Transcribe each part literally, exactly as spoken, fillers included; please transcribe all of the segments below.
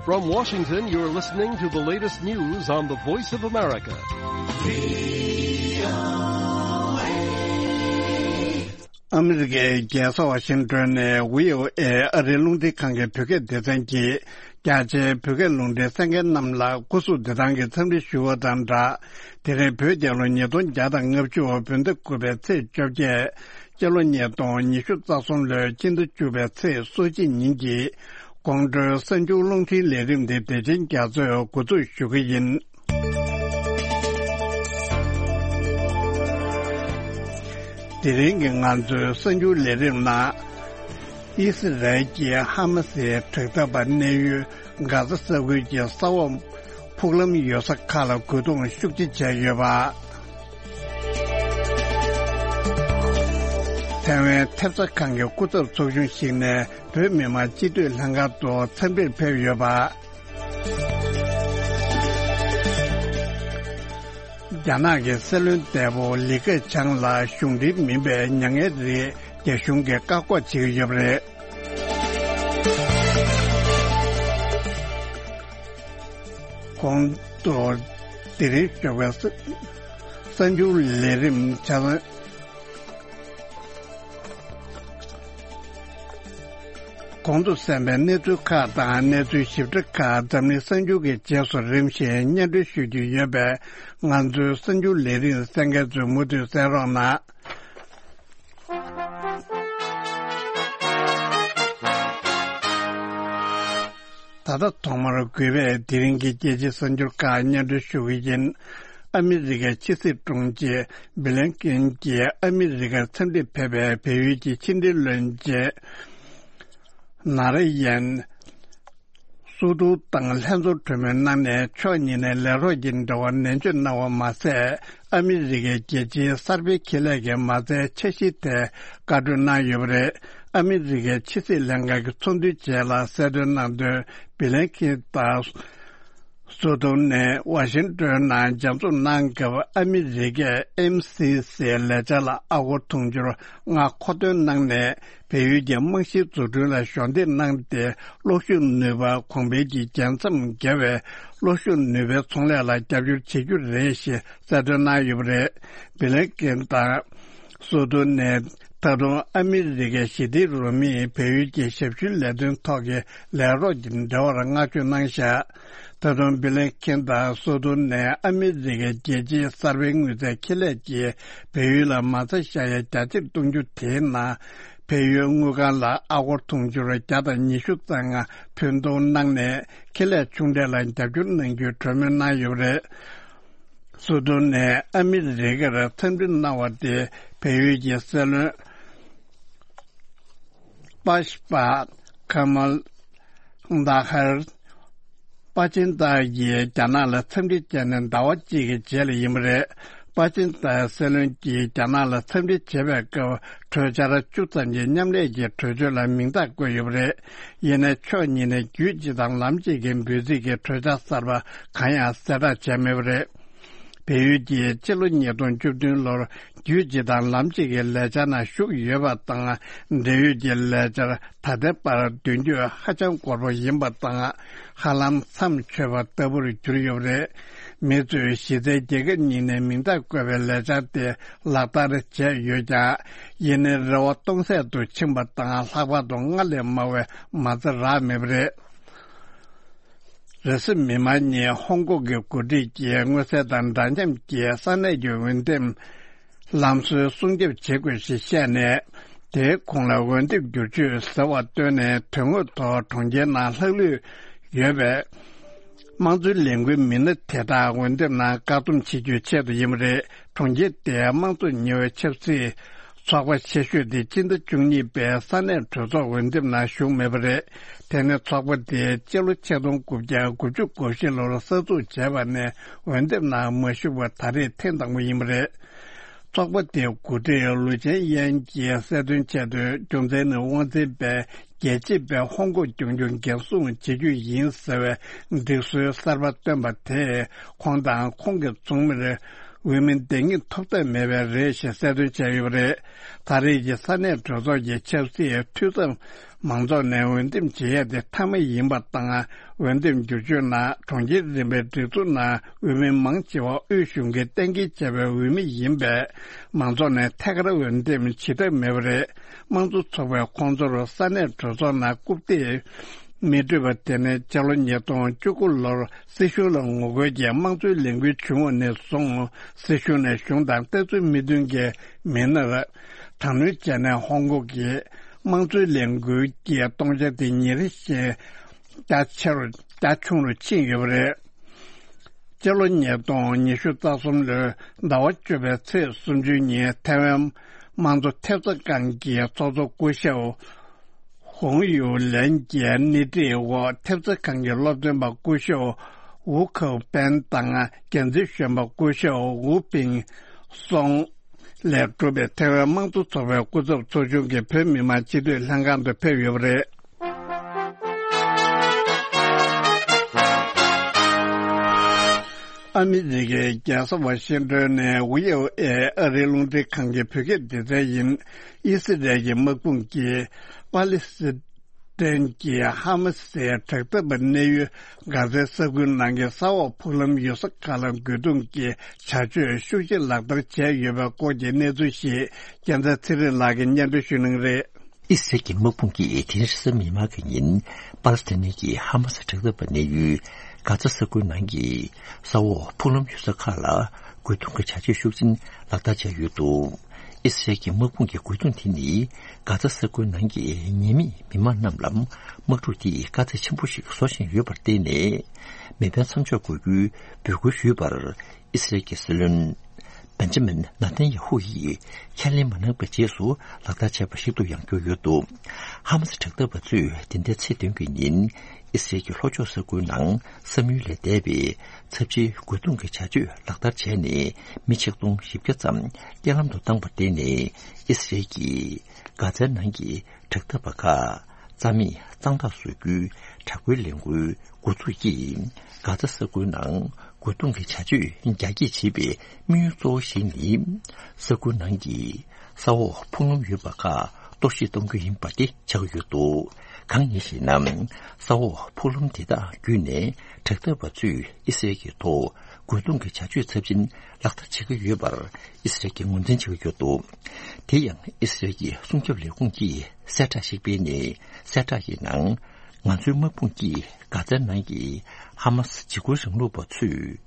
From Washington, you're listening to the latest news on the Voice of America. ཨ་མི་རི་ཀའི་རྒྱལ་ས་ཝ་ཤིང་ཏོན་ནས་བྷི་ཨོ་ཨེ་ཨ་རིའི་རླུང་འཕྲིན་ཁང་གི་བོད་སྐད་སྡེ་ཚན་གྱིས། རྒྱ་ཆེའི་བོད་སྐད་རླུང་འཕྲིན་གསན་མཁན་རྣམས་ལ་སྐུ་གཟུགས་བདེ་ཐང་གི་འཚམས་འདྲི་ཞུ་བ་དང་སྦྲགས། དེ་རིང་བོད་རྒྱལ་ལོ་ཉིས་སྟོང་བརྒྱ་དང་ལྔ་བཅུ་བོད་ཟླ་དགུ་པའི་ཚེས་བཅོ་བརྒྱད། སྤྱི་ལོ་ཉིས་སྟོང་ཉི་ཤུ་རྩ་གསུམ་ལོའི་སྤྱི་ཟླ་བཅུ་པའི་ཚེས་སོ་གཅིག་ཉིན་གྱི་དགོང་དྲོའི་གསར་འགྱུར་རླུང་འཕྲིན་ལས་རིམ་དེ་བདེ་ཆེན་རྒྱ་མཚོས་འགོ་འཛུགས་ཞུ་གི་ཡིན། དེ་རིང་གི་ང་ཚོའི་གསར་འགྱུར་ལས་རིམ་ནང་། ཨི་སི་རལ་གྱིས་ཧ་མ་སིའི་དྲག་འཐབ་པ་གནས་ཡུལ་གྷ་ཟ་ས་ཁུལ་གྱི་ས་འོག་ཕུག་ལམ་ཡོད་ས་ཁག་ལ་རྒོལ་རྡུང་ཤུགས་ཆེ་བྱས་ཡོད་པ། ཐའེ་ཝན་ཐེབས་རྩ་ཁང་གི་སྐུ་ཚབ་ཚོགས་ཆུང་ཞིག་ནས་བོད་མི་མང་སྤྱི་འཐུས་ལྷན་ཁང་དུ་འཚམས་འདྲིར་ཕེབས་ཡོད་པ། རྒྱ་ནག་གི་སྲིད་བློན་འདས་པོ་ལི་ཁེ་ཆང་ལ་གཞུང་འབྲེལ་མིན་པའི་མྱ་ངན་རིགས་རྒྱ་གཞུང་གིས་བཀག་འགོག་བྱེད་ཀྱི་ཡོད་པ་རེད། གོང་དུ་དེ་རིང་ཞོགས་པའི་གསར་འགྱུར་ལས་རིམ་ཆ་ཚང་། གོང་དུ་གསན་པའི་གནས་ཚུལ་ཁག་དང་གནས་ཚུལ་ཞིབ་ཕྲ་ཁག་འཛམ་གླིང་གསར་འགྱུར་གྱི་རྗེས་སུ་རིམ་བཞིན་སྙན་སྒྲོན་ཞུ་རྒྱུ་ཡོད་པས། ང་ཚོའི་གསར་འགྱུར་ལས་རིམ་གསན་མཁན་ཚོས་མུ་མཐུད་གསན་རོགས་གནང་། ད་ལྟ་ཐོག་མར་གུས་པས་དེ་རིང་གི་རྒྱལ་སྤྱིའི་གསར་འགྱུར་ཁག་སྙན་སྒྲོན་ཞུ་གི་ཡིན། ཨ་མི་རི་ཀའི་ཕྱི་སྲིད་དྲུང་ཆེ་བྷི་ལན་ཀིན་གྱིས་ཨ་མི་རི་ཀར་འཚམས་འདྲིར་ཕེབས་པའི་བལ་ཡུལ་གྱི་ཕྱི་འབྲེལ་བློན་ཆེན་ན་ར་ཡན་སུ་ཏུ་དང་ལྷན་ཚོགས་གྲོས་མོལ་གནང་ནས་ཕྱོགས་གཉིས་ནས་ལས་རོགས་ཀྱི་འབྲེལ་བ་ནན་བརྗོད་གནང་བ་མ་ཟད། ཨ་མི་རི་ཀའི་རྒྱལ་སྤྱིའི་གསར་སྤེལ་ཁེ་ལས་ཀྱི་མ་རྩའི་འཆར་གཞིའི་ཐད་བཀའ་གྲོས་གནང་ཡོད་པ་རེད། ཨ་མི་རི་ཀའི་ཕྱི་སྲིད་ལྷན་ཁང་གི་ཚོགས་འདུའི་རྗེས་ལ་གསལ་སྟོན་གནང་དོན། བྷི་ལན་ཁིན་དང་སུ་ཏུང་ནས་ཝ་ཤིང་ཏོན་ནང་མཇལ་འཛོམས་གནང་སྐབས། ཨ་མི་རི་ཀས་ཨེམ་སི་སི་ལས་འཆར་ལ་ཨ་སྒོར་དུང་ཕྱུར་ལྔ་མཁོ་འདོན་གནང་ནས། བལ་ཡུལ་གྱི་རྨང་གཞིའི་འཛུགས་སྐྲུན་ལ་གཞོགས་འདེགས་གནང་སྟེ། གློག་ཤུགས་ནུས་པ་གོང་འཕེལ་གྱི་རྒྱལ་མཚམས་བརྒལ་བའི་གློག་ཤུགས་ནུས་པའི་ཚོང་ལས་ལ་རྒྱབ་སྐྱོར་བྱེད་རྒྱུ་རེད་ཞེས་གསལ་སྟོན་གནང་ཡོད་པ་རེད། བྷི་ལན་ཀིན་དང་སུ་ཏུང་ནས་ད་དུང་ཨ་མི་རི་ཀའི་ཞི་བདེའི་རུ་མིས་བལ་ཡུལ་གྱི་ཞབས་ཞུའི་ལས་དོན་ཐོག་གི་ལས་རོགས་ཀྱི་འབྲེལ་བར་བསྔགས་བརྗོད་གནང་བཞག་ད་དུང་བྷི་ལན་ཁིན་དང་སུ་ཏུང་ནས་ཨ་མི་རི་ཀའི་རྒྱལ་སྤྱིའི་གསར་སྤེལ་དངུལ་རྩའི་ཁེ་ལས་ཀྱིས་བལ་ཡུལ་ལ་མ་རྩ་བཞག་ཡ་རྒྱ་ཆེར་གཏོང་རྒྱུ་དེའི་ནང་། བལ་ཡུལ་དངུལ་ཁང་ལ་ཨ་སྒོར་དུང་ཕྱུར་བརྒྱ་དང་ཉི་ཤུ་རྩ་ལྔ་ཕུལ་གཏོང་གནང་ནས། ཁེ་ལས་ཆུང་གྲས་ལ་རྒྱབ་སྐྱོར་གནང་རྒྱུའི་གྲོས་མོལ་གནང་ཡོད་པ་རེད། སུ་ཏུང་ནས་ཨ་མི་རི་ཀར་འཚམས་འདྲི་གནང་བ་དེ་བལ་ཡུལ་གྱི་སྲིད་བློན་པ་ཤ་པ་ཁ་མལ་དྷ་ཧར་པ་ཅིན་ཏཱ་ཡིས་རྒྱ་ནག་ལ་འཚམས་འདྲི་བྱས་ནས་ཟླ་བ་གཅིག་གི་རྗེས་ལ་ཡིན་པ་རེད། པ་ཅིན་ཏཱ་སྲིད་བློན་གྱིས་རྒྱ་ནག་ལ་འཚམས་འདྲི་བྱེད་པའི་སྐབས། གྲོས་འཆར་བཅུ་ཙམ་གྱི་མཉམ་ལས་ཀྱི་གྲོས་ཆོད་ལ་མིང་རྟགས་བཀོད་ཡོད་པ་རེད། ཡིན་ནའི་ཕྱོགས་གཉིས་ནས་རྒྱུད་གཅིག་དང་ལམ་གཅིག་གི་འབོད་ཚིག་གི་གྲོས་འཆར་གསར་པ་གང་ཡང་གསལ་བསྒྲགས་བྱས་མེད་པ་རེད། བལ་ཡུལ་གྱིས་སྤྱི་ལོ་ཉིས་སྟོང་བཅུ་བདུན་ལོར་རྒྱུད་གཅིག་དང་ལམ་གཅིག་གི་ལས་འཆར་ནང་ཞུགས་ཡོད་པ་དང་། འབྲེལ་ཡོད་ཀྱི་ལས་འཆར་ད་ལྟའི་བར་མདུན་སྐྱོད་ཧ་ཅང་འགོར་པོ་ཡིན་པ་དང་། ཧ་ལམ་མཚམས་ཆོད་པ་ལྟ་བུར་གྱུར་ཡོད་པ་རེད། མི་ཚོས་གཞི་རྩའི་རྒྱལ་ཁབ་གཉིས་ནས་མིང་རྟགས་བཀོད་པའི་ལས་འཆར་དེ་ལག་བསྟར་བྱས་ཡོད་ཀྱང་། ཡིན་ནའི་རེ་བ་སྟོང་ཟད་དུ་ཕྱིན་པ་དང་། ལྷག་པར་དུ་སྔར་ལས་མང་བའི་མ་རྩ་རག་མེད་པ་རེད། རེས་གཟའ་མིག་དམར་ཉིན་ཧོང་ཀོང་གི་འགོ་ཁྲིད་ཀྱིས་མངོན་གསལ་དང་འདྲ་མཉམ་གྱི་ས་གནས་ཀྱི་འོས་འདེམས་ལམ་སྲོལ་སྲུང་སྐྱོབ་བྱེད་དགོས་ཞེས་བཤད་ནས། དེའི་གོང་ལ་འོས་འདེམས་བསྒྱུར་བཅོས་ཟེར་བ་བཏོན་ནས། དོན་དངོས་ཐོག་གྲོང་ཁྱེར་ནང་ལྷག་ལུས་ཡོད་པའི་དམངས་གཙོའི་ལས་འགུལ་མི་སྣ་དེ་དག་འོས་འདེམས་ནང་བཀག་སྡོམ་བྱེད་རྒྱུའི་ཆེད་དུ་ཡིན་པ་རེད། གྲོང་ཁྱེར་དེའི་དམངས་གཙོ་ཉེ་བའི་ཆབ་སྲིད་ཚོགས་པ་ཆེ་ཤོས་དེ་སྤྱི་ཟླ་བཅུ་གཉིས་པའི་ས་གནས་གྲོས་ཚོགས་འོས་འདེམས་ནང་ཞུགས་མེད་པ་རེད། དེ་ནི་ཚོགས་པ་དེས་སྤྱི་ལོ་ཆིག་སྟོང་དགུ་བརྒྱ་དགུ་བཅུ་གོ་བཞི་ལོར་གསར་འཛུགས་བྱས་པ་ནས་འོས་འདེམས་ནང་མ་ཞུགས་པ་ད་རེས་ཐེངས་དང་པོ་ཡིན་པ་རེད། ཚོགས་པ་དེའི་འགོ་ཁྲིད་ལུའུ་ཅན་ཡན་གྱིས་གསལ་སྟོན་བྱས་དོན། རྒྱུ་མཚན་ནི་དབང་འཛིན་པས་རྒྱལ་གཅེས་པའི་ཧོང་ཀོང་རྒྱུན་འཁྱོངས་འགན་སྲུང་བྱེད་རྒྱུ་ཡིན་ཟེར་བའི་སྒྲིག་སྲོལ་གསར་པ་བཏོན་པ་དེས། ཁོང་དང་ཁོང་གི་ཚོགས་མིར། འོས་མི་འདེམས་ངེས་ཐོབ་ཐབས་མེད་པ་རེད་ཞེས་གསལ་སྟོན་བྱས་ཡོད་པ་རེད། ད་རེས་ཀྱི་ས་གནས་གྲོས་ཚོགས་ཀྱི་ཆབ་སྲིད་འཐུས་ཚབ་མང་ཚོགས་ནས་འོས་འདེམས་བྱེད་ཡས་དེ་མཐའ་མ་ཡིན་པ་དང་། འོས་འདེམས་བསྒྱུར་བཅོས་ནང་གྲོང་ཁྱེར་རིམ་པའི་སྒྲིག་འཛུགས་ནང་འོས་མི་མང་ཆེ་བ་དབུས་གཞུང་གིས་གཏན་འཁེལ་བྱས་པའི་འོས་མི་ཡིན་པས། མང་ཚོགས་ནས་ཐད་ཀར་འོས་འདེམས་བྱེད་ཐབས་མེད་པ་རེད། དམངས་གཙོ་ཚོགས་པས་ཁོང་ཚོར་ས་གནས་གྲོས་ཚོགས་ནང་རྐུབ་སྟེགས་མི་སྤྲོད་པ་དེ་ནི་སྤྱི་ལོ་ཉིས་སྟོང་བཅུ་དགུ་ལོར་སྲིད་གཞུང་ལ་ངོ་རྒོལ་གྱིས་དམངས་གཙོའི་ལས་འགུལ་བྱུང་བ་ནས་བཟུང་། སྲིད་གཞུང་ནས་གཞུང་དང་ལྟ་ཚུལ་མི་མཐུན་རྐྱེན་མི་སྣར་དྲག་གནོན་བྱས་ནས་ཧོང་ཀོང་གི་དམངས་གཙོའི་ལས་འགུལ་གྱི་སྟོང་ཆ་དེ་ཉིན་རེ་བཞིན་རྒྱ་ཆེ་རུ་རྒྱ་ཆུང་རུ་ཕྱིན་ཡོད་པ་རེད། སྤྱི་ལོ་ཉིས་སྟོང་ཉི་ཤུ་རྩ་གསུམ་ལོའི་ཟླ་བ་བཅུ་པའི་ཚེས་སུམ་ཅུ་ཉིན་ཐའེ་ཝན་དམངས་གཙོ་ཐེབས་རྩ་ཁང་གི་ཚོགས་གཙོ་སྐུ་ཞབས་ཧོང་ཡུ་ལན་གྱི་སྣེ་ཁྲིད་འོག་ཐེབས་རྩ་ཁང་གི་སློབ་སྟོན་པ་སྐུ་ཞབས་ཝུ་ཁའུ་པན་དང་འགན་འཛིན་གཞོན་པ་སྐུ་ཞབས་ཝུ་པིང་སོང་ལས་གྲུབ་པའི་ཐའེ་ཝན་དམངས་གཙོ་ཚོགས་པའི་སྐུ་ཚབ་ཚོགས་ཆུང་གིས་བོད་མི་མང་སྤྱི་འཐུས་ལྷན་ཁང་དུ་ཕེབས་ཡོད་པ་རེད། ཨ་མི་རི་ཀའི་རྒྱལ་ས་ཝ་ཤིང་ཏོན་ནས་ཝི་ཨོ་ཨེ་ཨ་རིའི་རླུང་འཕྲིན་ཁང་གི་བོད་སྐད་སྡེ་ཚན་ཡིན། ཨི་སི་རལ་གྱི་དམག་དཔུང་གིས་པ་ལི་སི་ཐན་གྱི་ཧ་མ་སིའི་དྲག་འཐབ་པ་གནས་ཡུལ་གྷ་ཛའི་ས་ཁུལ་ནང་གི་ས་འོག་ཕུག་ལམ་ཡོད་ས་ཁག་ལ་རྒོལ་རྡུང་གི་བྱ་སྤྱོད་ཤུགས་ཆེ་ལག་བསྟར་བྱས་ཡོད་པའི་སྐོར་གྱི་གནས་ཚུལ་ཞིག་རྒྱལ་མཚན་ཚེ་རིང་ལགས་ཀྱིས་སྙན་སྒྲོན་ཞུ་གནང་གི་རེད། ཨི་སི་རལ་གྱི་དམག་དཔུང་གིས་དེ་རིང་རེས་གཟའ་མིག་དམར་གྱི་ཉིན་པ་ལི་སི་ཐན་གྱི་ཧ་མ་སི་དྲག་འཐབ་པ་གནས་ཡུལ་གྷ་ཛ་ས་ཁུལ་ནང་གི་ས་འོག་ཕུག་ལམ་ཡོད་ས་ཁག་ལ་རྒོལ་རྡུང་གི་བྱ་སྤྱོད་ཤུགས་ཆེན་ལག་བསྟར་བྱས་ཡོད་འདུག་ཨི་སི་རལ་གྱི་དམག་དཔུང་གི་རྒོལ་རྡུང་དེ་ནི་གྷ་ཛ་ས་ཁུལ་ནང་གི་ཉེས་མེད་མི་མང་རྣམས་ལ་དམག་འཁྲུག་དེས་དཀའ་ཚེགས་ཆེན་པོ་ཞིག་བཟོ་བཞིན་ཡོད་པར་བརྟེན་ནས། མེ་འཕེན་མཚམས་འཇོག་དགོས་རྒྱུའི་འབོད་སྐུལ་ཞུས་པར། ཨི་སི་རལ་གྱི་སྲིད་བློན་བེན་ཇ་མིན་ནཱ་ཐན་ཡ་ཧུ་ཡིས་ཁས་ལེན་མ་གནང་བའི་རྗེས་སུ་ལག་བསྟར་བྱས་པ་ཞིག་ཏུ་ཡང་གྱུར་ཡོད་འདུག་ཧ་མ་སི་དྲག་འཐབ་པ་ཚོས་འདི་ཟླའི་ཚེས་བདུན་གྱི་ཉིན་ཨི་སི་རལ་གྱི་ལྷོ་ཕྱོགས་ས་ཁུལ་ནང་བསམ་ཡུལ་ལས་འདས་པའི་ཚབས་ཆེའི་རྒོལ་རྡུང་གི་བྱ་སྤྱོད་ལག་བསྟར་བྱས་ནས་མི་ཆིག་སྟོང་བཞི་བརྒྱ་ཙམ་རྐྱེན་ལམ་དུ་བཏང་བར་བརྟེན་ནས་ཨི་སི་རལ་གྱིས་གྷ་ཛའི་ནང་གི་དྲག་འཐབ་པ་ཁག་རྩ་མེད་གཙང་དག་བཟོ་རྒྱུའི་དྲག་པོའི་ལས་འགུལ་འགོ་འཛུགས་ཀྱིས་གྷ་ཛ་ས་ཁུལ་ནང་རྒོལ་རྡུང་གི་བྱ་སྤྱོད་རྒྱ་སྐྱེད་བྱེད་པའི་དམིགས་ཡུལ་གཙོ་བོ་ཞིག་ནི། ས་ཁུལ་ནང་གི་ས་འོག་ཕུག་ལམ་ཡོད་པ་ཁག་གཏོར་བཤིག་གཏོང་རྒྱུ་ཡིན་པ་དེ་ཆགས་ཀྱི་ཡོད་འདུག་གང་ཡིན་ཞེ་ན། ས་འོག་ཕུག་ལམ་དེ་དག་བརྒྱུད་ནས་དྲག་འཐབ་པ་ཚོས་ཨི་སི་རལ་གྱི་ཐོག་རྒོལ་རྡུང་གི་བྱ་སྤྱོད་ཚབས་ཆེན་ལག་བསྟར་བྱེད་ཀྱི་ཡོད་པར་ཨི་སི་རལ་གྱིས་ངོས་འཛིན་བྱེད་ཀྱི་ཡོད་འདུག་དེ་ཡང་ཨི་སི་རལ་གྱི་སྲུང་སྐྱོབ་ལས་ཁུངས་ཀྱིས་གསལ་བསྒྲགས་ཤིག་སྤེལ་ནས། གསལ་བསྒྲགས་ཀྱི་ནང་། ང་ཚོའི་དམག་དཔུང་གིས་གྷ་ཛའི་ནང་གི་ཧ་མ་སི་འཇིགས་སྐུལ་རིང་ལུགས་པ་ཚོས་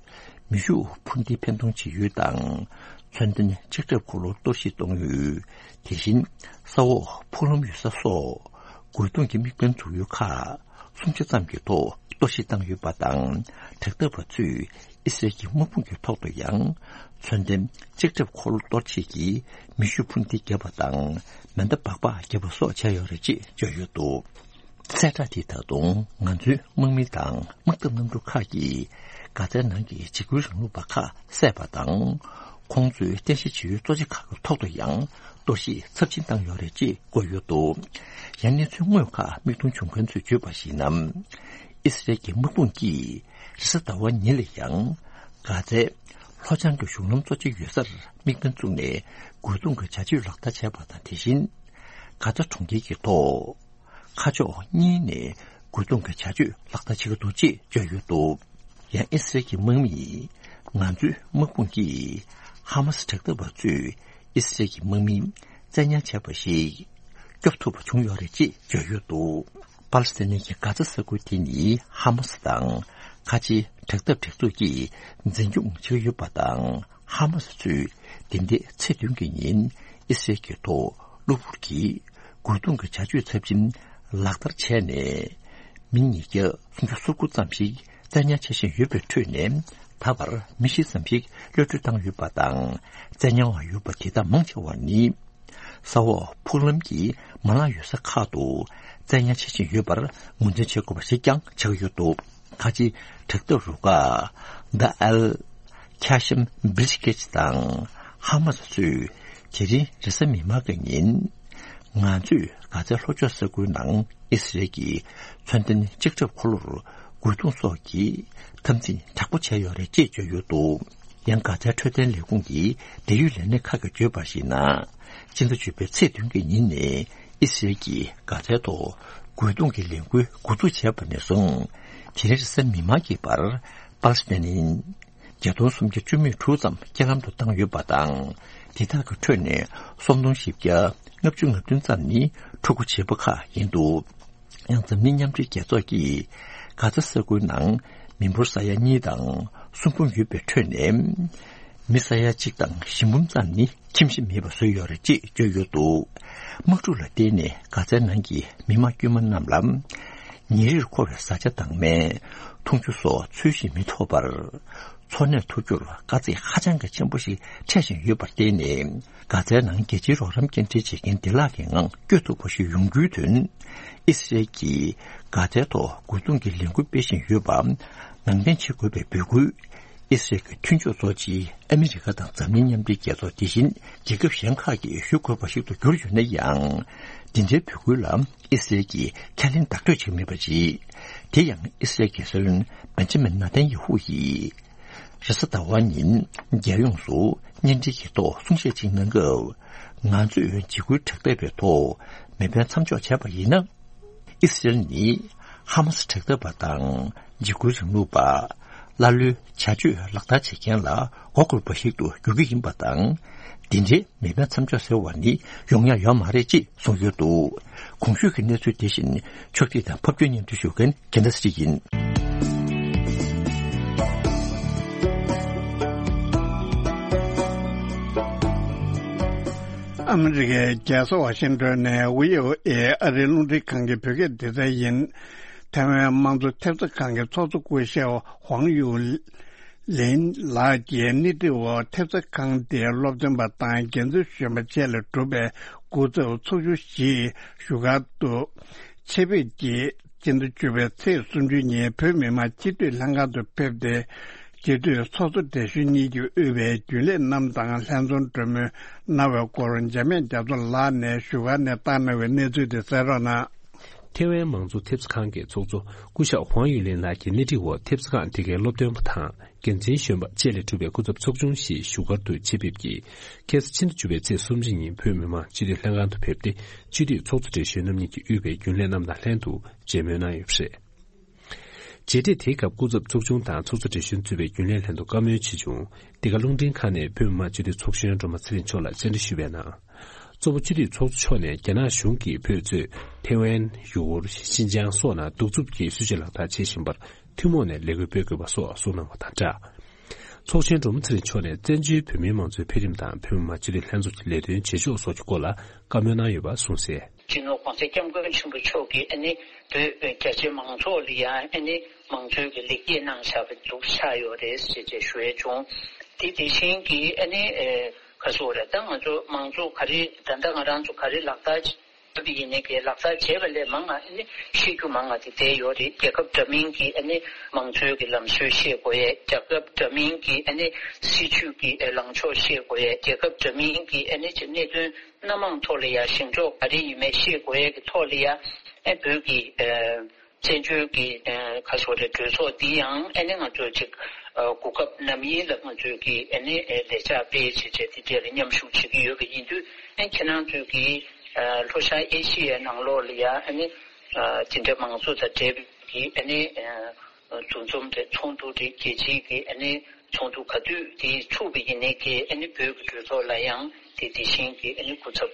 མེ་ཤུགས་འཕུར་མདེལ་འཕེན་གཏོང་བྱེད་ཡུལ་དང་། མཚོན་ལྡན་ལྕགས་ཁྲབ་འཁོར་ལོ་གཏོར་བཤིག་གཏོང་ཡུལ། དེ་བཞིན་ས་འོག་ཕུག་ལམ་ཡོད་ས་སོགས་རྒོལ་རྡུང་གི་དམིགས་འབེན་འཛུགས་ཡུལ་ཁག་སུམ་ཆ་ཙམ་གྱི་ཐོག་གཏོར་བཤིག་བཏང་ཡོད་པ་དང་། དྲག་འཐབ་པ་ཚོས་ཨི་སི་རལ་གྱི་དམག་དཔུང་གི་ཐོག་ཏུ་ཡང་མཚོན་ལྡན་ལྕགས་ཁྲབ་འཁོར་ལོ་གཏོར་བྱེད་ཀྱི་མེ་ཤུགས་འཕུར་མདེལ་བརྒྱབ་པ་དང་མེ་མདའ་སྦག་སྦག་བརྒྱབ་པ་སོགས་བྱས་ཡོད་རེད་ཅེས་བརྗོད་ཡོད་འདུག་གསལ་བསྒྲགས་དེས་ད་དུང་ང་ཚོའི་དམག་མི་དང་དམག་འཐབ་གནམ་གྲུ་ཁག་གིས་གྷ་ཛའི་ནང་གི་འཇིགས་སྐུལ་རིང་ལུགས་པ་ཁག་བསད་པ་དང་། ཁོང་ཚོའི་རྟེན་གཞི་བྱེད་ཡུལ་གཙོ་ཆེ་ཁག་གི་ཐོག་ཏུ་ཡང་གཏོར་བཤིག་ཚབས་ཆེན་བཏང་ཡོད་རེད་ཅེས་བཀོད་ཡོད་འདུག་ཡང་གནས་ཚུལ་དངོས་ཁག་མིག་མཐོང་བྱུང་མཁན་ཚོས་བརྗོད་པར་གཞིགས་ན། ཨི་སི་རལ་གྱི་དམག་དཔུང་གིས་རེས་གཟའ་ཟླ་བ་ཉིན་ལ་ཡང་གྷ་ཛའི་ལྷོ་བྱང་གི་གཞུང་ལམ་གཙོ་ཆེ་ཡོད་སར་དམིགས་འབེན་བཙུགས་ནས་རྒོལ་རྡུང་གི་བྱ་སྤྱོད་ལག་བསྟར་བྱས་པ་དང་། དེ་བཞིན་གྷ་ཛ་གྲོང་ཁྱེར་གྱི་ཐོག་ཁ་ཕྱོགས་གཉིས་ནས་རྒོལ་རྡུང་གི་བྱ་སྤྱོད་ལག་བསྟར་བྱེད་ཀྱི་འདུག་ཅེས་བརྗོད་ཡོད་འདུག་ཡང་ཨི་སི་རལ་གྱི་དམག་མིས་ང་ཚོའི་དམག་དཔུང་གིས་ཧ་མ་སི་དྲག་འཐབ་པ་ཚོས་ཨི་སི་རལ་གྱི་དམག་མི་བཙན་ཉར་བྱས་པ་ཞིག་སྐྱོབ་ཐུབ་པ་བྱུང་ཡོད་རེད་ཅེས་བརྗོད་ཡོད་འདུག་པ་ལི་སི་ཐན་གྱི་གྷ་ཛ་ས་ཁུལ་དེ་ནི་ཧ་མ་སི་དང་ཁ་ཆེའི་དྲག་འཐབ་སྒྲིག་འཛུགས་ཀྱིས་འཛིན་སྐྱོང་བྱེད་ཀྱི་ཡོད་པ་དང་། ཧ་མ་སི་ཚོས་འདི་ཟླའི་ཚེས་བདུན་གྱི་ཉིན་ཨི་སི་རལ་གྱི་ཐོག་གློ་བུར་གྱིས་རྒོལ་རྡུང་གི་བྱ་སྤྱོད་ཚབས་ཆེན་ལག་བསྟར་བྱས་ནས། མི་ཉིས་བརྒྱ་སུམ་ཅུ་སོ་དགུ་ཙམ་ཞིག་བཙན་ཉར་བྱེད་བཞིན་ཡོད་པའི་ཁྲོད་ནས། ད་བར་མི་བཞི་ཙམ་ཞིག་གློད་གྲོལ་བཏང་ཡོད་པ་དང་། བཙན་ཉར་བ་ཡོད་པ་དེ་དག་མང་ཆེ་བ་ནི། ས་འོག་ཕུག་ལམ་གྱི་མ་ལག་ཡོད་ས་ཁག་ཏུ་བཙན་ཉར་བྱེད་བཞིན་ཡོད་པར་ངོས་འཛིན་བྱེད་དགོས་པ་ཞིག་ཀྱང་ཆགས་ཡོད་འདུག་ཁ་ཆེའི་དྲག་འཐབ་རུ་ཁག་ད་ཨལ་ཁ་ཤམ་བི་རི་ཀེ་ཇི་དང་ཧ་མ་སི་ཚོས་དེ་རིང་རེས་གཟའ་མིག་དམར་གྱི་ཉིན། ང་ཚོས་གྷ་ཛའི་ལྷོ་ཕྱོགས་ས་ཁུལ་ནང་ཨི་སི་རལ་གྱི་མཚོན་ལྡན་ལྕགས་ཁྲབ་འཁོར་ལོར་རྒོལ་རྡུང་སོགས་ཀྱི་འཐབ་འཛིང་དྲག་པོ་བྱས་ཡོད་རེད་ཅེས་བརྗོད་ཡོད་འདུག་ཡང་། གྷ་ཛའི་འཕྲོད་བསྟེན་ལས་ཁུངས་ཀྱི་འབྲེལ་ཡོད་ལས་སྣེ་ཁག་གིས་བརྗོད་པར་གཞིགས་ན། ཕྱི་ཟླ་བཅུ་པའི་ཚེས་བདུན་གྱི་ཉིན་ནས་ཨི་སི་རེལ་གྱིས་གྷ་ཛའི་ཐོག་རྒོལ་རྡུང་གི་ལས་འགུལ་འགོ་འཛུགས་བྱས་པ་ནས་བཟུང་། དེ་རིང་རེས་གཟའ་མིག་དམར་གྱི་བར་པ་ལི་སི་ཐན་ནི་བརྒྱ་སྟོང་སུམ་བརྒྱ་བཅུ་མེད་དྲུག་ཙམ་རྐྱེན་ལམ་དུ་བཏང་ཡོད་པ་དང་། དེ་དག་གི་ཁྲོད་ནས་སུམ་སྟོང་བཞི་བརྒྱ་ལྔ་བཅུ་ང་བདུན་ཙམ་ནི་ཕྲུ་གུ་བྱིས་པ་ཁག་ཡིན་འདུག་ཡང་། འཛམ་གླིང་མཉམ་འབྲེལ་རྒྱལ་ཚོགས་ཀྱིས་གྷ་ཛ་ས་ཁུལ་ནང་མི་འབོར་ས་ཡ་གཉིས་དང་སུམ་འབུམ་ཡོད་པའི་ཁྲོད་ནས། མི་ས་ཡ་གཅིག་དང་བཞི་འབུམ་ཙམ་ནི་ཁྱིམ་གཞིས་མེད་པར་བཟོས་ཡོད་རེད་ཅེས་བརྗོད་ཡོད་འདུག་དམག་འཁྲུག་ལ་བརྟེན་ནས་གྷ་ཛའི་ནང་གི་མི་དམངས་དཀྱུས་མ་རྣམས་ལ་ཉིན་རེར་མཁོ་བའི་བཟའ་བཅའ་དང་སྨན། འཐུང་ཆུ་སོགས་ཚུལ་བཞིན་མི་ཐོབ་པར། འཚོ་གནས་ཐུབ་རྒྱུར་དཀའ་ཚེགས་ཧ་ཅང་གི་ཆེན་པོ་ཞིག་འཕྲད་བཞིན་ཡོད་པར་བརྟེན་ནས། གྷ་ཛའི་ནང་རྒྱལ་སྤྱིའི་རོགས་རམ་སྐྱེལ་འདྲེན་བྱེད་མཁན་བདེ་བླག་གི་ངང་སྐྱོད་ཐུབ་པ་ཞིག་ཡོང་རྒྱུའི་དོན། ཨི་སི་རེལ་གྱིས་གྷ་ཛའི་ཐོག་རྒོལ་རྡུང་གི་ལས་འགུལ་སྤེལ་བཞིན་ཡོད་པ་ནང་འདྲེན་བྱེད་དགོས་པའི་འབོད་སྐུལ། ཨི་སི་རེལ་གྱི་མཐུན་ཕྱོགས་གཙོ་ཆེ་ཨ་མི་རི་ཀ་དང་འཛམ་གླིང་མཉམ་འབྲེལ་རྒྱལ་ཚོགས། དེ་བཞིན་རྒྱལ་ཁབ་གཞན་ཁག་གིས་ཞུ་དགོས་པ་ཞིག་ཏུ་གྱུར་ཡོད་ན་ཡང་། འདི་འདྲའི་འབོད་སྐུལ་ལ་ཨི་སི་རེལ་གྱིས་ཁས་ལེན་བདག་སྤྲོད་བྱེད་མེད་པ་རེད། དེ་ཡང་ཨི་སི་རེལ་གྱི་སྲིད་བློན་བེན་ཇ་མིན་ནཱ་ཐན་ཡ་ཧུ་ཡིས། རེས་གཟའ་ཟླ་བ་ཉིན་རྒྱལ་ཡོངས་སུ་བརྙན་འཕྲིན་གྱི་ཐོག་གསུང་བཤད་ཅིག་གནང་སྐབས། ང་ཚོས་འཇིགས་སྐུལ་དྲག་འཐབ་པའི་ཐོག་མེ་འཕེན་མཚམས་འཇོག་བྱས་པ་ཡིན་ན། ཨི་སི་རེལ་ནི་ཧ་མ་སི་དྲག་འཐབ་པ་དང་འཇིགས་སྐུལ་རིང་ལུགས་པ། ཀླ་ཀློའི་བྱ་སྤྱོད་ལག་བསྟར་བྱེད་མཁན་ལ་མགོ་སྐོར་བ་ཞིག་ཏུ་འགྱུར་གྱི་ཡིན་པ་དང་། འདི་འདྲའི་མེ་འཕེན་མཚམས་འཇོག་ཟེར་བ་ནི་ཡོང་ཡ་ཡོད་མ་རེད་ཅེས་གསུངས་ཡོད་འདུག་གོང་ཞུས་ཀྱི་གནས་ཚུལ་དེ་བཞིན་ཕྱོགས་སྒྲིག་དང་ཕབ་སྒྱུར་སྙན་སྒྲོན་ཞུ་མཁན་རྒྱལ་མཚན་ཚེ་རིང་ཡིན། ཨ་མི་རི་ཀའི་རྒྱལ་ས་ཝ་ཤིང་ཏོན་ནས་ཝི་ཨོ་ཨེ་ཨ་རིའི་རླུང་འཕྲིན་ཁང་གི་བོད་སྐད་སྡེ་ཚན་ཡིན། ཐའེ་ཝན་དམངས་གཙོ་ཐེབས་རྩ་ཁང་གི་ཚོགས་གཙོ་སྐུ་ཞབས་ཧུའང་ཡུས་ལིན་ལགས་ཀྱིས་སྣེ་ཁྲིད་འོག་ཐེབས་རྩ་ཁང་དེའི་སློབ་སྟོན་པ་དང་འགན་འཛིན་གཞོན་པ་བཅས་ལས་གྲུབ་པའི་སྐུ་ཚབ་ཚོགས་ཆུང་ཞིག་བཞུགས་སྒར་དུ་ཆེད་ཕེབས་ཀྱིས། སྤྱི་ཟླ་བཅུ་པའི་ཚེས་སུམ་ཅུ་ཉིན་བོད་མི་མང་སྤྱི་འཐུས་ལྷན་ཁང་དུ་ཕེབས་ཏེ། སྤྱི་འཐུས་ཚོགས་གཙོ་བགྲེས་གཞོན་གཉིས་ཀྱིས་དབུས་པའི་རྒྱུན་ལས་རྣམས་དང་ལྷན་འཛོམས་གྲོས་མོལ་གནང་བའི་སྐོར་འཇམ་དབྱངས་རྒྱ་མཚོ་ལགས་ནས་བཞུགས་སྒར་ནས་བཏང་གནང་བའི་གནས་ཚུལ་དེ་གསན་རོགས་གནང་། ཐེ་ཝན་དམངས་གཙོ་ཐེབས་རྩ་ཁང་གི་ཚོགས་གཙོ་སྐུ་ཞབས་ཧུའང་ཡུས་ལིན་ལགས་ཀྱི་སྣེ་ཁྲིད་འོག་ཐེབས་རྩ་ཁང་དེ་གའི་སློབ་སྟོན་པ་དང་། འགན་འཛིན་གཞོན་པ་བཅས་ལས་གྲུབ་པའི་སྐུ་ཚབ་ཚོགས་ཆུང་ཞིག་བཞུགས་སྒར་དུ་ཆེད་ཕེབས་ཀྱིས། ཁ་སང་ཕྱི་ཟླ་བཅུ་པའི་ཚེས་སུམ་ཅུ་ཉིན་བོད་མི་མང་སྤྱི་འཐུས་ལྷན་ཁང་དུ་ཕེབས་ཏེ། སྤྱི་འཐུས་ཚོགས་གཙོ་བགྲེས་གཞོན་རྣམ་གཉིས་ཀྱིས་དབུས་པའི་རྒྱུན་ལས་རྣམས་དང་ལྷན་དུ་མཇལ་མོལ་གནང་ཡོད་པ་རེད། མཇལ་འཕྲད་དེའི་སྐབས་སྐུ་ཚབ་ཚོགས་ཆུང་དང་ཚོགས་གཙོ་བགྲེས་གཞོན་གཙོས་པའི་རྒྱུན་ལས་ལྷན་དུ་བཀའ་མོལ་ཆེད་བྱུང་། འདི་ག་རླུང་འཕྲིན་ཁང་ནས་བོད་མི་མང་སྤྱི་འཐུས་ཚོགས་གཞོན་སྒྲོལ་མ་ཚེ་རིང་མཆོག་ལ་བཅར་འདྲི་ཞུས་པའི་ནང་། གཙོ་བོ་སྤྱི་འཐུས་ཚོགས་གཙོ་མཆོག་ནས་རྒྱ་ནག་གཞུང་གིས་བོད་གཙོས་ཐེ་ཝན། ཡུ་གུར། ཤིན་ཅང་སོགས་ནང་གདུག་རྩུབ་ཀྱི་སྲིད་བྱུས་ལག་བསྟར་བྱེད་བཞིན་པར་ཐུན་མོང་ནས་ལས་འགུལ་སྤེལ་དགོས་པ་སོགས་གསུངས་གནང་བ་དང་སྦྲགས། ཚོགས་གཞོན་སྒྲོལ་མ་ཚེ་རིང་མཆོག་ནས་བཙན་བྱོལ་བོད་མིའི་མང་གཙོའི་འཕེལ་རིམ་དང་བོད་མི་མང་སྤྱི་འཐུས་ལྷན་ཚོགས་ཀྱི་ལས་དོན་བྱེད་ཕྱོགས་སོགས་ཀྱི་སྐོར་ལ་བཀའ་མོལ་གནང་ཡོད་པ་གསུངས་གསལ། སྤྱི་ནོར་༸གོང་ས་༸སྐྱབས་མགོན་ཆེན་པོ་མཆོག་གིས་ཨ་ནི་བོད་རྒྱ་ཆེ་མང་ཚོགས་ལ་ཡང་ཨ་ནི་མང་གཙོའི་གི་ལེགས་སྐྱེས་གནང་བཞག་པ་འདུག་ཆགས་ཡོད་རེད་ཅེས་ཅེས་ཞུ་ཡས་བྱུང་། དེ་དེ་བཞིན་གྱི་ཨ་ནི་ཨེ་ག་སོ་རེད། ད་ང་ཚོ་མང་གཙོ་ག་རེ་ད་ལྟ་ང་རང་ཚོ་ག་རེ་ལག་བསྟར་བྱེད་པ་ཡིན་ནའི་གི་ལག་བསྟར་བྱས་པ་ལས་མང་ང་ཨ་ནི་ཤེས་རྒྱུ་མང་ང་དེ་བསྡད་ཡོད་རེད། རྒྱལ་ཁབ་འདྲ་མིན་གྱི་ཨ་ནི་མང་གཙོའི་གི་ལམ་སྲོལ་ཤེས་དགོས་ཡས། རྒྱལ་ཁབ་འདྲ་མིན་གྱི་ཨ་ནི་སྲིད་བྱུས་ཀྱི་ལངས་ཕྱོགས་ཤེས་དགོས་ཡས། རྒྱལ་ཁབ་འདྲ་མིན་གྱི་ཨ་ནི་གནད་དོན་སྣ་མང་ཐོག་ལ་ཡ་ཞིང་ཕྱོགས་ག་རེ་ཡིན་མིན་ཤེས་དགོས་ཡས་ཀྱི་ཐོག་ལ་ཡ་ཨ་བོད་ཀྱི་ཨ་བཙན་བྱོལ་གྱི་ཨ་ག་སོ་རེད་གྲོས་ཚོགས་འདི་ཡང་ཨ་ནི་ང་ཚོ་ཅིག་ཨ་གོ་སྐབས་ནམ་ཡིན་ལ་ང་ཚོས་ཀྱི་ཨ་ནི་ཨ་ལས་འཆར་སྤེལ་བྱས་བྱས་དེ་འདྲ་ལ་མཉམ་ཞུགས་བྱེད་ཀྱི་ཡོད་པ་ཡིན་དུས། ཨ་ཁྱེད་རང་ཚོས་ཀྱི་ཨ་ལྷོ་ཤར་ཨེ་ཤི་ཡའི་ནང་ལོགས་ལ་ཡ་ཨ་ནི་ཨ་དེ་འདྲའི་མང་གཙོ་དང་འབྲེལ་བའི་ཨ་ནི་ཨ་འདུ་འཛོམས་རེད། ཚོགས་འདུ་རེད། རྒྱལ་སྤྱིའི་གི་ཨ་ནི་ཚོགས་འདུ་ག་དུས་དེ་ཚུགས་པ་ཡིན་ནའི་གི་ཨ་ནི་བོད་ཀྱི་གྲོས་ཚོགས་ལ་ཡང་དེ་དེ་བཞིན་གྱི་ཨ་ནི་སྐུ་ཚབ་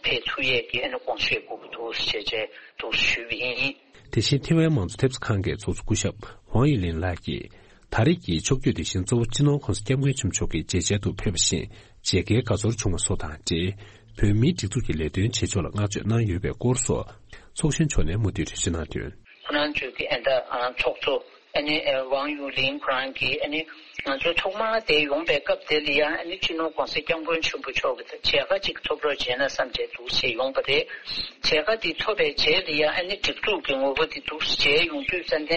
ཕེབས་ཐུབ་ཡས་ཀྱི་ཨ་ནི་དགོངས་བཞེས་དགོས་ཀྱི་འདུག་ཞེས་བྱས་འདུག་ཞུས་པ་ཡིན། དེ་བཞིན་ཐེ་ཝན་མང་གཙོ་ཐེབས་རྩ་ཁང་གི་ཚོགས་གཙོ་སྐུ་ཞབས་ཝང་ཡི་ལིན་ལགས་ཀྱིས། ད་རེས་ཀྱི་ཕྱོགས་བསྐྱོད་དེ་བཞིན་གཙོ་བོ་སྤྱི་ནོར་༸གོང་ས་༸སྐྱབས་མགོན་ཆེན་པོ་མཆོག་གི་མཇལ་མཇལ་དུ་ཕེབས་པ་བཞིན་མཇལ་ཁའི་དགའ་ཚོར་བྱུང་བ་སོགས་དང་འབྲེལ། བོད་མིའི་སྒྲིག་འཛུགས་ཀྱི་ལས་དོན་བྱེད་ཕྱོགས་ལ་བསྔགས་བརྗོད་གནང་ཡོད་པའི་སྐོར་སོགས། ཚོགས་གཞོན་མཆོག་ནས་མུ་མཐུད་འགྲེལ་བརྗོད་གནང་དོན། ཁོ་རང་ཚོའི་གི་ཨ་ད་ཚོགས་གཙོ་ཨ་ནི་ཝང་ཡུ་ལིན་ཁོ་རང་གིས་ཨ་ནི་ང་ཚོ་ཐོག་མར་དེ་ཡོང་པའི་སྐབས་དེ་ལ་ཡང་ཨ་ནི་སྤྱི་ནོར་༸གོང་ས་༸སྐྱབས་མགོན་ཆེན་པོ་མཆོག་གི་མཇལ་ཁ་ཅིག་ཐོབ་རོགས་བྱས་ན་བསམ་བྱས་འདུག་ཞེས་ཡོང་པ་རེད། མཇལ་ཁ་དེ་ཐོབ་པའི་རྗེས་ལ་ཡང་ཨ་ནི་སྒྲིག་འཛུགས་ཀྱི་ངོ་བོ་དེ་འདུག་མཇལ་ཡོང་དུས་ཙ་ནས་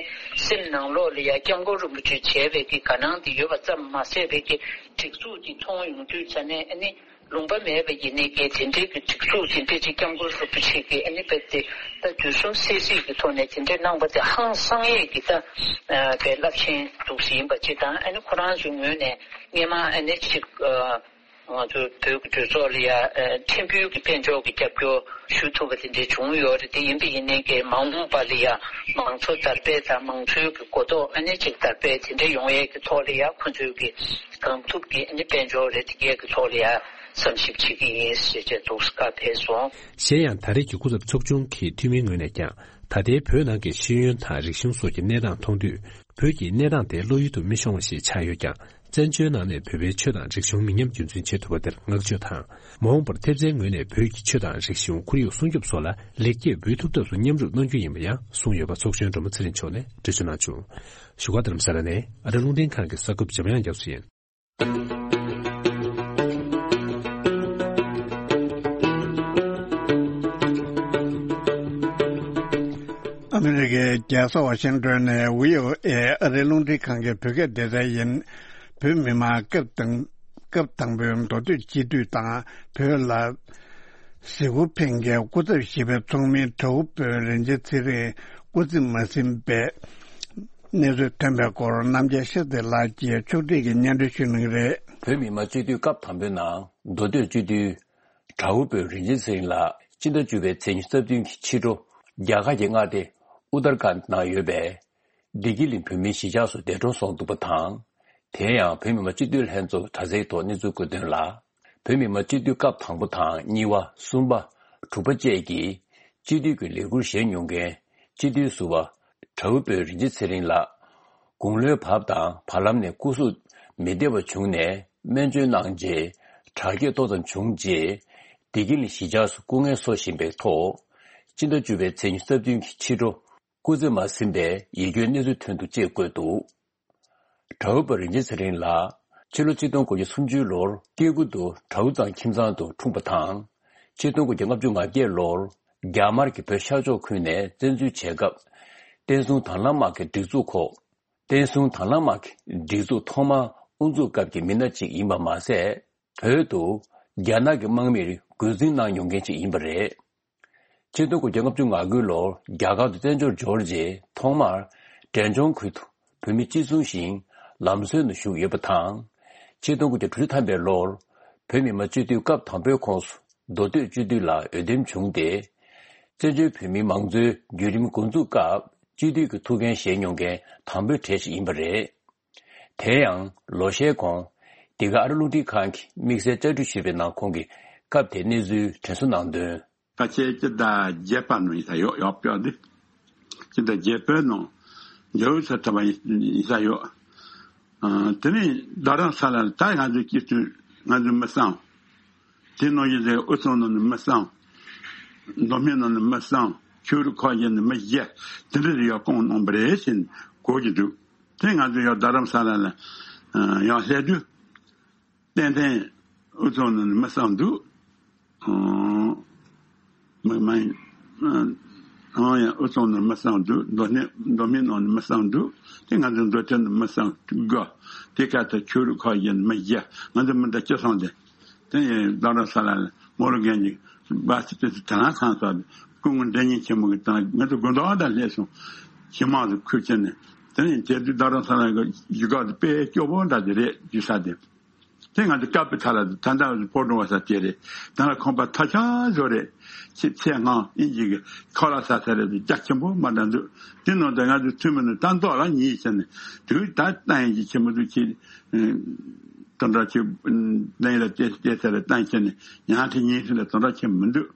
སེམས་ནང་ལོགས་ལ་ཡང་༸སྐྱབས་མགོན་རིན་པོ་ཆེ་མཇལ་བའི་གི་དགའ་སྣང་དེ་ཡོད་པ་ཙམ་མ་ཟད་པའི་གི་སྒྲིག་འཛུགས་དེ་མཐོང་ཡོང་དུས་ཙ་ནས་ཨ་ནི། ལུང་པ་མེད་པ་ཡིན་ནའི་གི་དེ་འདྲའི་གི་སྒྲིག་འཛུགས་དེ་འདྲའི་ཅིག་སྐྱབས་མགོན་རིན་པོ་ཆེ་གིས་ཨ་ནི་རྦད་དེ་ད་དུས་གསུམ་གསལ་གཟིགས་ཀྱི་ཐོག་ནས་དེ་འདྲའི་གནང་པ་དེ་ཧང་སང་ཡས་ཀྱི་ད་ཨ་པའི་རླབས་ཆེན་འདུག་སེ་ཡིན་པ་ཅིག་དང་། ཨ་ནི་ཁོ་རང་ཚོའི་ངོས་ནས་སྔས་མ་ཨ་ནི་ཅིག་ཨ། ང་ཚོ་བོད་ཀྱི་གྲོས་ཚོགས་ལ་ཡ་ཨ་ཕྲན་བུ་གི་དཔལ་འབྱོར་གྱི་རྒྱབ་སྐྱོར་ཞུ་ཐུབ་པ་དེ་འདྲའི་བྱུང་ཡོད་རེད། དེ་ཡིན་པ་ཡིན་ནའི་གི་མ་འོངས་པ་ལ་ཡ་མང་གཙོ་དར་སྤེལ་དང་མང་གཙོའི་གི་གོ་རྟོགས་ཨ་ནི་ཅིག་དར་སྤེལ་དེ་འདྲ་ཡོང་ཡས་ཀྱི་ཐོག་ལ་ཡ་ཁོ་ཚོའི་གི་གང་ཐུབ་ཀྱི་ཨ་ནི་དཔལ་འབྱོར་རེད། དེ་གས་ཀྱི་ཐོག་ལ་ཡ་བསམ་ཞིབ་བྱེད་ཀྱི་ཡིན་ཞེས་བྱས་འདུག་སེ་བཀའ་ཕེབས་སོང་། གཞན་ཡང་ད་རེས་ཀྱི་སྐུ་ཚབ་ཚོགས་ཆུང་གི་འཐུས་མིའི་ངོས་ནས་ཀྱང་ད་ལྟའི་བོད་ནང་གི་ཤེས་ཡོན་དང་རིག་གཞུང་སོགས་ཀྱི་གནས་སྟངས་མཐོང་དུས། བོད་ཀྱི་གནས་སྟངས་དེ་བློ་ཡུལ་དུ་མི་ཤོང་བ་ཞིག་ཆགས་ཡོད་ཀྱང་། བཙན་བྱོལ་ནང་ནས་བོད་པའི་ཆོས་དང་རིག་གཞུང་མི་ཉམས་རྒྱུན་འཛིན་བྱེད་ཐུབ་པ་དེར་བསྔགས་བརྗོད་དང་། མ་འོངས་པར་ཐེབས་རྩའི་ངོས་ནས་བོད་ཀྱི་ཆོས་དང་རིག་གཞུང་ཁོར་ཡུག་སྲུང་སྐྱོབ་སོགས་ལ་ལེགས་སྐྱེས་འབུལ་ཐུབ་ཐབས་སུ་མཉམ་རུབ་གནང་རྒྱུ་ཡིན་པ་ཡང་གསུངས་ཡོད་པ་ཚོགས་གཞོན་སྒྲོལ་མ་ཚེ་རིང་མཆོག་ནས་འགྲེལ་བརྗོད་གནང་བྱུང་། བཞུགས་སྒར་རྡ་རམ་ས་ལ་ནས་ཨ་རི་རླུང་འཕྲིན་ཁང་གི་གསར་འགོད་པ་འཇམ་དབྱངས་རྒྱ་མཚོ་ཡིན། ཨ་མི་རི་ཀའི་རྒྱལ་ས་ཝ་ཤིང་ཏོན་ནས་བྷི་ཨོ་ཨེ་ཨ་རིའི་རླུང་འཕྲིན་ཁང་གི་བོད་སྐད་སྡེ་ཚན་ཡིན། བོད་མི་མང་སྐབས་དང་སྐབས་དང་པོའི་མདོ་སྟོད་སྤྱི་འཐུས་དང་བོད་ལ་གཟིགས་སྐོར་ཕེབས་མཁན་སྐུ་ཚབ་བཞི་པའི་ཚོགས་མི་དྲ་འབུ་བོད་རིན་ཆེན་ཚེ་རིང་སྐུ་ཚེ་མ་ཟིན་པའི་གནས་ཚུལ་ཐོན་པའི་སྐོར་རྣམ་རྒྱལ་ཤེས་ཚེ་ལགས་ཀྱིས་ཕྱོགས་སྒྲིག་གིས་སྙན་སྒྲོན་ཞུ་གནང་གི་རེད། བོད་མི་མང་སྤྱི་འཐུས་སྐབས་དང་པོའི་ནང་མདོ་སྟོད་སྤྱི་འཐུས་དྲ་འབུ་བོད་རིན་ཆེན་ཚེ་རིང་ལགས་སྤྱི་ཟླ་བཅུ་པའི་ཚེས་ཉི་ཤུ་རྩ་བདུན་གྱི་ཕྱི་དྲོ་རྒྱ་གར་གྱི་མངའ་སྡེ་ཨུ་ཏར་ཁཱན་ནང་ཡོད་པའི་བདེ་སྐྱིད་གླིང་བོད་མིའི་གཞིས་ཆགས་སུ་འདས་གྲོངས་སོང་འདུག་པ་དང་། དེ་ཡང་བོད་མི་མང་སྤྱི་འཐུས་ལྷན་ཚོགས་དྲ་ཚིགས་ཐོག་གནས་ཚུལ་བཀོད་དོན་ལ། བོད་མི་མང་སྤྱི་འཐུས་སྐབས་དང་པོ་དང་གཉིས་པ་གསུམ་པ་དྲུག་པ་བཅས་ཀྱི་སྤྱི་འཐུས་ཀྱི་ལས་འཁུར་བཞེས་མྱོང་མཁན་སྤྱི་འཐུས་ཟུར་པ་དྲ་འབུ་བོད་རིན་ཆེན་ཚེ་རིང་ལགས་དགུང་ལོའི་བབ་དང་བར་ལམ་ནས་སྐུ་གཟུགས་མི་བདེ་བ་བྱུང་ནས་སྨན་བཅོས་གནང་རྗེས་དྲག་སྐྱེད་ཏོག་ཙམ་བྱུང་རྗེས་བདེ་སྐྱིད་གླིང་གཞིས་ཆགས་སུ་སྐུ་ངལ་གསོ་བཞིན་པའི་ཐོག་སྤྱི་ཟླ་བཅུ་པའི་ཚེས་ཉི་ཤུ་རྩ་བདུན་གྱི་ཕྱི་དྲོ། སྐུ་ཚེ་མ་ཟིན་པའི་ཡིད་སྐྱོའི་གནས་ཚུལ་ཐོན་འདུག་ཅེས་བཀོད་འདུག་དྲ་འབུ་བོད་རིན་ཆེན་ཚེ་རིང་ལགས་ཕྱི་ལོ་ཆིག་སྟོང་དགུ་བརྒྱ་སུམ་ཅུ་ལོར་སྐྱེ་རྒུ་མདོ་དྲ་འབུ་གཙང་ཁྱིམ་ཚང་དུ་འཁྲུངས་པ་དང་། ཆིག་སྟོང་དགུ་བརྒྱ་ལྔ་བཅུ་ང་བརྒྱད་ལོར་རྒྱ་དམར་གྱིས་བོད་ཤར་ཕྱོགས་ཁུལ་ནས་བཙན་འཛུལ་བྱས་སྐབས། བསྟན་སྲུང་དྭང་བླངས་དམག་གི་སྒྲིག་འཛུགས་ཁོ། བསྟན་སྲུང་དྭང་བླངས་དམག་གི་སྒྲིག་འཛུགས་ཐོག་མར་དབུ་འཛུགས་སྐབས་ཀྱི་མི་སྣ་གཅིག་ཡིན་པ་མ་ཟད། བོད་དུ་རྒྱ་ནག་གི་དམག་མིར་རྒོལ་འཛིང་གནང་མྱོང་མཁན་ཅིག་ཡིན་པ་རེད། ཆིག་སྟོང་དགུ་བརྒྱ་ལྔ་བཅུ་ང་དགུ་ལོར་རྒྱ་གར་དུ་བཙན་བྱོལ་འབྱོར་རྗེས་ཐོག་མར་འབྲས་ལྗོངས་ཁུལ་དུ་བོད་མི་གཅིག་མཚུངས་ཤིང་ལམ་སྲོལ་ནང་ཞུགས་ཡོད་པ་དང་། ཆིག་སྟོང་དགུ་བརྒྱ་དྲུག་ཅུ་ཐམ་པའི་ལོར་བོད་མི་མང་སྤྱི་འཐུས་སྐབས་དང་པོའི་ཁོངས་སུ་མདོ་སྟོད་སྤྱི་འཐུས་ལ་འོས་འདེམས་བྱུང་སྟེ། བཙན་བྱོལ་བོད་མིའི་མང་གཙོའི་བརྒྱུད་རིམ་འགོ་འཛུགས་སྐབས་སྤྱི་འཐུས་ཀྱི་ཐུགས་འགན་བཞེས་མྱོང་མཁན་དང་པོའི་གྲས་ཤིག་ཡིན་པ་རེད། དེ་ཡང་ལོ་ཤས་གོང་འདི་ག་ཨ་རི་རླུང་འཕྲིན་ཁང་གིས་དམིགས་བསལ་བཅར་འདྲི་ཞུས་པའི་ནང་ཁོང་གིས་སྐབས་དེའི་གནས་ཚུལ་དྲན་གསོ་གནང་དོན། ཕལ་ཆེར་སྤྱི་ཟླ་བརྒྱད་པ་ནང་ཡིན་ས་ཡོད། ཡག་པོ་འདི་སྤྱི་ཟླ་བརྒྱད་པའི་ནང་འཇའ་འོད་ས་ཐོབ་པ་ཡིན་ས་ཡོད། ཨ། དེ་ནས་རྡ་རམ་ས་ལ་ལ་ད་ང་ཚོའི་སྐྱིད་སྡུག་ང་ཚོས་མི་བསམ། དེ་ནང་བཞིན་དུ་དབུས་གཙང་ནང་ནས་མི་བསམ། མདོ་སྨད་ནང་ནས་མི་བསམ། ཆོས་རིག་ཁག་བརྒྱུད་ནས་མི་བརྒྱ་དེ་འདྲ་ཞིག་ཡར་བསྐོང་གནང་བ་རེད་ཟེར་ནས་གོ་གི་འདུག་དེ་ང་ཚོ་ཡང་རྡ་རམ་ས་ལ་ལ་ཡང་སླེབས་དུས། ཏན་ཏན་དབུས་གཙང་ནང་ནས་མི་བསམ་འདུག་མི་མ་ཡིན། ཨང་ཡང་དབུས་གཙང་ནང་མི་བསམ་འདུག་མདོ་སྨད་མདོ་སྨད་ནང་ནས་མི་བསམ་འདུག་དེ་ང་ཚོ་མདོ་སྟོད་ནང་མི་བསམ་དགུ། དེ་ཁ་ཐུག་ཆོས་རིག་ཁག་བརྒྱུད་ནས་མི་བརྒྱ། ང་ཚོ་མི་འདི་སྤྱི་བསམ་དེ། དེ་ཡིན་རྡ་རམ་ས་ལ་ལ་མོ་རུ་རྒན་གྱི་སྦ་སི་དེ་ཚོ་དེ་རང་ཚང་ཚོ་སྐུ་ངོ་འདྲ་མཉམ་ཆེན་མོ་གི་དང་ང་ཚོ་དགོན་བདག་དང་སླེབས་སོང་། ཞི་མང་དུ་ཁུར་ཁྱེར་ནས་དེ་ནས་དེ་དུས་རྡ་རམ་ས་ལ་གི་ཡུལ་སྐོར་དེ་དཔེ་སྐྱོ་པོ་འདྲ་དེ་རེད་རྒྱུ་ས་དེ། དེ་ང་ཚོ་སྐབས་དེ་ཚ་ལ་ད་ལྟ་སྤོ་རོང་བ་ས་དེ་རེད། ད་ལ་ཁང་པ་ཐ་ཆད་བཟོ་རེད། ཆེ་ཚད་ངང་ཨིན་ཇི་གི་ཁ་ལག་ས་ས་རེད་རྒྱ་ཆེན་པོ་མ་འདྲ་འདུག་དེ་ནང་དུ་ང་ཚོ་ཐུན་མིན་ནས་ད་མདོ་ལ་ཉིད་ཟེར་ནས་དུས་ད་ལྟ་ཡིན་གྱི་ཆེན་པོ་འདུག་ཁྱེད། དོན་དག་ཆེ་ལན་ལ་བལྟས་བལྟས་ས་རེད་བཏང་ཁྱེར་ནས་ཡང་དེ་ཉིད་ཟེར་ནས་དོན་དག་ཆེ་མི་འདུག་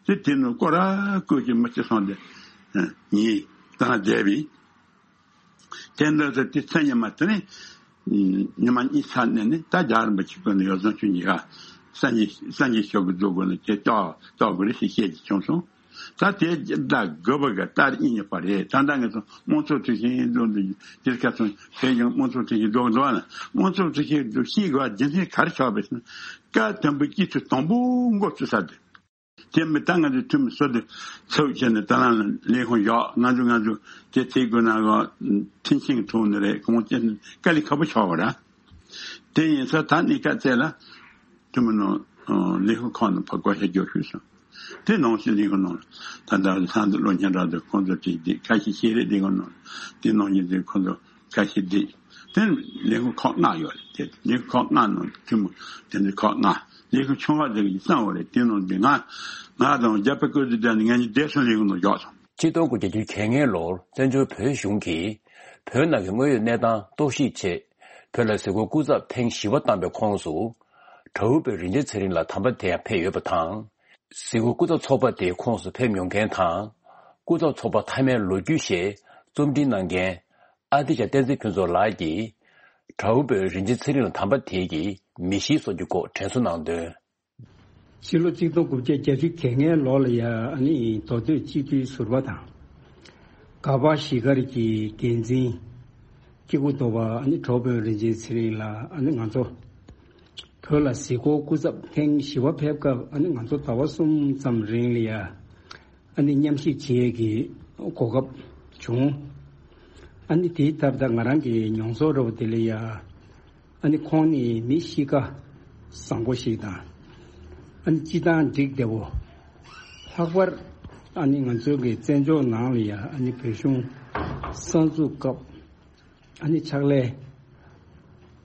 དེ་དེ་ནང་སྐོར་ར་བསྐོར་གྱི་མི་ཆེ་སོང་དེ་ཉིད་ད་བསྡད་པས། དེ་འདྲ་ཟེར་དེ་ཚེ་ཉི་མ་དེ་ནས་ཉི་མ་གཉིས་ཚར་ནས་ནི་ད་རྒྱལ་བ་རིན་པོ་ཆེ་ཀུན་ནས་ཡོ་བཟང་ཆོས་ཉི་ཤུ་སངས་རྒྱས་སངས་རྒྱས་ཤོག་གི་རྫོགས་དགོས་ནས་དེ་ལྟ་ལྟ་དགོས་རེད་ཞེས་བཤད་ཀྱི་བྱུང་སོང་། ད་དེ་ད་དགོས་པ་གི་ལྟར་ཨིན་ཉི་པ་རེད། ད་ལྟ་ངས་སོང་དམངས་གཙོ་ཐོས་ཤིང་རྫོགས་འདི་དེར་ཁ་སོང་བས་ཀྱང་དམངས་གཙོ་ཐོས་ཤིང་རྫོགས་འདུག་ན་དམངས་གཙོ་ཐོས་ཤིང་རྫོགས་ཤིག་གི་བ་རྒྱུ་མཚན་ག་རེ་ཆགས་པས་ཟེར་ན། སྐབས་དང་པོའི་སྐྱིད་ཚོད་དང་པོ་འགོ་ཚུགས་ས་དེ། དེ་མི་ད་ང་ཚོའི་འཐུས་མི་སུ་དེ་ཚུགས་བྱས་ནས་ད་ལམ་ལས་ཁུངས་བཞག་ང་ཚོ་ང་ཚོ་དེ་ཚེ་དགོས་ན་ག་མཐུན་རྐྱེན་ཐོག་ནས་རེད་གང་ཅི་དཀའ་ལས་ཁག་པོ་ཆགས་པ་ར། དེ་ཡིན་ས་ད་གནས་སྐབས་ཚེ་ལ་འཐུས་མི་ནང་ ལས་ཁུངས་ཁག་ནང་ཕར་བསྐོ་བཞག་རྒྱུ་ཞུས་སོང་། དེ་ནང་བཞིན་ལས་ཁུངས་ནང་ད་ལྟ་ལྷ་འདི་བློན་ཆེན་ར་དེ་ཁོང་ཚོ་གཅིག་བསྡད། ཁ་ཤས་ཤེས་རིག་ལས་ཁུངས་ནང་དེ་ནང་བཞིན་དེ་ཁོང་ཚོ་ཁ་ཤས་བསྡད། དེ་ལས་ཁུངས་ཁག་ལྔ་ཡོད་རེད། དེ་ལས་ཁུངས་ཁག་ལྔ་ནང་ཐུན་མོང་དེ་འདྲ་ཁག་ལྔ། ལས་ཁུངས་ཆུང་བ་དེ་གི་གཙང་བོ་རེད། དེ་ནང་དེ་ང་ང་དང་རྒྱ་བལ་ཀོ་ཏི་དེ་ནི་ངས་ནི་བསྡད་སོང་། ལས་ཁུངས་ནང་འཇོག་སོང་། ཆིག་སྟོང་དགུ་བརྒྱ་བརྒྱད་ཅུ་གྱ་ལྔའི་ལོར་བཙན་བྱོལ་བོད་གཞུང་གིས་བོད་ནང་གི་དངོས་ཡོད་གནས་སྟངས་རྟོག་ཞིབ་ཆེད་བོད་ལ་གཟིགས་སྐོར་སྐུ་ཚབ་ཐེངས་བཞི་པ་བཏང་པའི་ཁོངས་སུ། དྲ་འབུ་བོད་རིན་ཆེན་ཚེ་རིང་ལགས་དམ་པ་དེ་ཡང་ཕེབས་ཡོད་པ་དང་། གཟིགས་སྐོར་སྐུ་ཚབ་ཚོགས་པ་དེའི་ཁོངས་སུ་ཕེབས་མྱོང་མཁན་དང་། སྐུ་ཚབ་ཚོགས་པ་མཐའ་མའི་ལོ་རྒྱུས་ཞེས་རྩོམ་སྒྲིག་གནང་མཁན་ཨ་ཏི་ཤ་བསྟན་འཛིན་ཕུན་ཚོགས་ལགས་ཀྱིས། དྲ་འབུ་བོད་རིན་ཆེན་ཚེ་རིང་ལགས་དམ་པ་དེ་གི་མི་གཤིས་སོགས་ཀྱི་སྐོར་དྲན་གསོ་གནང་དོན། ཕྱི་ལོ་གཅིག་སྟོང་དགུ་བརྒྱ་བརྒྱད་ཅུ་གྱ་ལྔའི་ལོ་ལ་ཡ་ཨ་ནི་མདོ་སྟོད་སྤྱི་འཐུས་ཟུར་པ་དང་། ག་པ་གཞིས་སྒར་གྱི་འགན་འཛིན་སྐྱེ་རྒུ་མདོ་བ་ཨ་ནི་དྲ་འབུ་བོད་རིན་ཆེན་ཚེ་རིང་ལགས་ཨ་ནི་ང་ཚོ་བོད་ལ་གཟིགས་སྐོར་སྐུ་ཚབ་ཐེངས་བཞི་པ་ཕེབས་སྐབས་ཨ་ནི་ང་ཚོ་ཟླ་བ་གསུམ་ཙམ་རིང་ལ་ཡ་ཨ་ནི་མཉམ་ཞུགས་བྱེད་ཡས་ཀྱི་གོ་སྐབས་བྱུང་། ཨ་ནི་དེའི་སྟབས་ད་ང་རང་གི་མྱོང་ཚོར་འདྲ་བོ་དེ་ལ་ཡ། ཨ་ནི་ཁོང་ནི་མི་གཤིས་ཀ་བཟང་པོ་ཞིག་དང་། ཨ་ནི་སྤྱི་བཏང་འགྲིག་བདེ་བོ། ལྷག་པར་ཨ་ནི་ང་ཚོའི་གི་བཙན་བྱོལ་ནང་ལ་ཡ་ཨ་ནི་བོད་གཞུང་གསར་འཛུགས་སྐབས་ཨ་ནི་ཕྱག་ལས་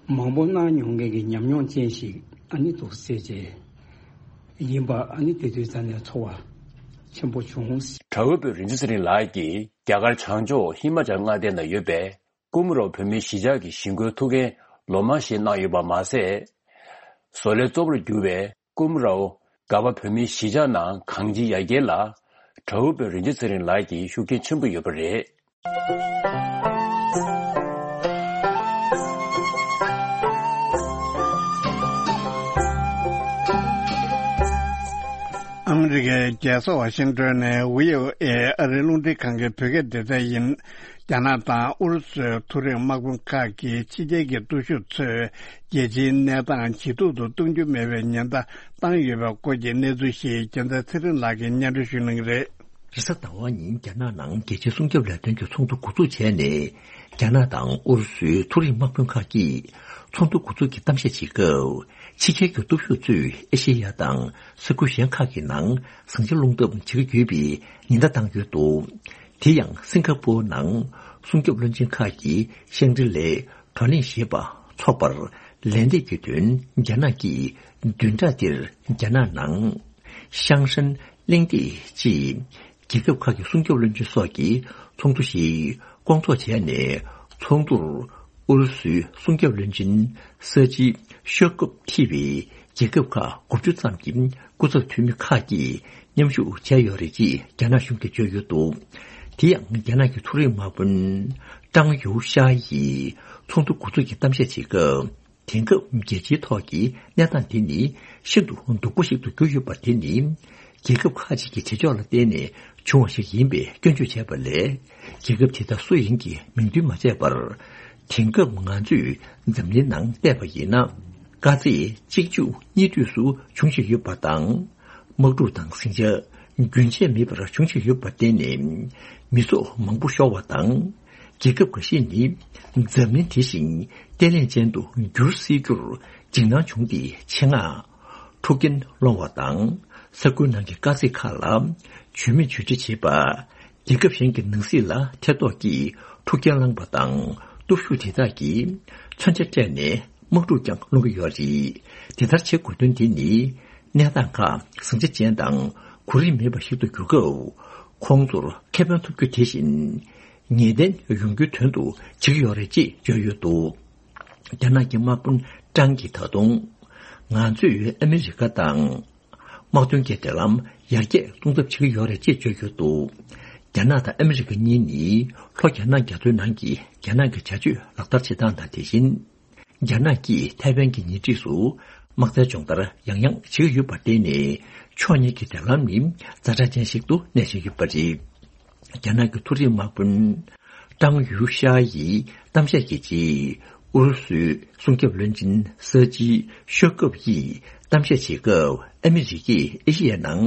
མང་པོ་གནང་མྱོང་མཁན་གྱི་ཉམས་མྱོང་ཅན་ཞིག་ཨ་ནི་འདུག་ཟེར་བྱས་ཡིན་པ་ཨ་ནི་དེ་དུས་ཙམ་ནས་ཚོར་བ་ཆེན་པོ་བྱུང་། དྲ་འབུ་བོད་རིན་ཆེན་ཚེ་རིང་ལགས་ཀྱིས་རྒྱ་གར་བྱང་ཕྱོགས་ཧི་མ་ཅལ་མངའ་སྡེ་ན་ཡོད་པའི་ཀུམ་རའོ་བོད་མིའི་གཞིས་ཆགས་ཀྱི་ཞི་རྒོལ་ཐུགས་འགན་ལོ་མང་བཞེས་གནང་ཡོད་པ་མ་ཟད། བཟོ་ལས་གཙོ་བོར་གྱུར་བའི་ཀུམ་རའོ་ག་པ་བོད་མིའི་གཞིས་ཆགས་ནང་གང་ཅིའི་ཡར་རྒྱས་ལ་དྲ་འབུ་བོད་རིན་ཆེན་ཚེ་རིང་ལགས་ཀྱིས་ཤུགས་རྐྱེན་ཆེན་པོ་ཡོད་པ་རེད། ཨ་མི་རི་ཀའི་རྒྱལ་ས་ཝ་ཤིང་ཏོན་ནས་བྷི་ཨོ་ཨེ་ཨ་རིའི་རླུང་འཕྲིན་ཁང་གི་བོད་སྐད་སྡེ་ཚན་ཡིན། རྒྱ་ནག་དང་ཨུ་རུ་སུའི་མཐོ་རིམ་དམག་དཔོན་ཁག་གིས་ཕྱི་རྒྱལ་གྱི་སྟོབས་ཤུགས་ཚོས་རྒྱལ་སྤྱིའི་གནས་སྟངས་ཇེ་སྡུག་ཏུ་གཏོང་རྒྱུ་མེད་པའི་ཉེན་བརྡ་བཏང་ཡོད་པའི་སྐོར་གྱི་གནས་ཚུལ་ཞིག་རྒྱལ་མཚན་ཚེ་རིང་ལགས་ཀྱིས་སྙན་སྒྲོན་ཞུ་གནང་གི་རེད། རེས་གཟའ་ཟླ་བ་ཉིན་རྒྱ་ནག་ནང་རྒྱལ་སྤྱིའི་སྲུང་སྐྱོབ་ལས་དོན་གྱི་ཚོགས་འདུ་འགོ་འཛུགས་བྱས་ནས། རྒྱ་ནག་དང་ཨུ་རུ་སུའི་མཐོ་རིམ་དམག་དཔོན་ཁག་གིས་ཚོགས་འདུ་འགོ་འཛུགས་ཀྱི་གཏམ་བཤད་བྱེད་སྐབས། ཕྱི་རྒྱལ་གྱི་སྟོབས་ཤུགས་ཚོས་ཨེ་ཤེ་ཡ་དང་ས་ཁུལ་གཞན་ཁག་གི་ནང་ཟིང་ཆ་སློང་ཐབས་བྱེད་ཀྱི་ཡོད་པའི་ཉེན་བརྡ་བཏང་ཡོད་འདུག་དེ་ཡང་སིང་ག་པོར་ནང་སྲུང་སྐྱོབ་བློན་ཆེན་ཁག་གིས་ཤང་ཀྲི་ལའི་བགྲོ་གླེང་ཞེས་པ་འཚོགས་པར་ལན་འདེབས་ཀྱི་དོན་རྒྱ་ནག་གིས་བདུན་ཕྲག་འདིར་རྒྱ་ནག་ནང་ཤང་ཧྲན་གླེང་སྟེགས་ཅེས། རྒྱལ་ཁབ་ཁག་གི་སྲུང་སྐྱོབ་བློན་ཆེན་སོགས་ཀྱི་ཚོགས་འདུ་ཞིག་སྐོང་ཚོགས་བྱས་ནས། ཚོགས་འདུར་ཨུ་རུ་སུའི་སྲུང་སྐྱོབ་བློན་ཆེན་ས་ཅི་ཤོ་ཀོབ་ཁྲིད་པའི་རྒྱལ་ཁབ་ཁག་དགུ་བཅུ་ཙམ་གྱི་སྐུ་ཚབ་འཐུས་མི་ཁག་གིས་མཉམ་ཞུགས་བྱས་ཡོད་རེད་ཅེས་རྒྱ་ནག་གཞུང་གིས་བརྗོད་ཡོད་འདུག་དེ་ཡང་རྒྱ་ནག་གི་མཐོ་རིམ་དམག་དཔོན་ཀྲང་ཡུའུ་ཤ་ཡིས་ཚོགས་འདུ་འགོ་འཛུགས་ཀྱི་གཏམ་བཤད་བྱེད་སྐབས། དེང་སྐབས་རྒྱལ་སྤྱིའི་ཐོག་གི་གནས་སྟངས་དེ་ནི་ཤིན་ཏུ་སྡུག་པོ་ཞིག་ཏུ་གྱུར་ཡོད་པ་དེ་ནི། རྒྱལ་ཁབ་ཁག་ཅིག་གི་བྱེད་ཕྱོགས་ལ་བརྟེན་ནས་བྱུང་བ་ཞིག་ཡིན་པའི་སྐྱོན་བརྗོད་བྱས་པ་ལས། རྒྱལ་ཁབ་དེ་དག་སུ་ཡིན་གྱི་མིང་འདོན་མ་བྱས་པར། དེང་སྐབས་ང་ཚོས་འཛམ་གླིང་ནང་བལྟས་པ་ཡིན་ན། དཀའ་ཚེགས་གཅིག་མཇུག་གཉིས་མཐུད་སུ་འབྱུང་བཞིན་ཡོད་པ་དང་། དམག་འཁྲུག་དང་ཟིང་ཆ་རྒྱུན་ཆད་མེད་པར་འབྱུང་བཞིན་ཡོད་པར་བརྟེན་ནས། མི་ཚོགས་མང་པོ་ཤོར་བ་དང་། རྒྱལ་ཁབ་འགའ་ཤས་ནི་འཛམ་གླིང་དེ་བཞིན་བརྟན་ལྷིང་ཅན་དུ་འགྱུར་སྲིད་རྒྱུར་འཇིགས་སྣང་བྱུང་སྟེ། ཆེད་མངགས་འཁྲུག་རྐྱེན་སློང་བ་དང་། ས་ཁུལ་ནང་གི་དཀའ་ཚེགས་ཁག་ལ་བྱུས་མེད་བྱས་རྗེས་བྱེད་པ། རྒྱལ་ཁབ་གཞན་གྱི་ནང་སྲིད་ལ་ཐེ་གཏོགས་ཀྱིས་འཁྲུག་རྐྱེན་བསླངས་པ་དང་། སྟོབས་ཤུགས་དེ་དག་གིས་མཚོན་ཆ་སྤྲད་ནས་དམག་འཁྲུག་ཀྱང་སློང་གི་ཡོད་རེད། དེ་ལྟར་བྱེད་དགོས་དོན་དེ་ནི། གནས་སྟངས་ཁག་ཟིང་ཆ་ཅན་དང་གོ་རིམ་མེད་པ་ཞིག་ཏུ་གྱུར་སྐབས། ཁོང་ཚོར་ཁེ་ཕན་ཐོབ་རྒྱུ་དེ་བཞིན། ངེས་གཏན་ཡོང་རྒྱུའི་དོན་དུ་བྱེད་ཀྱི་ཡོད་རེད་ཅེས་བརྗོད་ཡོད་འདུག་རྒྱ་ནག་གི་དམག་དཔོན་ཀྲང་གིས་ད་དུང་། ང་ཚོས་ཨ་མི་རི་ཀ་དང་། དམག་དོན་གྱི་འབྲེལ་ལམ་ཡར་རྒྱས་གཏོང་ཐབས་བྱེད་ཀྱི་ཡོད་རེད་ཅེས་བརྗོད་ཡོད་འདུག་རྒྱ་ནག་དང་ཨ་མི་རི་ཀ་གཉིས་ནི་ལྷོ་རྒྱ་ནག་རྒྱ་མཚོའི་ནང་གི་རྒྱ་ནག་གི་བྱ་སྤྱོད་ལག་བསྟར་བྱེད་སྟངས་དང་དེ་བཞིན། རྒྱ་ནག་གིས་ཐའེ་ཝན་གྱི་ཉེ་འཁྲིས་སུ་དམག་རྩལ་སྦྱོང་བརྡར་ཡང་ཡང་བྱེད་ཀྱི་ཡོད་པར་བརྟེན་ནས། ཕྱོགས་གཉིས་ཀྱི་འབྲེལ་ལམ་ནི་ཛ་དྲག་ཅན་ཞིག་ཏུ་གནས་བཞིན་ཡོད་པ་རེད། རྒྱ་ནག་གི་མཐོ་རིམ་དམག་དཔོན་ཀྲང་ཡུའུ་ཤ་ཡིས་གཏམ་བཤད་ཀྱི་རྗེས། ཨུ་རུ་སུའི་སྲུང་སྐྱོབ་བློན་ཆེན་ས་ཅི་ཤོ་ཀོབ་ཡིས་གཏམ་བཤད་བྱེད་སྐབས། ཨ་མི་རི་ཀས་ཨེ་ཤེ་ཡའི་ནང་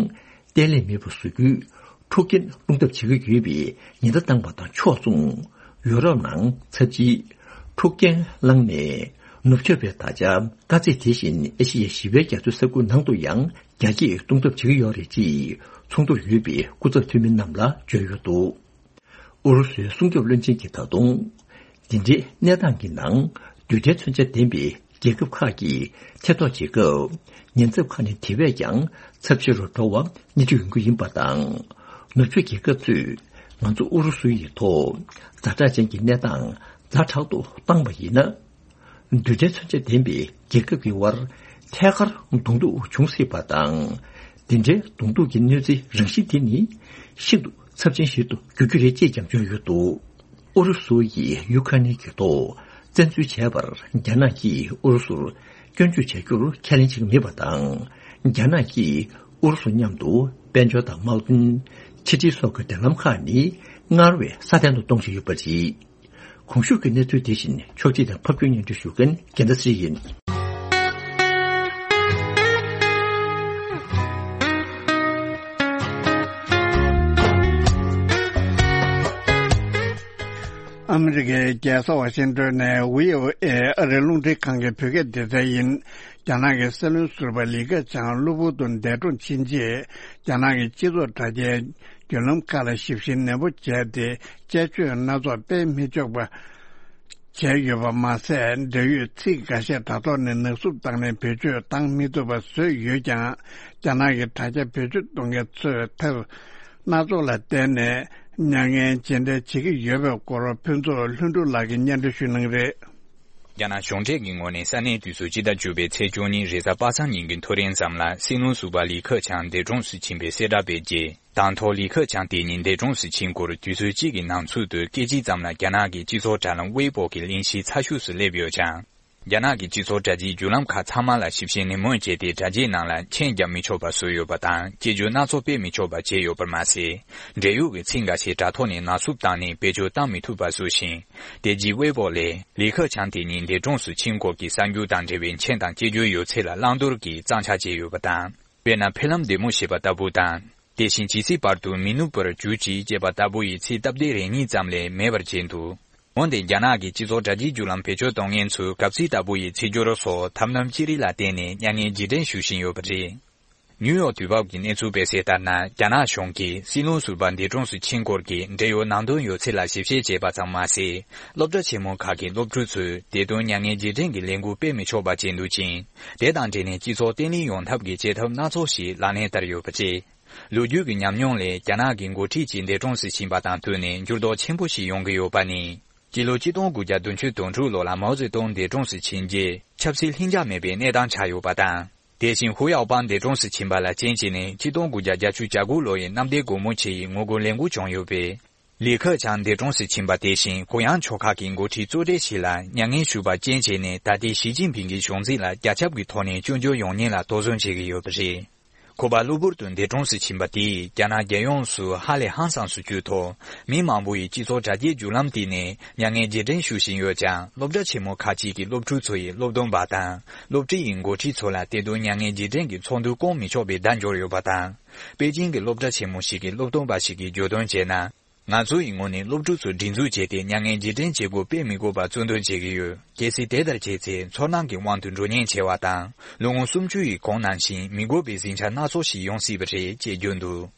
བརྟན་ལྷིང་མེད་པ་བཟོ་རྒྱུའི་འཁྲུག་རྐྱེན་སློང་ཐབས་བྱེད་ཀྱི་ཡོད་པའི་ཉེན་བརྡ་བཏང་བ་དང་ཕྱོགས་མཚུངས། ཡུ་རོབ་ནང་ཚབས་ཆེའི་འཁྲུག་རྐྱེན་བསླངས་ནས། ནུབ་ཕྱོགས་པའི་དར་ཆ་དཀའ་ཚེགས་དེ་བཞིན་ཨེ་ཤི་ཡའི་ཞི་བའི་རྒྱ་མཚོའི་ས་ཁུལ་ནང་དུ་ཡང་རྒྱ་སྐྱེད་གཏོང་ཐབས་བྱེད་ཀྱི་ཡོད་རེད་ཅེས་ཚོགས་འདུར་ཡོད་པའི་སྐུ་ཚབ་འཐུས་མི་རྣམས་ལ་བརྗོད་ཡོད་འདུག་ཨུ་རུ་སུའི་སྲུང་སྐྱོབ་བློན་ཆེན་གྱིས་ད་དུང་། འདི་འདྲའི་གནས་སྟངས་ཀྱི་ནང་རྡུལ་ཕྲན་མཚོན་ཆ་ལྡན་པའི་རྒྱལ་ཁབ་ཁག་གིས་ཐེ་གཏོགས་བྱེད་སྐབས། ཉེན་ཚབས་ཁག་ནི་དེ་བས་ཀྱང་ཚབས་ཆེ་རུ་འགྲོ་བ་སྣེ་ཁྲིད་ཡོང་གི་ཡིན་པ་དང་། ནུབ་ཕྱོགས་རྒྱལ་ཁབ་ཚོས་ང་ཚོ་ཨུ་རུ་སུ་ཡི་ཐོག་ཛ་དྲག་ཅན་གྱི་གནས་སྟངས་ཛ་དྲག་ཏུ་བཏང་བ་ཡིན་ན། རྡུལ་ཕྲན་མཚོན་ཆ་ལྡན་པའི་རྒྱལ་ཁབ་ཀྱི་དབར་ཐད་ཀར་གདོང་ཐུག་འབྱུང་སྲིད་པ་དང་། དེ་འདྲའི་གདོང་ཐུག་གི་གནོད་འཚེའི་རང་བཞིན་དེ་ནི་ཤིན་ཏུ་ཚབས་ཆེན་ཞིག་ཏུ་འགྱུར་རྒྱུ་རེད་ཅེས་ཀྱང་བརྗོད་ཡོད་འདུག་ཨུ་རུ་སུ་ཡིས་ཡུ་ཁ་ནི་གི་ཐོག་བཙན་འཛུལ་བྱས་པར་རྒྱ་ནག་གིས་ཨུ་རུ་སུར་སྐྱོན་བརྗོད་བྱ་རྒྱུར་ཁས་ལེན་བྱེད་ཀྱི་མེད་པ་དང་། རྒྱ་ནག་གིས་ཨུ་རུ་སུ་མཉམ་དུ་དཔལ་འབྱོར་དང་དམག་དོན། ཕྱི་འབྲེལ་སོགས་ཀྱི་འབྲེལ་ལམ་ཁག་ནི་སྔར་བས་སྲ་བརྟན་དུ་གཏོང་བཞིན་ཡོད་པ་རེད། གོང་ཞུས་ཀྱི་གནས་ཚུལ་དེ་བཞིན་ཕྱོགས་སྒྲིག་དང་ཕབ་སྒྱུར་སྙན་སྒྲོན་ཞུ་མཁན་རྒྱལ་མཚན་ཚེ་རིང་ཡིན། ཨ་མི་རི་ཀའི་རྒྱལ་ས་ཝ་ཤིང་ཏོན་ནས་ཝི་ཨོ་ཨེ་ཨ་རིའི་རླུང་འཕྲིན་ཁང་གི་བོད་སྐད་སྡེ་ཚན་ཡིན། རྒྱ་ནག་གི་སྲིད་བློན་ཟུར་པ་ལི་ཁེ་ཆང་གློ་བུར་དུ་འདས་གྲོངས་ཕྱིན་རྗེས། རྒྱ་ནག་གི་སྤྱི་ཚོགས་དྲ་རྒྱའི་བརྒྱུད་ལམ་ཁག་ལ་ཞིབ་བཤེར་ནན་པོ་བྱས་ཏེ། དཔྱད་བརྗོད་སྣ་ཚོགས་སྤེལ་མི་ཆོག་པ་བྱས་ཡོད་པ་མ་ཟད། འབྲེལ་ཡོད་ཚིག་འགའ་ཤས་དྲ་ཐོག་ནས་ནག་བསུབ་བཏང་ནས་བེད་སྤྱོད་བཏང་མི་ཐུབ་པ་བཟོས་ཡོད་ཀྱང་། རྒྱ་ནག་གི་དྲ་རྒྱ་བེད་སྤྱོད་གཏོང་མཁན་ཚོས་ཐབས་སྣ་ཚོགས་ལ་བརྟེན་ནས་མྱ་ངན་ཇི་འདྲ་བྱེད་ཀྱི་ཡོད་པའི་སྐོར་ཕུན་ཚོགས་ལྷུན་གྲུབ་ལགས་ཀྱིས་སྙན་སྒྲོན་ཞུ་གནང་གི་རེད། རྒྱ་ནག་གཞུང་འབྲེལ་གྱི་ངོས་ནས་ས་གནས་དུས་ཚོད་སྤྱི་ཟླ་བཅུ་པའི་ཚེས་བཅུ་གཉིས་རེས་གཟའ་པ་སངས་ཉིན་གྱི་ཐོ་རེངས་ཙམ་ལ་སྲིད་བློན་ཟུར་པ་ལི་ཁེ་ཆང་འདས་གྲོངས་སུ་ཕྱིན་པའི་གསལ་བསྒྲགས་སྤེལ་རྗེས། དང་ཐོག་ལི་ཁེ་ཆང་དེ་ཉིད་འདས་གྲོངས་སུ་ཕྱིན་སྐོར་དུས་ཚོད་གཅིག་གི་ནང་ཚུད་དུ་སྐད་ཅིག་ཙམ་ལ་རྒྱ་ནག་གི་སྤྱི་ཚོགས་དྲ་ལམ་ཝེ་པོ་གི་གླེང་གཞི་ཚ་ཤོས་སུ་སླེབས་ཡོད་ཅིང་། རྒྱ་ནག་གི་སྤྱི་ཚོགས་དྲ་རྒྱའི་བརྒྱུད་ལམ་ཁག་ཚང་མ་ལ་ཞིབ་བཤེར་ནན་མོ་བྱས་ཏེ། དྲ་རྒྱའི་ནང་ལ་མཆན་རྒྱག་མི་ཆོག་པ་བཟོས་ཡོད་པ་དང་། སྐྱེ་བརྗོད་སྣ་ཚོགས་སྤེལ་མི་ཆོག་པ་བྱས་ཡོད་པར་མ་ཟད། འབྲེལ་ཡོད་ཀྱི་ཚིག་འགའ་ཤས་དྲ་ཐོག་ནས་ནག་བསུབ་བཏང་ནས་བེད་སྤྱོད་བཏང་མི་ཐུབ་པ་བཟོ་ཞིང་། དེ་རྗེས་ཝེ་པོ་ལས་ལི་ཁེ་ཆང་དེ་ཉིད་འདས་གྲོངས་སུ་ཕྱིན་སྐོར་གྱི་གསར་འགྱུར་དང་འབྲེལ་བའི་མཆན་དང་སྐྱེ་བརྗོད་ཡོད་ཚད་ལ་བླང་དོར་གྱིས་གཙང་ཆག་བྱས་ཡོད་པ་དང་། དཔེར་ན། ཕེབས་ལམ་བདེ་མོ་ཞེས་པ་ལྟ་བུ་དང་། དེ་བཞིན་ཇི་སྲིད་བར་དུ་མི་ནུབ་པར་གྱུར་ཅིག་ཅེས་པ་ལྟ་བུ་ཡི་ཚིག་སྟབས་བདེ་རེ་གཉིས་ཙམ་ལས་མེད་པར་བྱས་འདུག་འོན་ཏེ། རྒྱ་ནག་གི་སྤྱི་ཚོགས་དྲ་རྒྱའི་བརྒྱུད་ལམ་བེད་སྤྱོད་གཏོང་མཁན་ཚོས་གབ་ཚིག་ལྟ་བུ་ཡི་ཚིག་སྦྱོར་སོགས་ཐབས་ལམ་ཅི་རིགས་ལ་བརྟེན་ནས་མྱ་ངན་རྗེས་དྲན་ཞུ་བཞིན་ཡོད་པ་རེད། ནིའུ་ཡོག་དུས་བབ་ཀྱི་གནས་ཚུལ་སྤེལ་གསལ་ལྟར་ན། རྒྱ་ནག་གཞུང་གིས་སྲིད་བློན་ཟུར་པ་འདས་གྲོངས་སུ་ཕྱིན་སྐོར་གྱི་འབྲེལ་ཡོད་ནང་དོན་ཡོད་ཚད་ལ་ཞིབ་བཤེར་བྱས་པ་ཙམ་མ་ཟད། སློབ་གྲྭ་ཆེན་མོ་ཁག་གི་སློབ་ཕྲུག་ཚོས་དེ་དོན་མྱ་ངན་རྗེས་དྲན་གྱི་ལས་འགུལ་སྤེལ་མི་ཆོག་པ་བྱས་འདུག་ཅིང་། དེ་དང་འབྲེལ་ནས་སྤྱི་ཚོགས་བརྟན་ལྷིང་ཡོང་ཐབས་ཀྱི་བྱེད་ཐབས་སྣ་ཚོགས་ཤིག་ལག་ལེན་བསྟར་ཡོད་པ་རེད། ལོ་རྒྱུས་ཀྱི་ཉམས་མྱོང་ལས། རྒྱ་ནག་གི་འགོ་ཁྲིད་ཅིག་འདས་གྲོངས་སུ་ཕྱིན་པ་དང་བསྟུན་ནས་འགྱུར་ལྡོག་ཆེན་པོ་ཞིག་ཡོང་གི་ཡོད་པ་ནི། སྤྱི་ལོ་ཆིག་སྟོང་དགུ་བརྒྱ་བདུན་ཅུ་དོན་དྲུག་ལོ་ལ་མའོ་ཙེ་ཏུང་འདས་གྲོངས་སུ་ཕྱིན་རྗེས། ཆབ་སྲིད་ལྷིང་འཇགས་མེད་པའི་གནས་སྟངས་ཆགས་ཡོད་པ་དང་། དེ་བཞིན་ཧུའུ་ཡའོ་པང་འདས་གྲོངས་སུ་ཕྱིན་པ་ལ་རྐྱེན་བྱས་ནས། ཆིག་སྟོང་དགུ་བརྒྱ་བརྒྱད་ཅུ་གྱ་དགུ་ལོ་ཡི་གནམ་བདེ་སྒོ་མོ་ཆེ་ཡི་ངོ་རྒོལ་ལས་འགུལ་བྱུང་ཡོད་པས། ལི་ཁེ་ཆང་འདས་གྲོངས་སུ་ཕྱིན་པ་དེ་བཞིན་གུ་ཡངས་ཕྱོགས་ཁག་གི་འགོ་ཁྲིད་གཙོ་གྲས་ཤིག་ལ་མྱ་ངན་ཞུས་པ་རྐྱེན་བྱས་ནས། ད་ལྟའི་ཞི་ཅིན་ཕིང་གི་གཞུང་འཛིན་ལ་རྒྱ་ཁྱབ་ཀྱི་ཐོག་ནས་སྐྱོན་བརྗོད་ཡོང་ཉེན་ལ་དོགས་ཟོན་བྱེད་ཀྱི་ཡོད་པ་རེད། ཁོ་པ་གློ་བུར་དུ་འདས་གྲོངས་སུ་ཕྱིན་པ་དེས་རྒྱ་ནག་རྒྱལ་ཡོངས་སུ་ཧ་ལས་ཧང་སངས་སུ་གྱུར་ཐོག་མི་མང་པོ་ཡིས་སྤྱི་ཚོགས་དྲ་རྒྱའི་བརྒྱུད་ལམ་སྟེང་ནས་མྱ་ངན་རྗེས་དྲན་ཞུ་བཞིན་ཡོད་ཀྱང་། སློབ་གྲྭ་ཆེན་མོ་ཁག་ཅིག་གི་སློབ་ཕྲུག་ཚོ་ཡིས་སློབ་སྟོན་པ་དང་སློབ་གྲྭ་ཡི་འགོ་ཁྲིད་ཚོ་ལ་དེ་དུས་མྱ་ངན་རྗེས་དྲན་གྱི་ཚོགས་འདུ་བསྐོང་མི་ཆོག་པའི་བརྡ་འབྱོར་ཡོད་པ་དང་། པེ་ཅིང་གི་སློབ་གྲྭ་ཆེན་མོ་ཞིག་གི་སློབ་སྟོན་པ་ཞིག་གིས་བརྗོད་དོན་བྱས་ན། ང་ཚོ་ཡི་ངོས་ནས་སློབ་ཕྲུག་ཚོ་སྒྲིག་འཛུགས་བྱས་ཏེ་མྱ་ངན་རྗེས་དྲན་བྱེད་སྒོ་སྤེལ་མི་དགོས་པར་གཙོ་འདོན་བྱེད་ཀྱི་ཡོད། གལ་སྲིད་དེ་ལྟར་བྱས་ཚེ། ཚོར་སྣང་གི་དབང་དུ་འགྲོ་ཉེན་ཆེ་བ་དང་། ལོ་ངོ་སུམ་ཅུ་ཡི་གོང་ནང་བཞིན་མི་དགོས་པའི་ཟིང་ཆ་སྣ་ཚོགས་ཤིག་ཡོང་སྲིད་པ་རེད་ཅེས་བརྗོད་འདུག་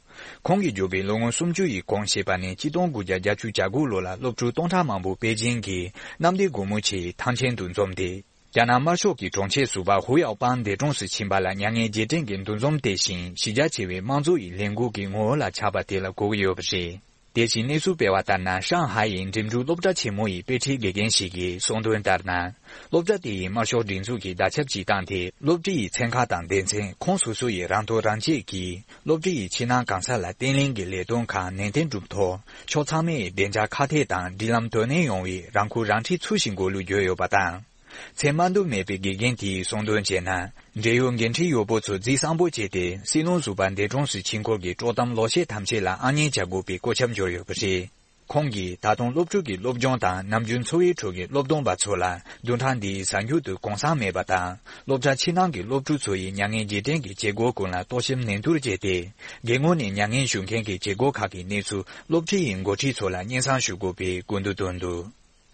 ཁོང་གིས་བརྗོད་པའི་ལོ་ངོ་སུམ་ཅུ་ཡི་གོང་ཞེས་པ་ནི་ཆིག་སྟོང་དགུ་བརྒྱ་བརྒྱད་ཅུ་གྱ་དགུ་ལོ་ལ་སློབ་ཕྲུག་སྟོང་ཕྲག་མང་པོ་པེ་ཅིང་གི་གནམ་བདེ་སྒོ་མོ་ཆེའི་ཐང་ཆེན་དུ་འཛོམས་ཏེ། རྒྱ་ནག་དམར་ཤོག་གི་དྲུང་ཆེ་ཟུར་པ་ཧུའུ་ཡའོ་པང་འདས་གྲོངས་སུ་ཕྱིན་པ་ལ་མྱ་ངན་རྗེས་དྲན་གྱི་འདུ་འཛོམས་དེ་བཞིན་གཞི་རྒྱ་ཆེ་བའི་དམངས་གཙོ་ཡི་ལས་འགུལ་གྱི་ངོ་བོ་ལ་ཆགས་པ་དེ་ལ་གོ་གི་ཡོད་པ་རེད། དེ་བཞིན་གནས་ཚུལ་སྤེལ་བ་ལྟར་ན། ཧྲང་ཧའེ་ཡི་འགྲིམ་འགྲུལ་སློབ་གྲྭ་ཆེན་མོ་ཡི་དཔེ་ཁྲིད་དགེ་རྒན་ཞིག་གིས་གསུངས་དོན་ལྟར་ན། སློབ་གྲྭ་དེ་ཡིས་དམར་ཤོག་སྒྲིག་འཛུགས་ཀྱི་བརྡ་ཁྱབ་སྤྱི་བཏང་སྟེ། སློབ་གྲྭ་ཡི་ཚན་ཁག་དང་སྡེ་ཚན་ཁོངས་སོ་སོ་ཡི་རང་ཐོག་རང་གཅེས་ཀྱིས་སློབ་གྲྭ་ཡི་ཕྱི་ནང་གང་ས་ལ་བརྟན་ལྷིང་གི་ལས་དོན་ཁག་ནན་ཏན་སྒྲུབ་ཐོག་ཕྱོགས་ཚང་མས་བདེ་འཇགས་ཁ་གཏད་དང་སྒྲིག་ལམ་དོ་ནན་ཡོང་བའི་རང་ཁུར་རང་ཁྲིད་ཚུལ་བཞིན་དགོས་ལུགས་བརྗོད་ཡོད་པ་དང་། མཚན་མ་འདོད་མེད་པའི་དགེ་རྒན་དེས་གསུངས་དོན་བྱས་ན། འབྲེལ་ཡོད་འགན་འཁྲི་ཡོད་པོ་ཚོ་རྫིག་སངས་པོ་བྱས་ཏེ། སྲིད་བློན་ཟུར་པ་འདས་གྲོངས་སུ་ཕྱིན་སྐོར་གྱི་དཀྲོག་གཏམ་ལོག་བཤད་ཐམས་ཅད་ལ་ཨ་མྱེས་བྱ་དགོས་པའི་བཀོད་ཁྱབ་འབྱོར་ཡོད་པ་རེད། ཁོང་གིས་ད་དུང་སློབ་ཕྲུག་གི་སློབ་སྦྱོང་དང་ནམ་རྒྱུན་འཚོ་བའི་ཁྲོད་ཀྱི་སློབ་སྟོན་པ་ཚོ་ལ་བདུན་ཕྲག་འདིའི་གཟའ་མཇུག་ཏུ་གུང་སེང་མེད་པ་དང་། སློབ་གྲྭ་ཕྱི་ནང་གི་སློབ་ཕྲུག་ཚོ་ཡི་མྱ་ངན་རྗེས་དྲན་གྱི་བྱེད་སྒོ་ཀུན་ལ་གཏོར་བཤིག་ནན་ཏུར་བྱས་ཏེ། སྒེར་ངོས་ནས་མྱ་ངན་ཞུ་མཁན་གྱི་བྱེད་སྒོ་ཁག་གི་གནས་ཚུལ་སློབ་ཁྲིད་ཡི་འགོ་ཁྲིད་ཚོ་ལ་སྙན་སེང་ཞུ་དགོས་པའི་སྐུལ་འདེད་བཏོན་འདུག་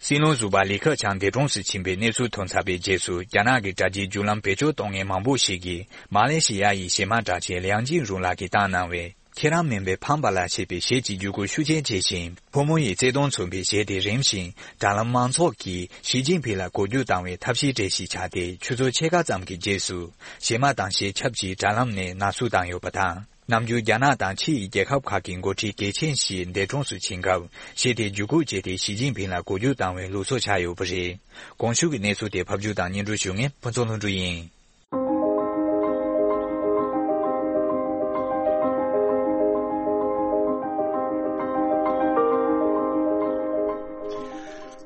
སྲིད་བློན་ཟུར་པ་ལི་ཁེ་ཆང་འདས་གྲོངས་སུ་ཕྱིན་པའི་གནས་ཚུལ་ཐོན་ཚར་བའི་རྗེས་སུ། རྒྱ་ནག་གི་དྲ་རྒྱའི་བརྒྱུད་ལམ་བེད་སྤྱོད་གཏོང་མཁན་མང་པོ་ཞིག་གིས། མ་ལེ་ཤི་ཡ་ཡི་གཞས་མ་གྲགས་ཅན་ལིའང་ཅིན་རུང་ལགས་ཀྱིས་བཏང་གནང་བའི། ཁྱེད་རང་མིན་པའི་ཕམ་པ་ལ་ཞེས་པའི་གཞས་ཀྱི་བརྒྱུད་སྐུར་ཤུགས་རྐྱེན་ཆེ་ཞིང་། ཕོ་མོ་ཡི་བརྩེ་དུང་མཚོན་པའི་གཞས་དེ་རིམ་བཞིན་དྲ་ལམ་མང་ཚོགས་ཀྱིས་ཞི་ཅིན་ཕིང་ལ་གོ་རྒྱུ་བཏང་བའི་ཐབས་ཤེས་གྲས་ཤིག་ཆགས་ཏེ། ཆུ་ཚོད་ཕྱེད་ཀ་ཙམ་གྱི་རྗེས་སུ། གཞས་མ་དང་གཞས་ཆབ་ཀྱིས་དྲ་ལམ་ནས་ན་ཟུག་བཏང་ཡོད་པ་དང་། ནམ་རྒྱུན་རྒྱ་ནག་དང་ཕྱི་ཡི་རྒྱལ་ཁབ་ཁག་གི་འགོ་ཁྲིད་གལ་ཆེན་ཞིག་འདས་གྲོངས་སུ་ཕྱིན་སྐབས། གཞས་དེ་བརྒྱུད་སྐུར་བྱས་ཏེ་ཞི་ཅིན་ཕིང་ལ་གོ་རྒྱུ་བཏང་བའི་ལུགས་སྲོལ་ཆགས་ཡོད་པ་རེད། གོང་ཞུས་ཀྱི་གནས་ཚུལ་དེ་ཕབ་སྒྱུར་དང་སྙན་སྒྲོན་ཞུ་མཁན་ཕུན་ཚོགས་ལྷུན་གྲུབ་ཡིན།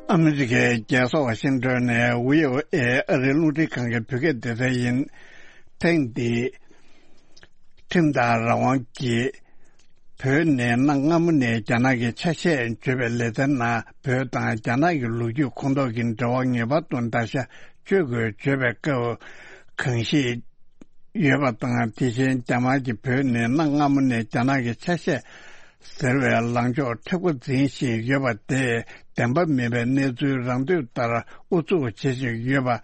ཨ་མི་རི་ཀའི་རྒྱལ་ས་ཝ་ཤིང་ཏོན་ནས་ཝི་ཨོ་ཨེ་ཨ་རིའི་རླུང་འཕྲིན་ཁང་གི་བོད་སྐད་སྡེ་ཚན་ཡིན། ཐེངས་འདིའི་ཁྲིམས་དང་རང་དབང་གིས་བོད་ནས་གནའ་སྔ་མོ་ནས་རྒྱ་ནག་གི་ཆ་ཤས་བརྗོད་པའི་ལེ་ཚན་ནང་། བོད་དང་རྒྱ་ནག་གི་ལོ་རྒྱུས་ཁོངས་གཏོགས་ཀྱི་འབྲེལ་བ་ངེས་པར་དུ་བརྡར་ཤ་གཅོད་དགོས་བརྗོད་པའི་སྐབས། གང་ཞིག་ཡོད་པ་དང་། དེ་བཞིན་རྒྱ་དམར་གྱིས་བོད་ནི་གནའ་སྔ་མོ་ནས་རྒྱ་ནག་གི་ཆ་ཤས་ཟེར་བའི་ལངས་ཕྱོགས་མཁྲེགས་པོ་འཛིན་བཞིན་ཡོད་པ་དེ། བདེན་པ་མིན་པའི་གནས་ཚུལ་རང་འདོད་ལྟར་ཨུ་ཚུགས་བྱེད་བཞིན་ཡོད་པ་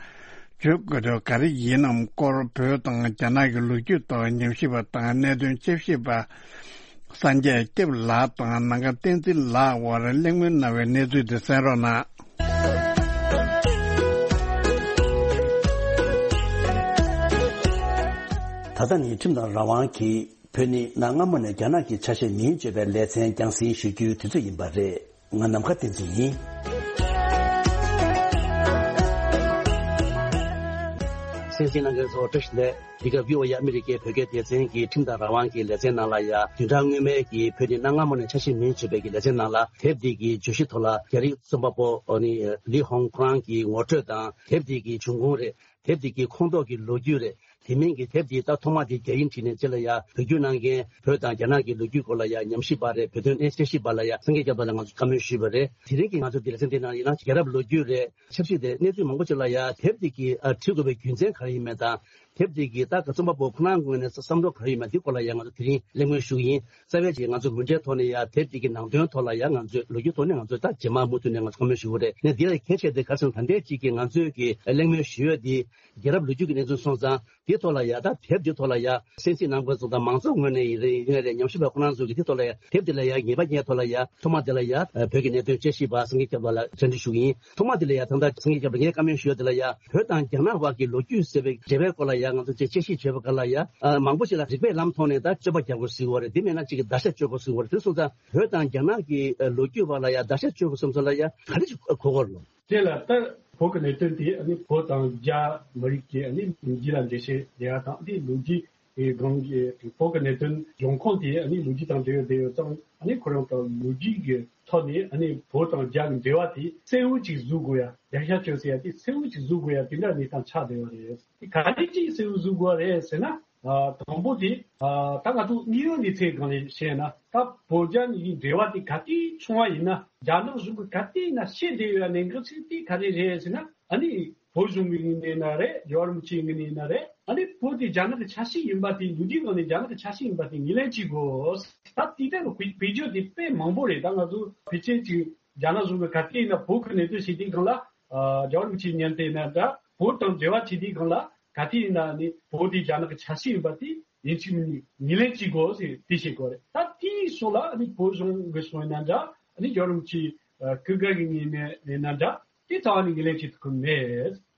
བརྗོད་དགོས་དོན་ག་རེ་ཡིན་ནམ་སྐོར། བོད་དང་རྒྱ་ནག་གི་ལོ་རྒྱུས་ཐོག་ཉམས་ཞིབ་པ་དང་གནད་དོན་དཔྱད་ཞིབ་པ་སངས་རྒྱས་སྐྱབས་ལགས་དང་ནམ་མཁའ་བསྟན་འཛིན་ལགས་དབར་གླེང་མོལ་གནང་བའི་གནས་ཚུལ་དེ་གསན་རོགས་གནང་། ད་ལྟ་ནི་ཁྲིམས་དང་རང་དབང་གིས་བོད་ནི་གནའ་སྔ་མོ་ནས་རྒྱ་ནག་གི་ཆ་ཤས་མིན་བརྗོད་པའི་ལེ་ཚན་རྒྱང་སྲིང་ཞུ་རྒྱུའི་དུས་ཚོད་ཡིན་པ་རེད། ང་ནམ་མཁའ་བསྟན་འཛིན་ཡིན། གསན་གཟིགས་གནང་མཁན་ཚོ་བཀྲ་ཤིས་བདེ་ལེགས། འདི་ག་བྷི་ཨོ་ཨེ་ཨ་མི་རི་ཀའི་བོད་སྐད་སྡེ་ཚན་གྱི་ཁྲིམས་དང་རང་དབང་གི་ལེ་ཚན་ནང་ལ་ཡ། བདུན་ཕྲག་སྔོན་མའི་གི་བོད་ནི་གནའ་སྔ་མོ་ནས་ཆ་ཤས་མིན་བརྗོད་པའི་གི་ལེ་ཚན་ནང་ལ། དེབ་འདི་གི་བརྗོད་གཞི་ཐོག་ལ་རྒྱ་རིགས་རྩོམ་པ་པོ་ཨ་ནི་ལི་ཧོང་ཁོ་རང་གི་ངོ་སྤྲོད་དང་། དེབ་འདི་གི་བྱུང་ཁུངས་རེད། དེབ་འདི་གི་ཁོངས་གཏོགས་ཀྱི་ལོ་རྒྱུས་རེད། དེ་མིན་གྱི་དེབ་འདི་ད་ཐོག་མ་དེ་རྒྱ་ཡིག་བྲིས་ནས་རྗེས་ལ་ཡ་བོད་བསྒྱུར་གནང་མཁན། བོད་དང་རྒྱ་ནག་གི་ལོ་རྒྱུས་སྐོར་ལ་ཡ་ཉམས་ཞིབ་པ་རེད། བོད་དོན་གནད་དཔྱད་ཞིབ་པ་ལ་ཡ་སངས་རྒྱས་སྐྱབས་ལགས་ལ་ང་ཚོ་བཀའ་མོལ་ཞུས་པ་རེད། དེ་རིང་གི་ང་ཚོ་འདི་ལ་ཚན་དེ་ནང་ཡིན་ན་རྒྱལ་རབས་ལོ་རྒྱུས་རེད། ཆབ་སྲིད་དེ་གནས་ཚུལ་མང་པོ་ཅིག་ལ་ཡ་དེབ་འདི་གི་ཨ་བྲིས་དགོས་པའི་རྒྱུ་མཚན་ག་རེ་ཡིན་མིན་དང་། དེབ་འདི་གི་ད་ག་རྩོམ་པ་པོ་ཁོ་རང་ངོས་ནས་བསམ་བློ་ག་རེ་ཡོད་མེད་འདི་སྐོར་ལ་ཡང་ང་ཚོ་དེ་རིང་གླེང་མོལ་ཞུ་གི་ཡིན། རྩ་བའི་ཆེད་ང་ཚོ་མུ་འབྲེལ་ཐོག་ནས་ཡང་དེབ་འདི་གི་ནང་དོན་ཐོག་ལ་ཡང་ང་ཚོས་ལོ་རྒྱུས་ཐོག་ནས་ང་ཚོས་ད་རྗེས་མ་མུ་མཐུད་ནས་ང་ཚོ་བཀའ་མོལ་ཞུ་གི་རེད། ཡིན་ན་འདི་ལ་གལ་ཆེ་དེ་ག་རེ་ཟེར་ན། ད་ལྟའི་ཅིག་གི་ང་ཚོས་ཀྱི་གླེང་མོལ་ཞུ་ཡོད་འདི་རྒྱལ་རབས་ལོ་རྒྱུས་ཀྱི་གནས་ཚུལ་སོང་ཙང་། དེ་ཐོག་ལ་ཡང་ད་དེབ་འདི་ཐོག་ལ་ཡང་གསན་གཟིགས་གནང་མཁན་ཚོ་དང་མང་ཚོགས་ངོས་ནས་ཡིན་རེད། ཡིན་རེད། ཉམས་ཞིབ་པ་ཁོ་རང་ཚོ་གི་དེ་ཐོག་ལ་ཡང་དེབ་འདི་ལ་ཡང་ངེས་པ་ངེས་ཐོག་ལ་ཡང་ཐོག་མ་འདི་ལ་ཡང་བོད་ཀྱི་གནད་དོན་དཔྱད་ཞིབ་པ་སངས་རྒྱས་སྐྱབས་ལགས་ལ་བཅར་འདྲི་ཞུ་གི་ཡིན། ཐོག་མ་འདི་ལ་ཡང་ད་ལྟ་སངས་རྒྱས་སྐྱབས་ལགས་ངས་བཀའ་མོལ་ཞུ་ཡ་འདི་ལ་ཡང་བོད་དང་རྒྱ་ནག་བར་གྱི་ལོ་རྒྱུས་ཟེར་བའི་འབྲེལ་བའི་སྐོར་ལ་ཡང་ང་ཚོ་དཔྱད་དཔྱད་ཞིབ་བྱེད་པ་ག་ལ་ཡང་ཨ་མང་པོ་ཞིག་ལ་རིགས་པའི་ལམ་ཐོག་ནས་ད་དཔྱོད་པ་རྒྱག་དགོས་ཟེར་བ་རེད། དེ་མེད་ན་ཅིག་གི་བརྡར་ཤ་གཅོད་དགོས་ཟེར་བ་རེད། དེ་སོང་ཙང་བོད་དང་རྒྱ་ནག་གི་ལོ་རྒྱུས་བར་ལ་ཡང་བརྡར་ཤ་གཅོད་དགོས་བསམ་ཚུལ་ལ་ཡང་ག་རེ་ཞིག་གོ་དགོས་རེད། དེ་ལ་ལྟར་བོད་ཀྱི་གནད་དོན་དེ་ཨ་ནི་བོད་དང་རྒྱ་མི་རིགས་ཀྱི་ཨ་ནི་ལོ་རྒྱུས་ལ་འགྲེལ་བཤད་རྒྱག་ཡ་དང་། དེ་ལོ་རྒྱུས་ཀྱི་སྒང་གི་བོད་ཀྱི་གནད་དོན་འབྱུང་ཁུངས་དེ་ཨ་ནི་ལོ་རྒྱུས་དང་འབྲེལ་ཡོད་དེ་ཡོད་ཙང་། ཨ་ནི་ཁོ་རང་དང་ལོ་རྒྱུས་ཀྱི་ཐོག་ནས་ཨ་ནི་བོད་དང་རྒྱ་གི་འབྲེལ་བ་དེ་གསལ་བོ་ཅིག་བཟོ་དགོས་ཡ། རྒྱ་ཤ་བཅོས་ཟེར་ཡ་དེ་གསལ་བོ་ཅིག་བཟོ་དགོས་ཡ་དེ་འདྲ་གནས་སྟངས་ཆགས་བསྡད་ཡོད་རེད། དེ་ག་རེ་ཅིག་གསལ་བོ་བཟོ་དགོས་རེད་ཟེར་ན། ཨ་དང་པོ་དེ་ཨ་ད་ང་ཚོ་དངོས་ཡོད་གནས་ཚུལ་སྒང་ནས་བཤད་ན། ད་བོད་རྒྱ་གཉིས་ཀྱི་འབྲེལ་བ་དེ་ག་དུས་བྱུང་བ་ཡིན་ན། རྒྱ་ནག་གཞུང་གིས་ག་དུས་ཡིན་ན་བཤད་བསྡད་ཡོད་ཡ་གནད་འགག་ཅིག་དེ་ག་རེ་རེད་ཟེར་ན། ཨ་ནི་བོད་གཞུང་གི་ངོས་ནས་ཡིན་ན་རེད། རྒྱལ་བ་རིན་པོ་ཆེའི་ངོས་ནས་ཡིན་ན་རེད། ཨ་ནི་བོད་དེ་རྒྱ་ནག་གི་ཆ་ཤས་ཡིན་པ་དེ། ལོ་རྒྱུས་སྒང་ནས་རྒྱ་ནག་གི་ཆ་ཤས་ཡིན་པ་དེ་ངོས་ལེན་བྱེད་དགོས། ད་དེ་འདྲ་གི་བེད་སྤྱོད་དེ་དཔེ་མང་པོ་རེད། ད་ང་ཚོ་ཕལ་ཆེར་ཅིག་རྒྱ་ནག་གཞུང་གིས་ག་དུས་ཡིན་ན་བོད་ཀྱི་གནད་དོན་བཤད་དུས་སྒང་ལ། ཨ་རྒྱལ་བ་རིན་པོ་ཆེའི་མཉམ་དུ་ཡིན་ན་འདྲ། བོད་དང་འབྲེལ་བ་བྱེད་དུས་སྒང་ལ་ག་དུས་ཡིན་ན་ནི་བོད་དེ་རྒྱ་ནག་གི་ཆ་ཤས་ཡིན་པ་དེ་ཡིན་གཅིག་མིན་གཉིས་ངོས་ལེན་བྱེད་དགོས་ཟེར་དེ་བཤད་དགོས་རེད། ད་དེའི་ཕྱོགས་ལ་ཨ་ནི་བོད་གཞུང་གི་ཕྱོགས་ཡིན་ན་འདྲ། ཨ་ནི་རྒྱལ་བ་རིན་པོ་ཆེ་སྐུ་སྒེར་གྱི་ངོས་ནས་ཡིན་ན་འདྲ། དེ་རྩ་བ་ནས་ངོས་ལེན་བྱེད་ཐུབ་ཀྱི་མེད།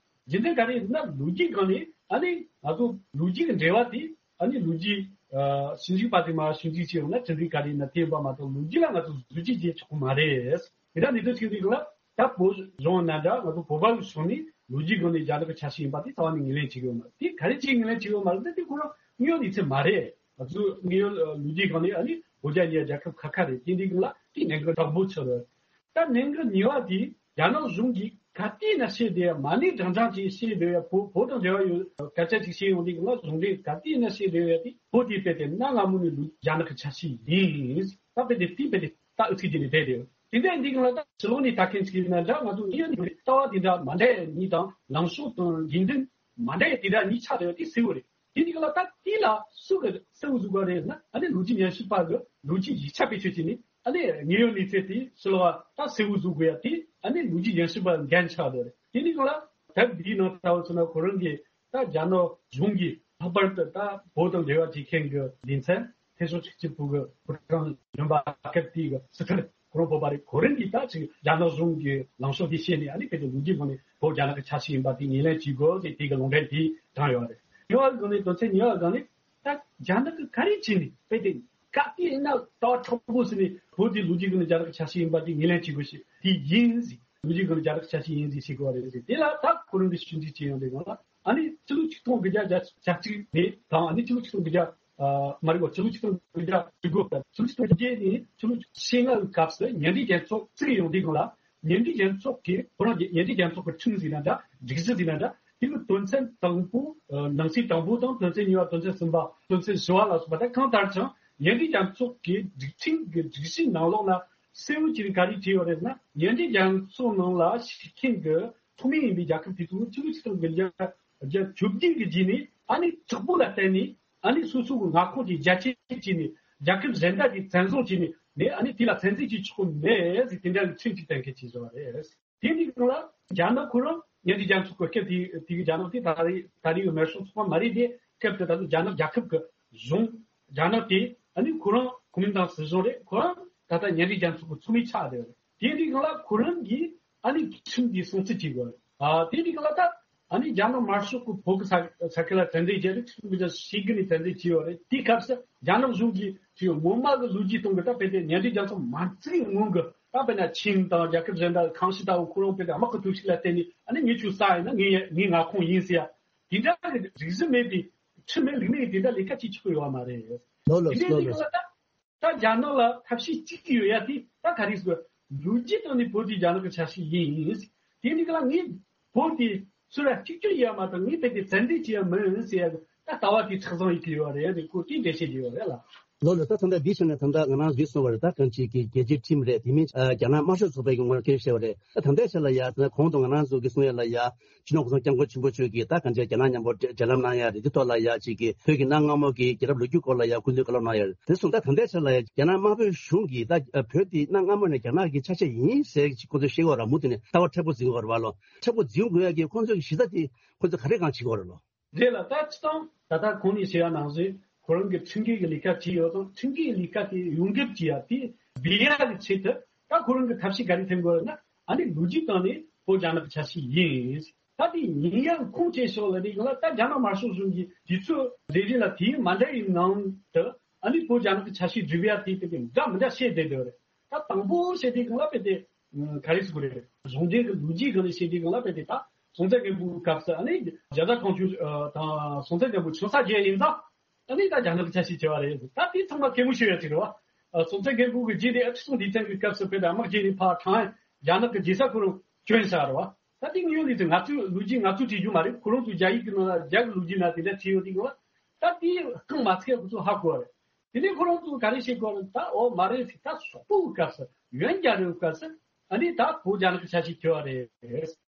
རྒྱུ་མཚན་ག་རེ་ཡིན་ན། ལོ་རྒྱུས་སྒང་ནས་ཨ་ནི་ང་ཚོ་ལོ་རྒྱུས་ཀྱི་འབྲེལ་བ་དེ། ཨ་ནི་ལོ་རྒྱུས་ཨ་ཞིབ་འཇུག་པ་དེ་མ་ཞིབ་འཇུག་བྱས་ཡོང་ན་གྲུབ་འབྲས་ག་རེ་ཡིན་ན་ཐེབས་པ་མ་གཏོགས། ལོ་རྒྱུས་ལ་ང་ཚོ་བཟོ་བཅོས་བྱེད་ཆོག་གི་མ་རེད། དེ་འདྲ་གནད་དོན་ཆགས་དུས་སྒང་ལ། ད་བོད་གཞུང་ན་འདྲ། ང་ཚོ་བོད་པ་གི་ཕྱོགས་ནས་ལོ་རྒྱུས་སྒང་ནས་རྒྱ་ནག་གི་ཆ་ཤས་ཡིན་པ་དེ་རྩ་བ་ནས་ངོས་ལེན་བྱེད་ཀྱི་ཡོད་མ་རེད། དེ་ག་རེ་བྱས་ངོས་ལེན་བྱེད་ཀྱི་ཡོད་མ་རེད་ཟེར་ན། དེ་ཁོ་རང་དངོས་ཡོད་གནས་ཚུལ་མ་རེད། ང་ཚོ་དངོས་ཡོད་ལོ་རྒྱུས་སྒང་ནས་ཨ་ནི་བོད་རྒྱ་གཉིས་རྒྱལ་ཁབ་ཁག་ཁག་རེད། དེ་འདྲའི་སྒང་ལ་དེ་གནད་འགག་དྲག་པོ་ཆགས་རེད། ད་གནད་འགག་གཉིས་པ་དེ། རྒྱ་ནག་གཞུང་གིས་ག་དུས་ཡིན་ན་བཤད་བསྡད་ཡ། མ་ཎི་བགྲང་བྱ་ཅིག་བཤད་བསྡད་ཡ། བོད་བོད་དང་འབྲེལ་བ་ཡོད་སྐད་ཆ་ཅིག་བཤད་ཡོང་དུས་སྒང་ལ། གཞུང་འབྲེལ་ག་དུས་ཡིན་ན་བཤད་བསྡད་ཡ་དེ། བོད་དེ་དཔེ་དེ་གནའ་སྔ་མོ་ནས་ལོ་རྒྱ་ནག་གི་ཆ་ཤས་ཡིན། ད་དཔེ་དེ་དེ་དཔེ་དེ་ད་ཨུ་ཚུགས་བྱས་ནས་བསྡད་བསྡད་ཡོད། དེ་འདྲ་ཡིན་དུས་སྒང་ལ། ད་ཕྱི་ལོགས་ནས་ལྟ་མཁན་ཅིག་ཡིན་ན་འདྲ། ང་ཚོ་དངོས་ཡོད་ནས་ལྟ་བ་དེ་འདྲ་མ་འདྲ་ཡ་གཉིས་དང་། ལངས་ཕྱོགས་དང་ཡིན་དོན་མ་འདྲ་ཡ་དེ་འདྲ་གཉིས་ཆགས་བསྡད་ཡ་དེ་གསལ་བོ་རེད། དེ་འདྲའི་སྒང་ལ་ད་དེ་ལ་སུ་གིས་གསལ་བོ་བཟོ་དགོས་རེད་ཟེར་ན། ཨ་ནི་ལོ་རྒྱུས་ཉམས་ཞིབ་པ་གིས་ལོ་རྒྱུས་ཡིག་ཆ་བེད་སྤྱོད་བྱས་ནས། ཨ་ནི་དངོས་ཡོད་གནས་ཚུལ་དེ་ཕྱི་ལོགས་ད་གསལ་བོ་བཟོ་དགོས་ཡ་དེ་ཨ་ནི་ལོ་རྒྱུས་རྒྱུན་ཞུགས་པ་འགན་ཆགས་འདུག་རེད། དེ་ནི་གང་ལ་ད་འདིའི་ནང་ལྟ་བུ་ཚོ་ན་ཁོ་རང་གིས་ད་རྒྱ་ནག་གཞུང་གིས་ལྷག་པར་དུ་ད་བོད་དང་འབྲེལ་བ་བྱེད་མཁན་གྱི་སྡེ་ཚན་ཐེ་ཤོག་གཅིག་གཅིག་པུ་གི་ཕོ་བྲང་ཡོད་པ་སྐབས་དེའི་གི་སྲིད་ཁྲིམས་ཁོ་རང་བོད་པ་རེད། ཁོ་རང་གིས་ད་ཅིག་རྒྱ་ནག་གཞུང་གི་ལངས་ཕྱོགས་དེ་བཤད་ནས་ཨ་ནི་ཕལ་ཆེར་ལོ་རྒྱུས་སྒང་ནས་བོད་རྒྱ་ནག་གི་ཆ་ཤས་ཡིན་པ་དེ་ངོས་ལེན་བྱེད་དགོས་ཟེར་དེ་གི་ལུང་འདྲེན་དེ་དྲངས་ཡོད་རེད། གཉིས་པ་སྒང་ནས་དོན་ཚན་གཉིས་པ་སྒང་ནས་ད་རྒྱ་ནག་གིས་ག་རེ་བྱས་ནས་དཔེ་དེ་ག་དུས་ཡིན་ན་ད་དྲག་པོ་ཟེར་ནས་བོད་དེ་ལོ་རྒྱུས་སྒང་ནས་རྒྱ་ནག་གི་ཆ་ཤས་ཡིན་པ་དེ་ངོས་ལེན་བྱེད་དགོས་ཤིག་དེ་ཡིན་ཟེར། ལོ་རྒྱུས་སྒང་ནས་རྒྱ་ནག་གི་ཆ་ཤས་ཡིན་ཟེར་བཤད་དགོས་པ་རེད་ཟེར། དེ་ལ་ད་ཁོ་རང་གིས་ཞིབ་འཇུག་བྱས་ཡོང་དུས་སྒང་ལ་ཨ་ནི་ཕྱི་ལོ་ཆིག་སྟོང་དགུ་བརྒྱ་བརྒྱད་ཅུ་གྱ་གཅིག་ནས་དང་ཨ་ནི་ཕྱི་ལོ་ཆིག་སྟོང་དགུ་བརྒྱ་ཨ་མ་རེད་བ། ཕྱི་ལོ་ཆིག་སྟོང་དགུ་བརྒྱ་བཅུ་དགུ་དང་ཕྱི་ལོ་ཆིག་སྟོང་བརྒྱད་ནས་ཕྱི་ལོ་ཆིག་སྟོང་ལྔ་གི་སྐབས་སུ་གཉེན་སྒྲིག་རྒྱལ་ཚོགས་བཙུགས་ཡོང་དུས་སྒང་ལ་གཉེན་སྒྲིག་རྒྱལ་ཚོགས་ཀྱིས་ཁོ་རང་གི་གཉེན་སྒྲིག་རྒྱལ་ཚོགས་ཀྱི་ཁྲིམས་ཟེར་ན་འདྲ་སྒྲིག་གཞི་ཟེར་ན་འདྲ་དེ་གི་དོན་ཚན་དང་པོ་ཨ་ནང་གསེས་དང་པོ་དང་དོན་ཚན་གཉིས་པ་དོན་ཚན་གསུམ་པ་དོན་ཚན་བཞི་པ་ལ་སོགས་པ་དང་གང་ལྟར་ཀྱང་གཉེན་སྒྲིག་རྒྱལ་ཚོགས་ཀྱི་སྒྲིག་ཁྲིམས་ཀྱི་སྒྲིག་གཞིའི་ནང་ལོགས་ལ་གསལ་བོ་བྱས་ནས་ག་རེ་བྲིས་ཡོད་རེད་ན། གཉེན་སྒྲིག་རྒྱལ་ཚོགས་ནང་ལ་ཞུགས་མཁན་གྱི་ཚོགས་མི་ཡིན་པའི་རྒྱལ་ཁབ་དེ་ཚོ་ཕྱི་ལོ་ཆིག་སྟོང་དགུ་བརྒྱ་བརྒྱད་ཅུ་གྱ་བརྒྱད་ཀྱི་རྗེས་ནས་ཨ་ནི་གྲོགས་པོ་ལ་བརྟེན་ནས་ཨ་ནི་སོ་སོ་གི་མངའ་ཁོངས་ཀྱི་རྒྱ་ཆེ་བྱས་ནས་རྒྱལ་ཁབ་གཞན་དག་གིས་བཙན་བཟུང་བྱས་ནས་ནས་ཨ་ནི་དེ་ལ་བཙན་འཛུལ་བྱེད་ཆོག་གི་མེད་ཟེར་དེ་འདྲ་གི་ཁྲིམས་ཅིག་གཏན་འཁེལ་བྱས་བཞག་པ་རེད། དེ་འདྲའི་སྒང་ལ་རྒྱ་ནག་ཁོ་རང་གཉེན་སྒྲིག་རྒྱལ་ཚོགས་ཀྱི་སྐབས་དེ་དེ་གི་རྒྱ་ནག་དེ་ད་རེས་ད་རེས་ཀྱི་མེར་སྲུང་ཚོགས་པ་མ་རེད་དེ། སྐབས་དེ་ད་དུང་རྒྱ་ནག་རྒྱལ་ཁབ་ཀྱི་གཞུང་རྒྱ་ནག་དེ་ཨ་ནི་ཁོ་རང་གོ་མིན་ཏང་སྲིད་གཞུང་རེད། ཁོ་རང་ད་ལྟ་གཉེན་སྒྲིག་རྒྱལ་ཚོགས་ཀྱི་ཚོགས་མི་ཆགས་བསྡད་ཡོད་རེད། དེ་འདྲའི་སྒང་ལ་ཁོ་རང་གིས་ཨ་ནི་ཁྲིམས་འདི་སྲུང་བརྩི་བྱེད་དགོས་རེད། ཨ་དེ་འདྲའི་སྒང་ལ་ད་ཨ་ནི་རྒྱ་ནག་དམར་ཤོག་གི་བོད་ཀྱི་ས་ས་ཁུལ་ལ་བཙན་འཛུལ་བྱས་རེད། ཁྲིམས་འདི་ཞིག་གི་ནས་བཙན་འཛུལ་བྱས་ཡོད་རེད། དེའི་སྐབས་སུ་རྒྱ་ནག་གཞུང་གིས་ཅིག་སྔོན་མ་གི་ལོ་རྒྱུས་སྟེང་གི་ད་དཔེ་དེ་གཉེན་སྒྲིག་རྒྱལ་ཚོགས་མ་བཙུགས་སྔོན་གི་ད་དཔེར་ན་ཆིང་དང་རྒྱལ་ཁབ་གཞན་དག་གང་ཞིག་ལྟ་བུ་ཁོ་རང་དཔེ་དེ་དམག་གི་ཐོབ་ཤེས་ལ་བརྟེན་ནས་ཨ་ནི་ངས་ཁྱོད་ས་ཡིན་ན་ངའི་ངའི་མངའ་ཁོངས་ཡིན་ཟེར་ཡ་དེ་འདྲ་གི་རིག་གཞི་མེད་པའི་ཁྲིམས་མེད་ལུགས་མེད་ཀྱི་དེ་འདྲ་ལས་ཀ་བྱེད་ཆོག་གི་ཡོད་མ་རེད། ལོ་ལོ་དེ་འདྲའི་ལོ་ལོ། ལས་ཀ་ལ་ད་ད་རྒྱ་ནག་ལ་ཐབས་ཤེས་གཅིག་ཡོད་ཡ་དེ་ད་ག་རེ་ཟེར། ལོ་རྒྱུས་སྟེང་ནས་བོད་དེ་རྒྱ་ནག་གི་ཆ་ཤས་ཡིན། དེ་འདྲའི་སྒང་ལ་ངས་བོད་དེ་ཚུར་ར་གཅིག་གྱུར་ཡོད་མ་གཏོགས་ངས་བོད་དེ་བཙན་འཛུལ་བྱས་ཡ་མིན་ཟེར་ཡ་ད་ལྟ་བ་དེ་མཁྲེགས་བཟུང་ཡེད་ཀྱི་ཡོད་རེད། ཁོ་དེ་འགྲེལ་བཤད་བྱས་ཡོད་རེད་ལ། ལོ་ལོ། ད་ད་ལྟ་འདི་བྱས་ན་ད་ལྟ་ང་རང་ཚོས་གསུངས་པ་རེད། ད་གང་ཅིག་གི་རྒྱལ་སྤྱིའི་ཁྲིམས་རེད། དེ་མིན་རྒྱ་ནག་དམར་ཤོག་ཚོགས་པའི་གི་ངོས་ནས་སྐད་བཤད་པ་རེད། ད་ད་ལྟའི་ཆ་ལ་ཡ་ད་གོང་དུ་ང་རང་ཚོ་གི་གསུང་ཡ་ལ་ཡ་སྤྱི་ནོར་གོང་ས་སྐྱབས་མགོན་ཆེན་པོ་མཆོག་གིས་ད་གང་ཅིག་རྒྱ་ནག་མཉམ་པོ་འབྲེལ་ལམ་གནང་ཡ་རེད། དེ་ཐོག་ལ་ཡ་ཅིག་གི་བོད་ཀྱི་གནའ་སྔ་མོ་གི་རྒྱལ་རབས་ལོ་རྒྱུས་སྐོར་ལ་ཡ་སྐུ་མདུན་བཀའ་སློབ་གནང་ཡ་རེད། དེ་སོང་ད་ད་ལྟའི་ཆ་ལ་ཡ་རྒྱ་ནག་དམར་པོའི་གཞུང་གིས་ད་བོད་དེ་གནའ་སྔ་མོ་ནས་རྒྱ་ནག་གི་ཆ་ཤས་ཡིན་ཟེར་ཅིག་ཁོ་ཚོས་བཤད་ཀྱི་ཡོད་རེད། མུ་མཐུད་ནས་ལྟ་བ་མཁྲེགས་པོ་འཛིན་དགོས་རེད་བ་ལོ། མཁྲེགས་པོ་འཛིན་དགོས་ཡ་གི་ཁོ་ཚོས་གཞི་རྩ་དེ་ཁོ་ཚོས་ག་རེ་གང་བྱེད་ཀྱི་ཡོད་རེད་ལོ། རེད་ལ། ད་སྤྱིར་བཏང་ད་ལྟ་གོང་ནས་བཤད་ཡ་ནང་བཞིན་ཁོ་རང་གི་ཁྲིམས་འགལ་གྱི་ལས་ཀ་བྱས་ཡོད་ཙང་ཁྲིམས་འགལ་གྱི་ལས་ཀ་དེ་ཡོངས་འགེབས་བྱེད་ཡ་དེ་སྦས་ཡ་གི་ཆེད་དུ་ད་ཁོ་རང་གི་ཐབས་ཤེས་ག་རེ་འཐེན་དགོས་ན་ཨ་ནི་ལོ་རྒྱུས་སྟེང་ནས་བོད་རྒྱ་ནག་གི་ཆ་ཤས་ཡིན། ད་དེ་ཡིན་ཡ་ཁུངས་སྐྱེལ་ཕྱོགས་ལ་དེ་ཡིན་ལ་ད་རྒྱ་ནག་དམར་ཤོག་གཞུང་གིས་དུས་ཚོད་རེ་རེ་ལ་དུས་ཡུན་མ་འདྲ་བའི་ནང་དུ་ཨ་ནི་བོད་རྒྱ་ནག་གི་ཆ་ཤས་སྒྲུབ་ཡ་དེ་དེ་དེ་འདྲ་མི་འདྲ་བཤད་བསྡད་ཡོད་རེད། ད་དང་པོ་བཤད་དུས་སྒང་ལ་དཔེ་དེ་ག་རེ་ཟེར་དགོས་རེད། གཞུང་འབྲེལ་གྱི་ལོ་རྒྱུས་སྒང་ནས་བཤད་དུས་སྒང་ལ་དཔེ་དེ་ད་སྲོང་བཙན་སྒམ་པོའི་སྐབས་སུ་ཨ་ནི་རྒྱ་བཟའ་ཁོང་ཆུ་དང་སྲོང་བཙན་སྒམ་པོ་ཆུ་ས་བརྒྱད་ཡིན་ཙང་ཨ་ནི་ད་རྒྱ་ནག་གི་ཆ་ཤས་བྱས་པ་རེད། ད་དེ་ཚང་མ་གད་མོ་ཤོར་ཡ་ཅིག་རེད་བ། སྲོང་བཙན་སྒམ་པོ་གི་རྗེས་ནས་ཁྲི་སྲོང་ལྡེ་བཙན་གྱི་སྐབས་སུ་དཔེ་དེ་དམག་རྒྱག་ནས་ཕར་ཐང་རྒྱ་ནག་གི་རྒྱལ་ས་ཁོ་རང་བསྐྱོན་བཞག་རེད་བ། ད་དེ་དངོས་ཡོད་ལས་ཚེ་ང་ཚོའི་ལོ་རྒྱུས་ང་ཚོས་བྲིས་རྒྱུ་མ་རེད། ཁོ་རང་ཚོའི་རྒྱ་ཡིག་གི་ནང་ལ་རྒྱ་གི་ལོ་རྒྱུས་ནང་དེ་འདྲ་བྲིས་ཡོད་དུས་སྒང་ལ་ད་དེ་རྐང་མ་ཚུགས་ཡ་ཁོ་ཚོ་ཧ་གོ་བ་རེད། དེ་ནས་ཁོ་རང་ཚོས་ག་རེ་བཤད་དགོས་རེད། ད་འོ་མ་རེད་ཟེར། ད་སོག་པོའི་སྐབས་སུ་ཡོན་རྒྱལ་རབས་སྐབས་སུ་ཨ་ནི་ད་བོད་རྒྱ་ནག་གི་ཆ་ཤས་གྱུར་པ་རེད།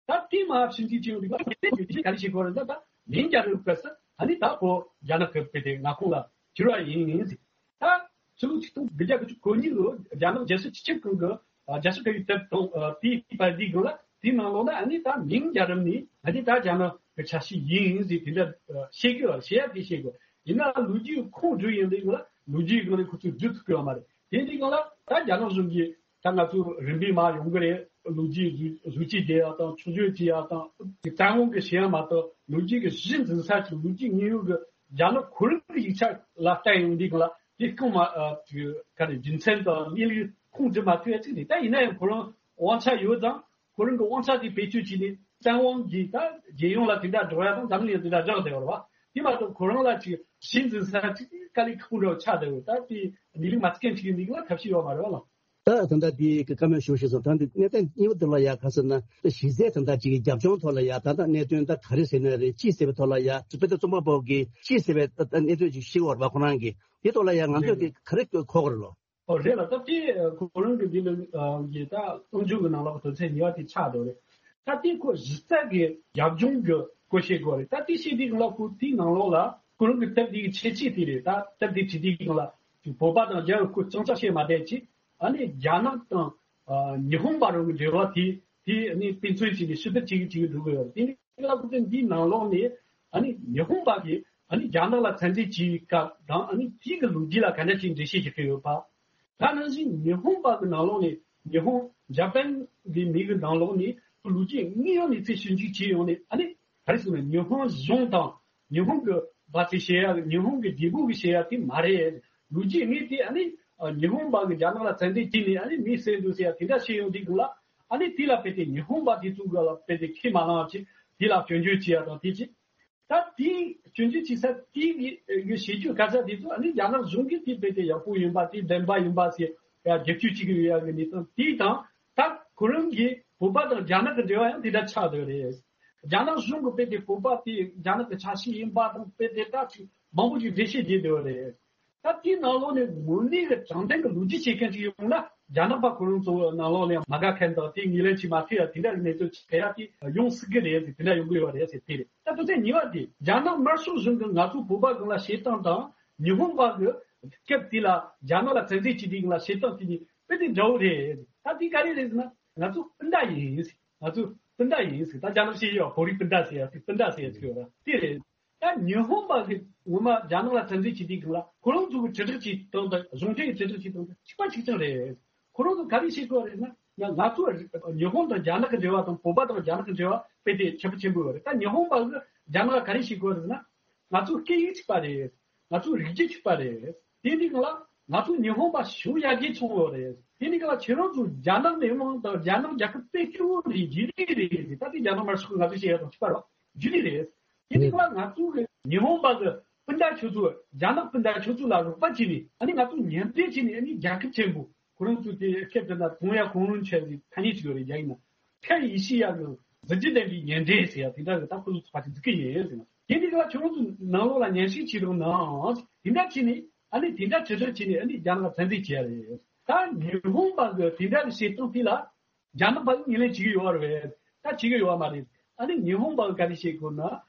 ད་དེ་མ་ཕྱིན་ཅི་ཅིང་རིག་པ་དེ་ག་རེ་བཤད་དགོས་རེད། ད་ད་མིང་རྒྱལ་རབས་སྐབས་སུ་ཨ་ནི་ད་བོད་རྒྱ་ནག་གི་དཔེ་དེ་མངའ་ཁོངས་ལ་གྱུར་པ་ཡིན་ཟེར། ད་ཕྱི་ལོ་ཆིག་སྟོང་དགུ་བརྒྱ་དགུ་བཅུ་གོ་གཉིས་ལོ་རྒྱ་ནག་རྒྱལ་སྲིད་སྤྱི་ཁྱབ་ཁང་གི་རྒྱལ་སྲིད་བཀའ་བརྒྱུད་དེབ་དང་དེའི་པར་འདིའི་སྒང་ལ་དེའི་ནང་ལོགས་ན་ཨ་ནི་ད་མིང་རྒྱལ་རབས་ནི་ཨ་ནི་ད་རྒྱ་ནག་གི་ཆ་ཤས་ཡིན་ཟེར་དེ་འདྲ་བཤད་གི་བཤད་ཡ་དེ་བཤད་གི། ཡིན་ན་ལོ་རྒྱུས་ཁུངས་བསྡུ་ཡོང་དུས་སྒང་ལ་ལོ་རྒྱུས་སྒང་ལ་ཁོ་ཚོས་བསྡུ་ཐུབ་ཀྱི་ཡོད་མ་རེད། དེ་དུས་སྒང་ལ་ད་རྒྱ་ནག་གཞུང་གིས་ད་ང་ཚོ་རིམ་པས་མར་ཡོང་གི་རེད། ལོ་རྒྱུས་བཟོ་བཟོ་བཅོས་བྱེད་ཡག་དང་ཆུ་བཞོ་བྱེད་ཡག་དང་བཙན་དབང་གི་བྱེད་ཡག་མ་གཏོགས་ལོ་རྒྱུས་ཀྱི་གཞི་འཛིན་ས་ཅིག་ལོ་རྒྱུས་དངོས་ཡོད་ཀྱི་རྒྱ་ནག་ཁོ་རང་གི་ཡིག་ཆ་ལ་བལྟས་ཡོང་དུས་སྒང་ལ་དེ་རྐང་མ་ཨ་ག་རེ་རྒྱུ་མཚན་དང་གནས་ལུགས་ཁུངས་འདྲི་མ་ཐུབ་ཡ་ཅིག་རེད། ད་ཡིན་ན་ཡང་ཁོ་རང་དབང་ཆ་ཡོད་ཙང་། ཁོ་རང་གི་དབང་ཆ་དེ་བེད་སྤྱོད་བྱས་ནས་བཙན་དབང་གིས་ད་རྒྱལ་ཡོངས་ལ་དེ་འདྲ་སྒྲོག་ཡ་དང་འཛམ་གླིང་ལ་དེ་འདྲ་སྒྲོག་བསྡད་ཡོད་རེད་བ། དེ་མ་གཏོགས་ཁོ་རང་ལ་ཅིག་གཞི་འཛིན་ས་ཅིག་དཀའ་ལས་ཁག་པོ་འདྲ་བོ་ཆགས་བསྡད་ཡོད། ད་དེ་གནས་ལུགས་མ་རྩ་འཁེལ་ཅིག་ཡིན་དུས་ལ་ཐབས་ཤེས་ཡོད་མ་རེད་བ་ལགས། ད་ད་ལྟ་དེ་གི་བཀའ་མོལ་ཞུ་ཞེས་སོང་། ད་འདི་གནད་དོན་གཉིས་པ་དེ་ལ་ཡ་ག་ཟེར་ན་གཞི་རྩའི་ད་ལྟ་ཅིག་རྒྱབ་ལྗོངས་ཐོག་ལ་ཡ་ད་ལྟ་གནད་དོན་ད་ག་རེ་ཟེར་ན་རེད། ཅི་ཟེར་བའི་ཐོག་ལ་ཡ་དཔེ་ད་རྩོམ་པ་པོ་གིས་ཅི་ཟེར་བའི་ད་གནད་དོན་ཅིག་ཤེས་ཡོད་རེད་བ། ཁོ་རང་གིས་དེ་ཐོག་ལ་ཡ་ང་ཚོས་དེ་ག་རེ་གོ་དགོས་རེད་ལོ། ཨོ་རེད་ལ། ད་དེ་ཁོ་རང་གི་འདི་ལ་གི་ད་རྣམ་འགྱུར་གི་ནང་ལ་དོན་ཚན་གཉིས་པ་དེ་ཆགས་འདུག་རེད། ད་དེ་ཁོ་གཞི་རྩ་གི་རྒྱབ་ལྗོངས་གི་སྐོར་བཤད་དགོས་རེད། ད་དེ་བཤད་དུས་སྒང་ལ་ཁོ་དེའི་ནང་ལོགས་ལ་ཁོ་རང་གི་དེབ་དེ་གི་ཁྱད་ཆོས་དེ་རེད། ད་དེབ་དེ་བྲིས་དུས་སྒང་ལ་བོད་པ་དང་རྒྱ་ཡི་སྐོར་ཅང་ཅང་བཤད་མ་བསྡད་ཅིག་ཨ་ནི་རྒྱ་ནག་དང་ཨ་ཉི་ཧོང་བར་གྱི་འབྲེལ་བ་དེ་དེ་ཨ་ནི་དཔེ་མཚོན་བྱས་ནས་ཕྱི་བསྡུར་བྱེད་ཀྱི་བྱེད་ཀྱི་འགྲོ་གི་ཡོད་རེད། དེ་ནི་ལ་ཁུ་ཚོས་འདིའི་ནང་ལོགས་ནས་ཨ་ནི་ཉི་ཧོང་པ་གིས་ཨ་ནི་རྒྱ་ནག་ལ་བཙན་འཛུལ་བྱེད་སྐབས་དང་ཨ་ནི་དེའི་གི་ལོ་རྒྱུས་ལ་ག་འདྲ་ཞིག་འགྲེལ་བཤད་བྱེད་ཀྱི་ཡོད་པ། ད་ནང་བཞིན་ཉི་ཧོང་པ་གི་ནང་ལོགས་ནས་ཉི་ཧོང་ཇ་པན་གི་མི་གི་ནང་ལོགས་ནས་ལོ་རྒྱུས་དངོས་ཡོད་གནས་ཚུལ་ཞིབ་འཇུག་བྱས་ཡོང་ནས་ཨ་ནི་ག་རེ་ཟེར་ན་ཉི་ཧོང་གཞུང་དང་ཉི་ཧོང་གི་བ་ཚེ་བཤད་ཡ་ཉི་ཧོང་གི་རྒྱལ་པོ་གི་བཤད་ཡ་དེ་མ་རེད། ལོ་རྒྱུས་དངོས་དེ་ཨ་ནི་ཉི་ཧོང་པ་གི་རྒྱ་ནག་ལ་བཙན་འཛུལ་བྱས་ནས་ཨ་ནི་མི་བསད་འདུག་ཟེར་ཡ་དེ་འདྲ་བཤད་ཡོང་དུས་སྒང་ལ་ཨ་ནི་དེ་ལ་དཔེ་དེ་ཉི་ཧོང་པ་དེ་ཚོ་གི་ལ་དཔེ་དེ་ཁས་མ་བླངས་བྱས་དེ་ལ་སྐྱོན་བརྗོད་བྱས་ཡ་དང་དེ་བྱས། ད་དེའི་སྐྱོན་བརྗོད་བྱེད་ས་དེའི་གི་བྱེད་སྤྱོད་ག་ས་དེ་ཚོ་ཨ་ནི་རྒྱ་ནག་གཞུང་གིས་དེ་དཔེ་དེ་ཡག་པོ་ཡིན་པ་དེ་བདེན་པ་ཡིན་པ་ཟེར་ཡ་བསྒྱུར་བཅོས་བྱེད་ཀྱི་ཡོད་ཡ་གི་གནས་སྟངས་དེ་དང་། ད་ཁོ་རང་གིས་བོད་པ་དང་རྒྱ་ནག་གི་འབྲེལ་བ་ཡང་དེ་འདྲ་ཆགས་བསྡད་ཡོད་རེད། རྒྱ་ནག་གཞུང་གིས་དཔེ་དེ་བོད་པ་དེ་རྒྱ་ནག་གི་ཆ་ཤས་ཡིན་པ་དང་དཔེ་དེ་ད་ཅིག་མང་པོ་ཅིག་འགྲེལ་བཤད་བྱས་བསྡད་ཡོད་རེད། ད་དེའི་ནང་ལོགས་ནས་དངོས་གནས་ཀྱི་དྲང་བདེན་གྱི་ལོ་རྒྱུས་བཤད་མཁན་ཅིག་ཡོང་ན་རྒྱ་ནག་པ་ཁོ་རང་ཚོ་ནང་ལོགས་ནས་མ་དགའ་མཁན་དང་དེ་ངོས་ལེན་བྱེད་མ་ཐུབ་ཡ་དེ་འདྲ་གི་གནས་ཚུལ་ཅིག་ཕེབས་ཡ་དེ་ཡོང་སྲིད་གི་རེད་ཟེར་དེ་འདྲ་ཡོང་གི་ཡོད་རེད་ཟེར་དེ་རེད། ད་དོན་ཚན་གཉིས་པ་དེ་རྒྱ་ནག་དམར་ཤོག་གཞུང་གིས་ང་ཚོ་བོད་པ་སྒང་ལ་བྱེད་སྟངས་དང་ཉི་ཧོང་པ་གི་སྐབས་དེ་ལ་རྒྱ་ནག་ལ་བཙན་འཛུལ་བྱེད་དུས་སྒང་ལ་བྱེད་སྟངས་དེ་གཉིས་དཔེ་དེ་འདྲ་བོ་རེད། ད་དེ་ག་རེ་རེད་ཟེར་ན་ང་ཚོ་སྤུན་ཟླ་ཡིན་ཟེར། ང་ཚོ་སྤུན་ཟླ་ཡིན་ཟེར། ད་རྒྱ་ནག་བཤད་ཡོད་བོད་རིགས་སྤུན་ཟླ་ཟེར་ཡ་དེ་སྤུན་ཟླ་ཟེར་ཡ་ཅིག་ཡོད་ར་དེ་རེད། ད་ཉི་ཧོང་པ་གི་ངོ་མ་རྒྱ་ནག་ལ་བཙན་འཛུལ་བྱེད་དུས་སྒང་ལ་ཁོ་རང་ཚོ་གི་དྲིལ་བསྒྲགས་བྱེད་སྟངས་དང་གཞུང་འབྲེལ་གྱི་དྲིལ་བསྒྲགས་བྱེད་སྟངས་དང་གཅིག་པ་གཅིག་རྐྱང་རེད། ཁོ་རང་ཚོ་ག་རེ་བྱེད་དགོས་རེད་ན་ང་ང་ཚོ་ཉི་ཧོང་དང་རྒྱ་ནག་གི་འབྲེལ་བ་དང་བོད་པ་དང་རྒྱ་ནག་གི་འབྲེལ་བ་དཔེ་དེ་ཁྱད་པར་ཆེན་པོ་ཡོད་རེད། ད་ཉི་ཧོང་པ་གི་རྒྱ་ནག་ལ་ག་རེ་བྱེད་དགོས་རེད་ན་ང་ཚོ་སྐད་ཡིག་གཅིག་པ་རེད། ང་ཚོ་རིགས་རྒྱུད་གཅིག་པ་རེད། དེ་འདི་གང་ལ་ང་ཚོ་ཉི་ཧོང་པ་ཞུ་ཡ་གི་ཚོང་ཡོད་རེད། དེ་འདི་གང་ལ་ཁྱེད་རང་ཚོ་རྒྱ་ནག་མི་དམངས་དང་རྒྱ་ནག་རྒྱལ་ཁབ་དཔེ་སྐྱོ་བོ་རེད་རྗེས་ལུས་རེད་ཟེར། ད་དེ་རྒྱ་ནག་དམར་ཤོག་གི་ང་ཚོ་བཤད་ཡ་དང་གཅིག་པ་རེད། རྗེས་ལུས་རེད། དེ་འདི་གང་ལ་ང་ཚོ་གི་ཉི་ཧོང་པ་གི་སྤུན་ཟླ་ཁྱོད་ཚོ་རྒྱ་ནག་སྤུན་ཟླ་ཁྱོད་ཚོ་ལ་རོགས་པ་བྱས་ནས་ཨ་ནི་ང་ཚོ་མཉམ་འབྲེལ་བྱས་ནས་ཨ་ནི་རྒྱལ་ཁབ་ཆེན་པོ་ཁོ་རང་ཚོ་དེ་ཁྱེད་ཚོ་ན་གྲོང་ཡ་གོང་རིམ་ཆེ་ཟིག་ཐ་སྙད་ཅིག་ཡོད་རེད་རྒྱ་ཡིག་ན། ཁ་ཡིད་ཤི་ཡ་གི་གཟི་བརྗིད་ལྡན་པའི་ཉེ་འབྲེལ་ཟེར་ཡ་དེ་འདྲ་གི་ད་ཁོ་ཚོ་ཚོགས་པ་ཅིག་འཛུགས་ཀྱི་ཡིན་ཟེར་ན། དེ་འདི་ག་ཁྱོད་རང་ཚོ་ནང་ལོགས་ལ་ཉན་ཤེས་བྱེད་རོགས་གནང་། དེ་འདྲ་བྱས་ནས་ཨ་ནི་དེ་འདྲ་ཇེ་ཆེར་བྱས་ནས་ཨ་ནི་རྒྱ་ནག་ལ་བཙན་འཛུལ་བྱས་ཡ་རེད། ད་ཉི་ཧོང་པ་གི་དེ་འདྲ་གི་བྱེད་སྟངས་དེ་ལ་རྒྱ་ནག་པ་གི་ངོས་ལེན་བྱེད་ཀྱི་ཡོད་རེད། ད་བྱེད་ཀྱི་ཡོད་མ་རེད། ཨ་ནི་ཉི་ཧོང་པ་གི་ག་རེ་བྱེད་དགོས་ན་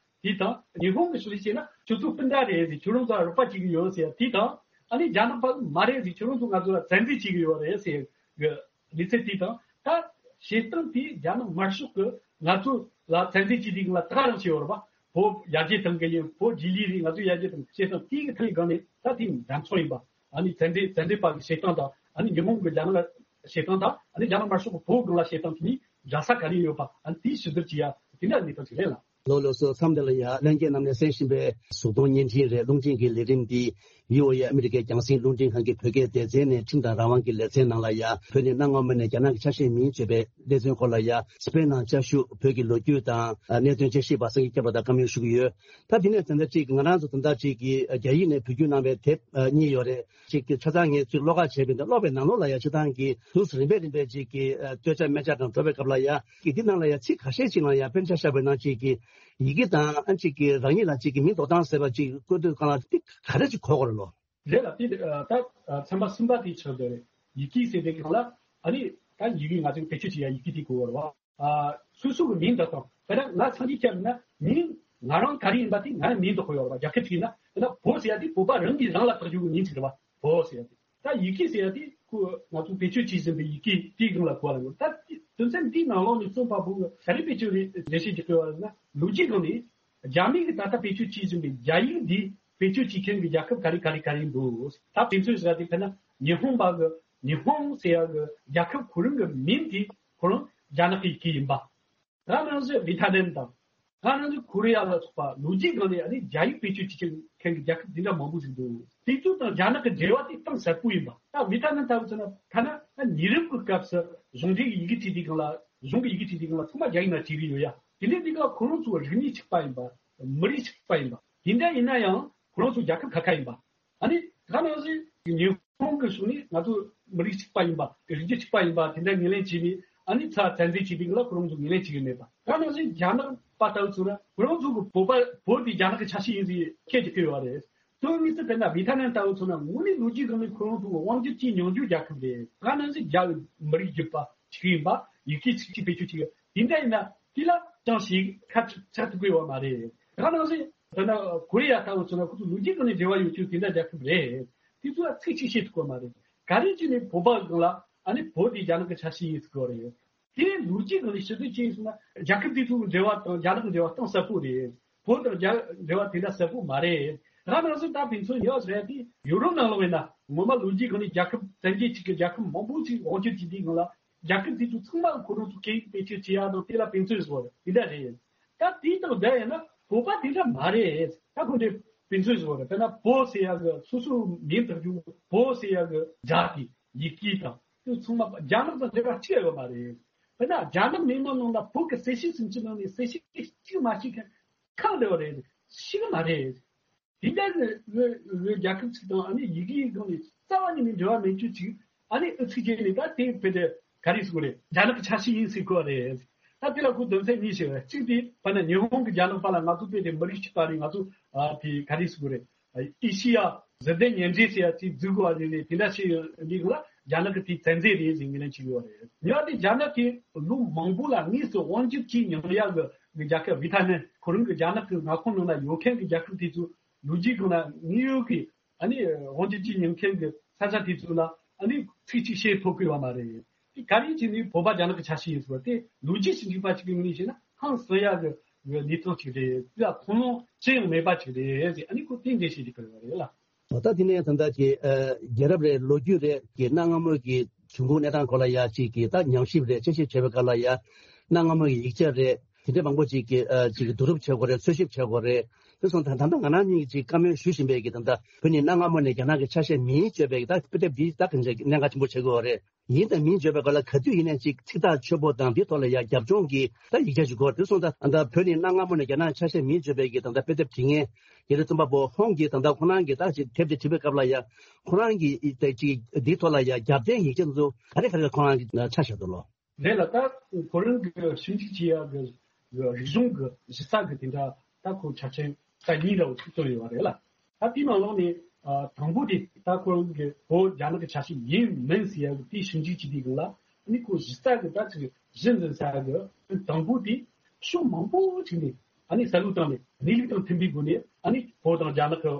དེ་དང་ཉི་ཧོང་གི་ཞུ་ལས་བྱས་ན་ཁྱོད་ཚོ་སྤུན་ཟླ་རེད་ཟེར་ཁྱོད་རང་ཚོ་ལ་རོགས་པ་བྱེད་ཀྱི་ཡོད་ཟེར་དེ་དང་ཨ་ནི་རྒྱ་ནག་པ་གི་མ་རེད་ཟེར་ཁྱོད་རང་ཚོ་ང་ཚོ་ལ་བཙན་འཛུལ་བྱེད་ཀྱི་ཡོད་རེད་ཟེར་གི། ལི་ཚེ་དེ་དང་ད་བྱེད་སྟངས་དེ་རྒྱ་ནག་དམར་ཤོག་གི་ང་ཚོ་ལ་བཙན་འཛུལ་བྱེད་དུས་ལ་ད་ག་རང་བྱས་ཡོད་རེད་པ། བོད་ཡར་རྒྱས་གཏོང་གི་ཡིན། བོད་རྗེས་ལུས་རེད། ང་ཚོ་ཡར་རྒྱས་གཏོང་བྱེད་སྟངས་དེ་གི་ཐད་སྒང་ནས་ད་དེ་འགྲན་ཚོགས་ཡིན་པ། ཨ་ནི་བཙན་འཛུལ་བཙན་འཛུལ་པ་གི་བྱེད་སྟངས་དང་ཨ་ནི་ཉི་ཧོང་གི་རྒྱ་ནག་བྱེད་སྟངས་དང་ཨ་ནི་རྒྱ་ནག་དམར་ཤོག་གི་བོད་སྒང་ལ་བྱེད་སྟངས་དེ་གཉིས་འདྲ་ས་ག་རེ་ཡོད་པ་ཨ་ནི་དེ་ཞིབ་བསྡུར་བྱེད་ཡ་དེ་འདྲ་གནས་སྟངས་ཤིག་རེད་ལ། ལགས་ལགས་སོ། མཚམས་འདི་ལ་ཡ་ལྷན་རྒྱས་རྣམས་ནས་གསན་བཞིན་པའི་གཟུགས་མཐོང་བརྙན་འཕྲིན་རེད། རླུང་འཕྲིན་གྱི་ལས་རིམ་འདི་བྷི་ཨོ་ཨེ་ཨ་མི་རི་ཀའི་རྒྱང་སྲིང་རླུང་འཕྲིན་ཁང་གི་བོད་སྐད་སྡེ་ཚན་ནས་ཁྲིམས་དང་རང་དབང་གི་ལེ་ཚན་ནང་ལ་ཡ་བོད་ནས་གནའ་སྔ་མོ་ནས་རྒྱ་ནག་གི་ཆ་ཤས་མིན་བརྗོད་པའི་ལེ་ཚན་སྐོར་ལ་ཡ་སྤེལ་གནང་བཅའ་བཞུགས་བོད་ཀྱི་ལོ་རྒྱུས་དང་གནད་དོན་དཔྱད་ཞིབ་པ་སངས་རྒྱས་སྐྱབས་ལགས་དང་བཀའ་མོལ་ཞུ་གི་ཡོད། ད་དེ་ནས་ད་ལྟ་ཅིག་ང་རང་ཚོ་ད་ལྟ་ཅིག་གི་རྒྱ་ཡིག་ནས་བོད་བསྒྱུར་གནང་བའི་དེབ་གཉིས་ཡོད་རེད། ཅིག་གི་ཆ་ཚང་ངས་ཚུར་ཀློག་ཁ་བྱས་པ་ཡིན་ད་ཀློག་པའི་ནང་ལོགས་ལ་ཡ་སྤྱིར་བཏང་གི་དུས་སུ་རིམ་པས་རིམ་པས་ཅིག་གི་ཨ་སྟོད་ཆ་སྨད་ཆ་དང་འགྲོ་བའི་སྐབས་ལ་ཡ་གི་འདི་ནང་ལ་ཡ་ཚིག་ཁ་ཤས་ཅིག་ལ་ཡ་དཔེར་ན་ཆ་བཞག་པ་ཡིན་ན་ཅིག་གི་ཡི་གེ་དང་ཨ་ཅིག་གི་རང་ཉིད་ལ་ཅིག་གི་མིང་འདོགས་སྟངས་ཟེར་བ་ཅིག་བཀོད་དུས་སྒང་ལ་འདི་ག་རེ་ཅིག་གོ་དགོས་རེད་ལོ། རེད་ལ་དེ་ཨ་ད་ཨ་ཚན་པ་གསུམ་པ་དེའི་ཕྱོགས་དེ་རེད། ཡི་གེ་ཟེར་དེ་སྒང་ལ་ཨ་ནི་ད་ཡི་གེ་ང་ཚོས་བེད་སྤྱོད་བྱེད་ཡ་ཡི་གེ་དེ་གོ་དགོས་རེད་བ། ཨ་སོ་སོ་གི་མིང་འདོགས་སྟངས་དཔེར་ན་ང་སངས་རྒྱས་སྐྱབས་ཡིན་ན་མིང་ང་རང་ག་རེ་ཡིན་པ་དེ་ང་རང་མིང་འདོགས་དགོས་ཡོད་རེད་བ། རྒྱལ་ཁབ་ཅིག་ཡིན་ན་དཔེར་ན་བོད་ཟེར་ཡ་དེ་བོད་པ་རང་གིས་རང་ལ་བཏགས་རྒྱུ་གི་མིང་ཅིག་རེད་བ། བོད་ཟེར་ཡ་དེ། ད་ཡི་གེ་ཟེར་ཡ་དེ་ཁོ་ང་ཚོ་བེད་སྤྱོད་བྱེད་བཞིན་པའི་ཡི་གེ་དེའི་སྒང་ལ་གོ་བ་ལེན་དགོས། ད་དོན་ཚན་འདིའི་ནང་ལོགས་ནས་རྩོམ་པ་པོ་ག་རེ་བེད་སྤྱོད་རེད་འགྲེལ་བཤད་ཅིག་སྤེལ་བ་ལེན་ན་ལོ་རྒྱུས་སྒང་ནས་རྒྱ་མི་གིས་ད་ལྟ་བེད་སྤྱོད་བྱེད་བཞིན་པའི་རྒྱ་ཡིག་འདི་བེད་སྤྱོད་བྱེད་མཁན་གྱི་རྒྱལ་ཁབ་ག་རེ་ག་རེ་ག་རེ་འདུག་ད་དེ་ཚོའི་ཟེར་ཡ་དེ་དཔེར་ན་ཉི་ཧོང་པ་གི་ཉི་ཧོང་ཟེར་ཡ་གི་རྒྱལ་ཁབ་ཁོ་རང་གི་མིང་དེ་ཁོ་རང་རྒྱ་ནག་གི་ཡི་གེ་ཡིན་པ། ད་ནང་བཞིན་ཝི་ཐ་ནན་དང་། ད་ནང་བཞིན་ཀོ་རི་ཡ་ལ་སོགས་པ་ལོ་རྒྱུས་སྒང་ནས་ཨ་ནི་རྒྱ་ཡིག་བེད་སྤྱོད་བྱེད་མཁན་གྱི་རྒྱལ་ཁབ་འདི་འདྲ་མང་པོ་ཞིག་འདུག་དེ་ཚོ་དང་རྒྱ་ནག་གི་འབྲེལ་བ་དེ་གཏིང་ཟབ་པོ་ཡིན་པ། ད་ཝི་ཐ་ནན་ལྟ་བུ་ཚོ་ན་ཐ་ན་ད་ཉེ་རབས་ཀྱི་སྐབས་སུ་གཞུང་འབྲེལ་གྱི་ཡི་གེ་བྲིས་དུས་སྒང་ལ་གཞུང་གི་ཡི་གེ་བྲིས་དུས་སྒང་ལ་ཚང་མ་རྒྱ་ཡིག་ནང་བྲིས་ཀྱི་ཡོད་ཡ། དེ་འདྲའི་དུས་སྐབས་ཁོ་རང་ཚོ་རིག་གནས་གཅིག་པ་ཡིན་པ། མི་རིགས་གཅིག་པ་ཡིན་པ། དེ་འདྲ་ཡིན་ན་ཡང་ཁོ་རང་ཚོ་རྒྱལ་ཁབ་ཁ་ཁ་ཡིན་པ། ཨ་ནི་ད་ནང་བཞིན་ཉི་ཧོང་གི་ཕྱོགས་ནས་ང་ཚོ་མི་རིགས་གཅིག་པ་ཡིན་པ། རིགས་རྒྱུད་གཅིག་པ་ཡིན་པ་དེ་འདྲ་ངོས་ལེན་བྱས་ནས་ཨ་ནི་ཚ་བཙན་འཛུལ་བྱས་པའི་ལ་ཁོ་རང་ཚོ་ངོས་ལེན་བྱེད་ཀྱི་མེད་པ། ད་ནང་བཞིན་རྒྱ་ནག་པ་ལྟ་བུ་ཚོ་ན་ཁོ་རང་ཚོ་གི་བོད་པ་བོད་དེ་རྒྱ་ནག་གི་ཆ་ཤས་ཡིན་ཟེར་ཁྱད་ཀྱི་ཕེབས་པ་རེད། དོན་དངོས་སུ་དཔེར་ན་ཝི་ཐ་ནན་ལྟ་བུ་ཚོ་ན་དངོས་གནས་ལོ་རྒྱུས་སྒང་ནས་ཁོ་རང་ཚོ་གི་དབང་སྒྱུར་གྱི་མྱོང་རྒྱུ་རྒྱལ་ཁབ་རེད། ད་ནང་བཞིན་རྒྱ་མི་རིགས་རྒྱུད་པ་གཅིག་ཡིན་པ། ཡི་གེ་གཅིག་གཅིག་བེད་སྤྱོད་བྱེད་ཀྱི་དེ་འདྲ་ཡིན་ན་དེ་ལ་ཅང་ཞིག་ཁ་ཆག་ཐུབ་ཀྱི་ཡོད་མ་རེད། ད་ནང་བཞིན་དཔེར་ན་ཀོ་རི་ཡ་ལྟ་བུ་ཚོ་ན་ཁོ་ཚོ་ལོ་རྒྱུས་སྒང་ནས་འབྲེལ་བ་ཡོད་རྒྱུ་དེ་འདྲ་རྒྱལ་ཁབ་རེད། དེ་ཚོ་ལ་ཚིག་གཅིག་བཤད་ཐུབ་ཀྱི་ཡོད་མ་རེད། ག་རེ་བྱས་ནས་བོད་པ་སྒང་ལ་ཨ་ནི་བོད་དེ་རྒྱ་ནག་གི་ཆ་ཤས་ཡིན་ཟེར་གི་རེད། དེ་ལོ་རྒྱུས་སྒང་ལ་ཞིབ་འཇུག་བྱས་ཡིན་ཟེར་ན། རྒྱལ་ཁབ་དེ་ཚོའི་འབྲེལ་བ་དང་རྒྱ་ནག་གི་འབྲེལ་བ་གཏིང་ཟབ་པོ་རེད། བོད་དང་རྒྱ་འབྲེལ་བ་དེ་འདྲ་ཟབ་པོ་མ་རེད། ད་ནང་བཞིན་ད་ཕན་ཚུན་ཉོ་རེད་དེ། ཡུ་རོབ་ནང་ལོགས་ཡིན་ན་ངོ་མ་ལོ་རྒྱུས་སྒང་ནས་རྒྱལ་ཁབ་བཙན་རྒྱལ་གཅིག་གི་རྒྱལ་ཁབ་མང་པོ་ཅིག་དབང་སྒྱུར་བྱེད་དུས་སྒང་ལ། རྒྱལ་ཁབ་དེ་ཚོ་ཚང་མ་ཁོ་རང་ཚོ་སྐད་ཡིག་བེད་སྤྱོད་བྱེད་ཡག་དང་དེ་ལ་ཕན་ཚུན་བཟོ་རེད། དེ་འདྲ་རེད། ད་དེ་དང་འདྲ་ཡིན་ན་བོད་པ་དེ་འདྲ་མ་རེད། ད་ཁོ་འདྲའི་ཕན་ཚུན་བཟོ་རེད། དཔེར་ན་བོད་ཟེར་ཡག་གི་སོ་སོའི་མིང་དང་རྒྱུ་བོད་ཟེར་ཡག་གི་སྒྲ་དེ་ཡི་གེ་དང་དེ་ཚང་མ་རྒྱ་ནག་དང་འབྲེལ་བ་གཅིག་ཡོད་མ་རེད། དཔེར་ན་རྒྱ་ནག་མི་མང་ནང་ལ་བོད་ཀྱི་གསལ་བཤད་ཟིན་གྱི་ནང་ནས་གསལ་བཤད་གཅིག་མ་ཤེས་མཁན་ཁག་འདྲ་བ་རེད། ཤེས་གི་མ་རེད། དེ་འདྲ་གི་རྒྱལ་ཁབ་ཅིག་དང་ཨ་ནི་ཡི་གེའི་སྒང་ནས་རྩ་བ་ཉིད་ནས་འབྲེལ་བ་མེད་རྒྱུ་ཅིག་ཨ་ནི་ཨུ་ཚུགས་བྱས་ནས་ད་དེ་བོད་དེ་ག་རེ་ཟེར་དགོས་རེད། རྒྱ་ནག་གི་ཆ་ཤས་ཡིན་ཟེར་གོ་རེད། ད་དེ་ལ་ཁོ་དོན་ཚན་གཉིས་ཤིག་རེད། གཅིག་དེ་དཔེར་ན་ཉི་ཧོང་གི་རྒྱ་ནག་པ་ལ་ང་ཚོ་བོད་དེ་མི་རིགས་གཅིག་པ་རེད། ང་ཚོ་ཨ་དེ་ག་རེ་ཟེར་དགོས་རེད། ཨེ་ཤི་ཡ་གཟི་ལྡན་ཉེ་འབྲེལ་ཟེར་ཡ་ཅིག་འཛུགས་དགོས་པ་རེད། རེད། དེ་འདྲ་ཞིག་འདི་ལ་རྒྱ་ནག་གི་དེ་བཙན་འཛུལ་རེད་ཟེར་ངོས་ལེན་བྱེད་དགོས་པ་རེད། ཉི་མ་དེ་རྒྱ་ནག་གིས་ལོ་མང་པོ་ལ་དངོས་སུ་དབང་སྒྱུར་བྱས་མྱོང་ཡ་གི་རྒྱལ་ཁབ་ཝི་ཐ་ནམ། ཁོ་རང་གི་རྒྱ་ནག་གི་མངའ་ཁོངས་ནང་ན་ཡོད་མཁན་གྱི་རྒྱལ་ཁབ་དེ་ཚོ་ལོ་རྒྱུས་སྒང་ལ་དངོས་ཡོད་ཀྱི་ཨ་ནི་དབང་སྒྱུར་བྱས་མྱོང་མཁན་གྱི་ས་ཆ་དེ་ཚོ་ལ་ཨ་ནི་ཚིག་གཅིག་བཤད་ཐུབ་ཀྱི་ཡོད་མ་རེད། དེ་ག་རེ་བྱས་ནས་བོད་པ་རྒྱ་ནག་གི་ཆ་ཤས་ཡིན་ཟེར་བ་དེ་ལོ་རྒྱུས་ཞིབ་འཇུག་པ་ཞིག་གི་ངོས་ནས་བཤད་ན་ཧང་སང་ཡག་གི་གནས་སྟངས་ཤིག་རེད། དེ་ལ་ཐུགས་སྣང་ཅི་ཡང་མེད་པ་ཞིག་རེད་ཟེར། ཨ་ནི་ཁོ་དེ་འདྲ་ཞིག་རིག་པ་ཡོད་རེད་ལ། ད་དེ་ནས་ད་ལྟ་གི་ཨ་རྒྱལ་རབས་རེད། ལོ་རྒྱུས་རེད། གི་གནའ་སྔ་མོའི་གི་བྱུང་ཁུངས་གནས་སྟངས་སྐོར་ལ་ཡ་གཅིག་གི་ད་ཉམས་ཞིབ་རེད། དཔྱད་ཞིབ་བྱེད་པའི་སྐབས་ལ་ཡ་གནའ་སྔ་མོའི་ཡིག་ཆ་རེད། དེ་འདྲ་མང་པོ་ཅིག་གི་ཨ་ཅིག་གི་བསྡུ་རུབ་བྱེད་དགོས་རེད། འཚོལ་ཞིབ་བྱེད་དགོས་རེད། དེ་སོང་ཙང་ད་ལྟ་ང་རང་ཉིད་ཀྱིས་བཀའ་མོལ་ཞུ་བཞིན་པའི་གི་ད་ལྟ་བོད་ནི་གནའ་སྔ་མོ་ནས་རྒྱ་ནག་གི་ཆ་ཤས་མིན་བརྗོད་པའི་གི་ད་དཔེ་དེབ་འདི་ད་གང་ཅིག་གནད་འགག་ཆེན་པོ་ཆགས་ཀྱི་ཡོད་རེད། ཡིན་དང་མིན་བརྗོད་པའི་སྐོར་ལ་ག་དུས་ཡིན་ནའང་ཅིག་ཚིག་ཐག་ཆོད་པོ་དང་འདི་ཐོག་ལ་ཡང་རྒྱབ་ལྗོངས་ཀྱི་ད་ཡིག་ཆ་ཞིག་དགོས། དེ་སོང་ཙང་ད་བོད་ནི་གནའ་སྔ་མོ་ནས་རྒྱ་ནག་ཆ་ཤས་མིན་བརྗོད་པའི་གི་ད་ལྟ་དཔེ་དེབ་འབྲི་མཁན་རྒྱལ་རབས་རྩོམ་པ་པོ་ཧོང་གིས་ད་ལྟ་ཁོ་རང་གི་ད་ཅིག་དེབ་དེ་བྲིས་པའི་སྐབས་ལ་ཡང་ཁོ་རང་གི་ད་ཅིག་འདི་ཐོག་ལ་ཡང་རྒྱབ་རྟེན་ཡིག་ཆ་ཚོ་ག་རེ་ག་རེ་ཁོ་རང་གིས་ཆ་བཞག་འདུག་ལོ། རེད་ལ། ད་ཁོ་རང་གི་ཞིབ་འཇུག་བྱེད་ཡག་གི་རིག་གཞུང་གི་གཞི་རྩ་གི་དེ་འདྲ་ད་ཁོ་ཆ་རྐྱེན་ད་གཉིས་འདྲ་བོ་ཅིག་བཏོན་ཡོད་པ་རེད་ལ། ད་དེའི་ནང་ལོགས་ནས་ཨ་དང་པོ་དེ་ད་ཁོ་རང་གི་བོད་རྒྱ་ནག་གི་ཆ་ཤས་ཡིན་མིན་ཟེར་ཡག་གི་དེའི་ཞིབ་འཇུག་བྱེད་དུས་སྒང་ལ་ཨ་ནི་ཁོ་གཞི་རྩ་གི་ད་ཅིག་གཞི་འཛིན་ས་ཡག་གི་དང་པོ་དེ་ཕྱོགས་མང་པོ་ཅིག་ནས་ཨ་ནི་བསམ་བློ་བཏང་ནས་གནས་ལུགས་དང་མཐུན་པའི་སྒོ་ནས་ཨ་ནི་བོད་དང་རྒྱ་ནག་གི་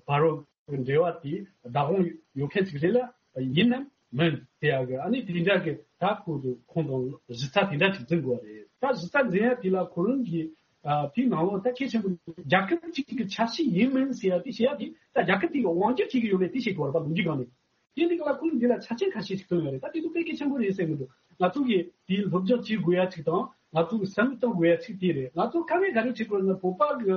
བར་གྱི་འབྲེལ་བ་དེ་བདག་དབང་ཡོད་མཁན་ཅིག་རེད་ལ། ཡིན་ནམ་མིན་དེ་ཡག་གི་ཨ་ནི་དེ་འདྲ་གི་ད་ཁོ་ཚོ་ཁོང་དང་གཞི་རྩ་དེ་འདྲ་ཅིག་འཛིན་དགོས་པ་རེད། ད་གཞི་རྩ་འཛིན་ཡ་དེ་ལ་ཁོ་རང་གི་ཨ་དེའི་ནང་ལོགས་ད་གལ་ཆེན་པོ་རྒྱལ་ཁབ་ཅིག་གི་ཆ་ཤས་ཡིན་མིན་ཟེར་ཡ་དེ་བཤད་ཡ་དེ་ད་རྒྱལ་ཁབ་དེ་གི་དབང་སྒྱུར་བྱེད་ཀྱི་ཡོད་མེད་དེ་བཤད་དགོས་པ་རེད་པ། ལོ་རྒྱུས་སྒང་ནས། དེ་འདི་ག་ལ་ཁོང་འདི་ལ་ཆ་རྐྱེན་ཁ་ཤས་ཤིག་བཏོན་ཡོད་རེད། ད་དེ་ཚོ་དཔེ་གལ་ཆེན་པོ་རེད་བསམ་གྱི་འདུག་ང་ཚོ་གིས་དེའི་སློབ་སྦྱོང་བྱེད་དགོས་ཡ་ཅིག་དང་ང་ཚོ་གིས་བསམ་བློ་གཏོང་དགོས་ཡ་ཅིག་དེ་རེད། ང་ཚོ་ཁ་ངེས་ག་རེ་བྱེད་དགོས་ན་བོད་པ་གི་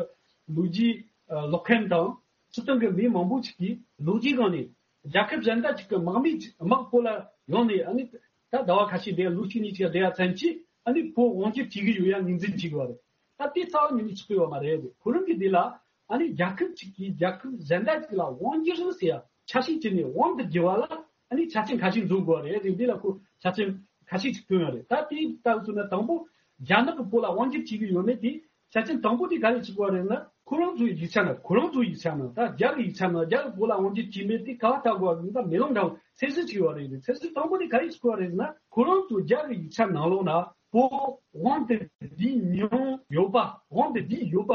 ལོ་རྒྱུས་ཀློག་མཁན་དང་སྤྱིར་བཏང་གི་མི་མང་པོ་ཅིག་གིས་ལོ་རྒྱུས་སྒང་ནས་རྒྱལ་ཁབ་གཞན་དག་ཅིག་གི་དམག་མི་དམག་བོད་ལ་ཡོང་ནས་ཨ་ནི་ད་ཟླ་བ་ཁ་ཤས་བསྡད། ལོ་གཅིག་གཉིས་ཅིག་བསྡད་ཡ་ཚན་གྱིས་ཨ་ནི་བོད་དབང་སྒྱུར་བྱེད་ཀྱི་ཡོད་ཡ་ངོས་འཛིན་བྱེད་དགོས་པ་རེད། ད་དེ་རྩ་བ་ཉིད་ནས་ཆགས་ཀྱི་ཡོད་མ་རེད། ཁོ་རང་གི་དེ་ལ་ཨ་ནི་རྒྱལ་ཁབ་ཅིག་གིས་རྒྱལ་ཁབ་གཞན་དག་ཅིག་ལ་དབང་སྒྱུར་ཟེར་ཡ་ཆ་ཤས་ཅིག་ནས་དབང་དུ་བསྒྱུར་བ་ལ་ཨ་ནི་ཆ་རྐྱེན་ཁ་ཤས་འཛོམས་དགོས་པ་རེད་ཟེར། འདི་ལ་ཁོ་ཆ་རྐྱེན་ཁ་ཤས་ཅིག་བཏོན་ཡོད་རེད། ད་དེའི་ལྟ་བུ་ན་དང་པོ་རྒྱ་ནག་གིས་བོད་ལ་དབང་སྒྱུར་བྱེད་ཀྱི་ཡོད་མེད་དེ་ཆ་རྐྱེན་དང་པོ་དེ་ག་རེ་ཞིག་དགོས་རེད་ན། ཁོ་རང་ཚོའི་ཡིག་ཆ་ནང་། ཁོ་རང་ཚོའི་ཡིག་ཆ་ནང་། ད་རྒྱ་གི་ཡིག་ཆ་ནང་རྒྱ་གིས་བོད་ལ་དབང་སྒྱུར་བྱས་མེད་དེ་ག་བ་ལྟ་དགོས་ཀྱི་ད་མེ་ལོང་འདྲ་བོ་ཚད་གཞི་ཅིག་ཡོད་རེད། ཚད་གཞི་དང་པོ་དེ་ག་རེ་ཞིག་དགོས་རེད་ན། ཁོ་རང་ཚོ་རྒྱ་གི་ཡིག་ཆ་ནང་ལོགས་ན་བོད་དབང་དུ་བསྡུས་མྱོང་ཡོད་པ། དབང་དུ་བསྡུས་ཡོད་པ་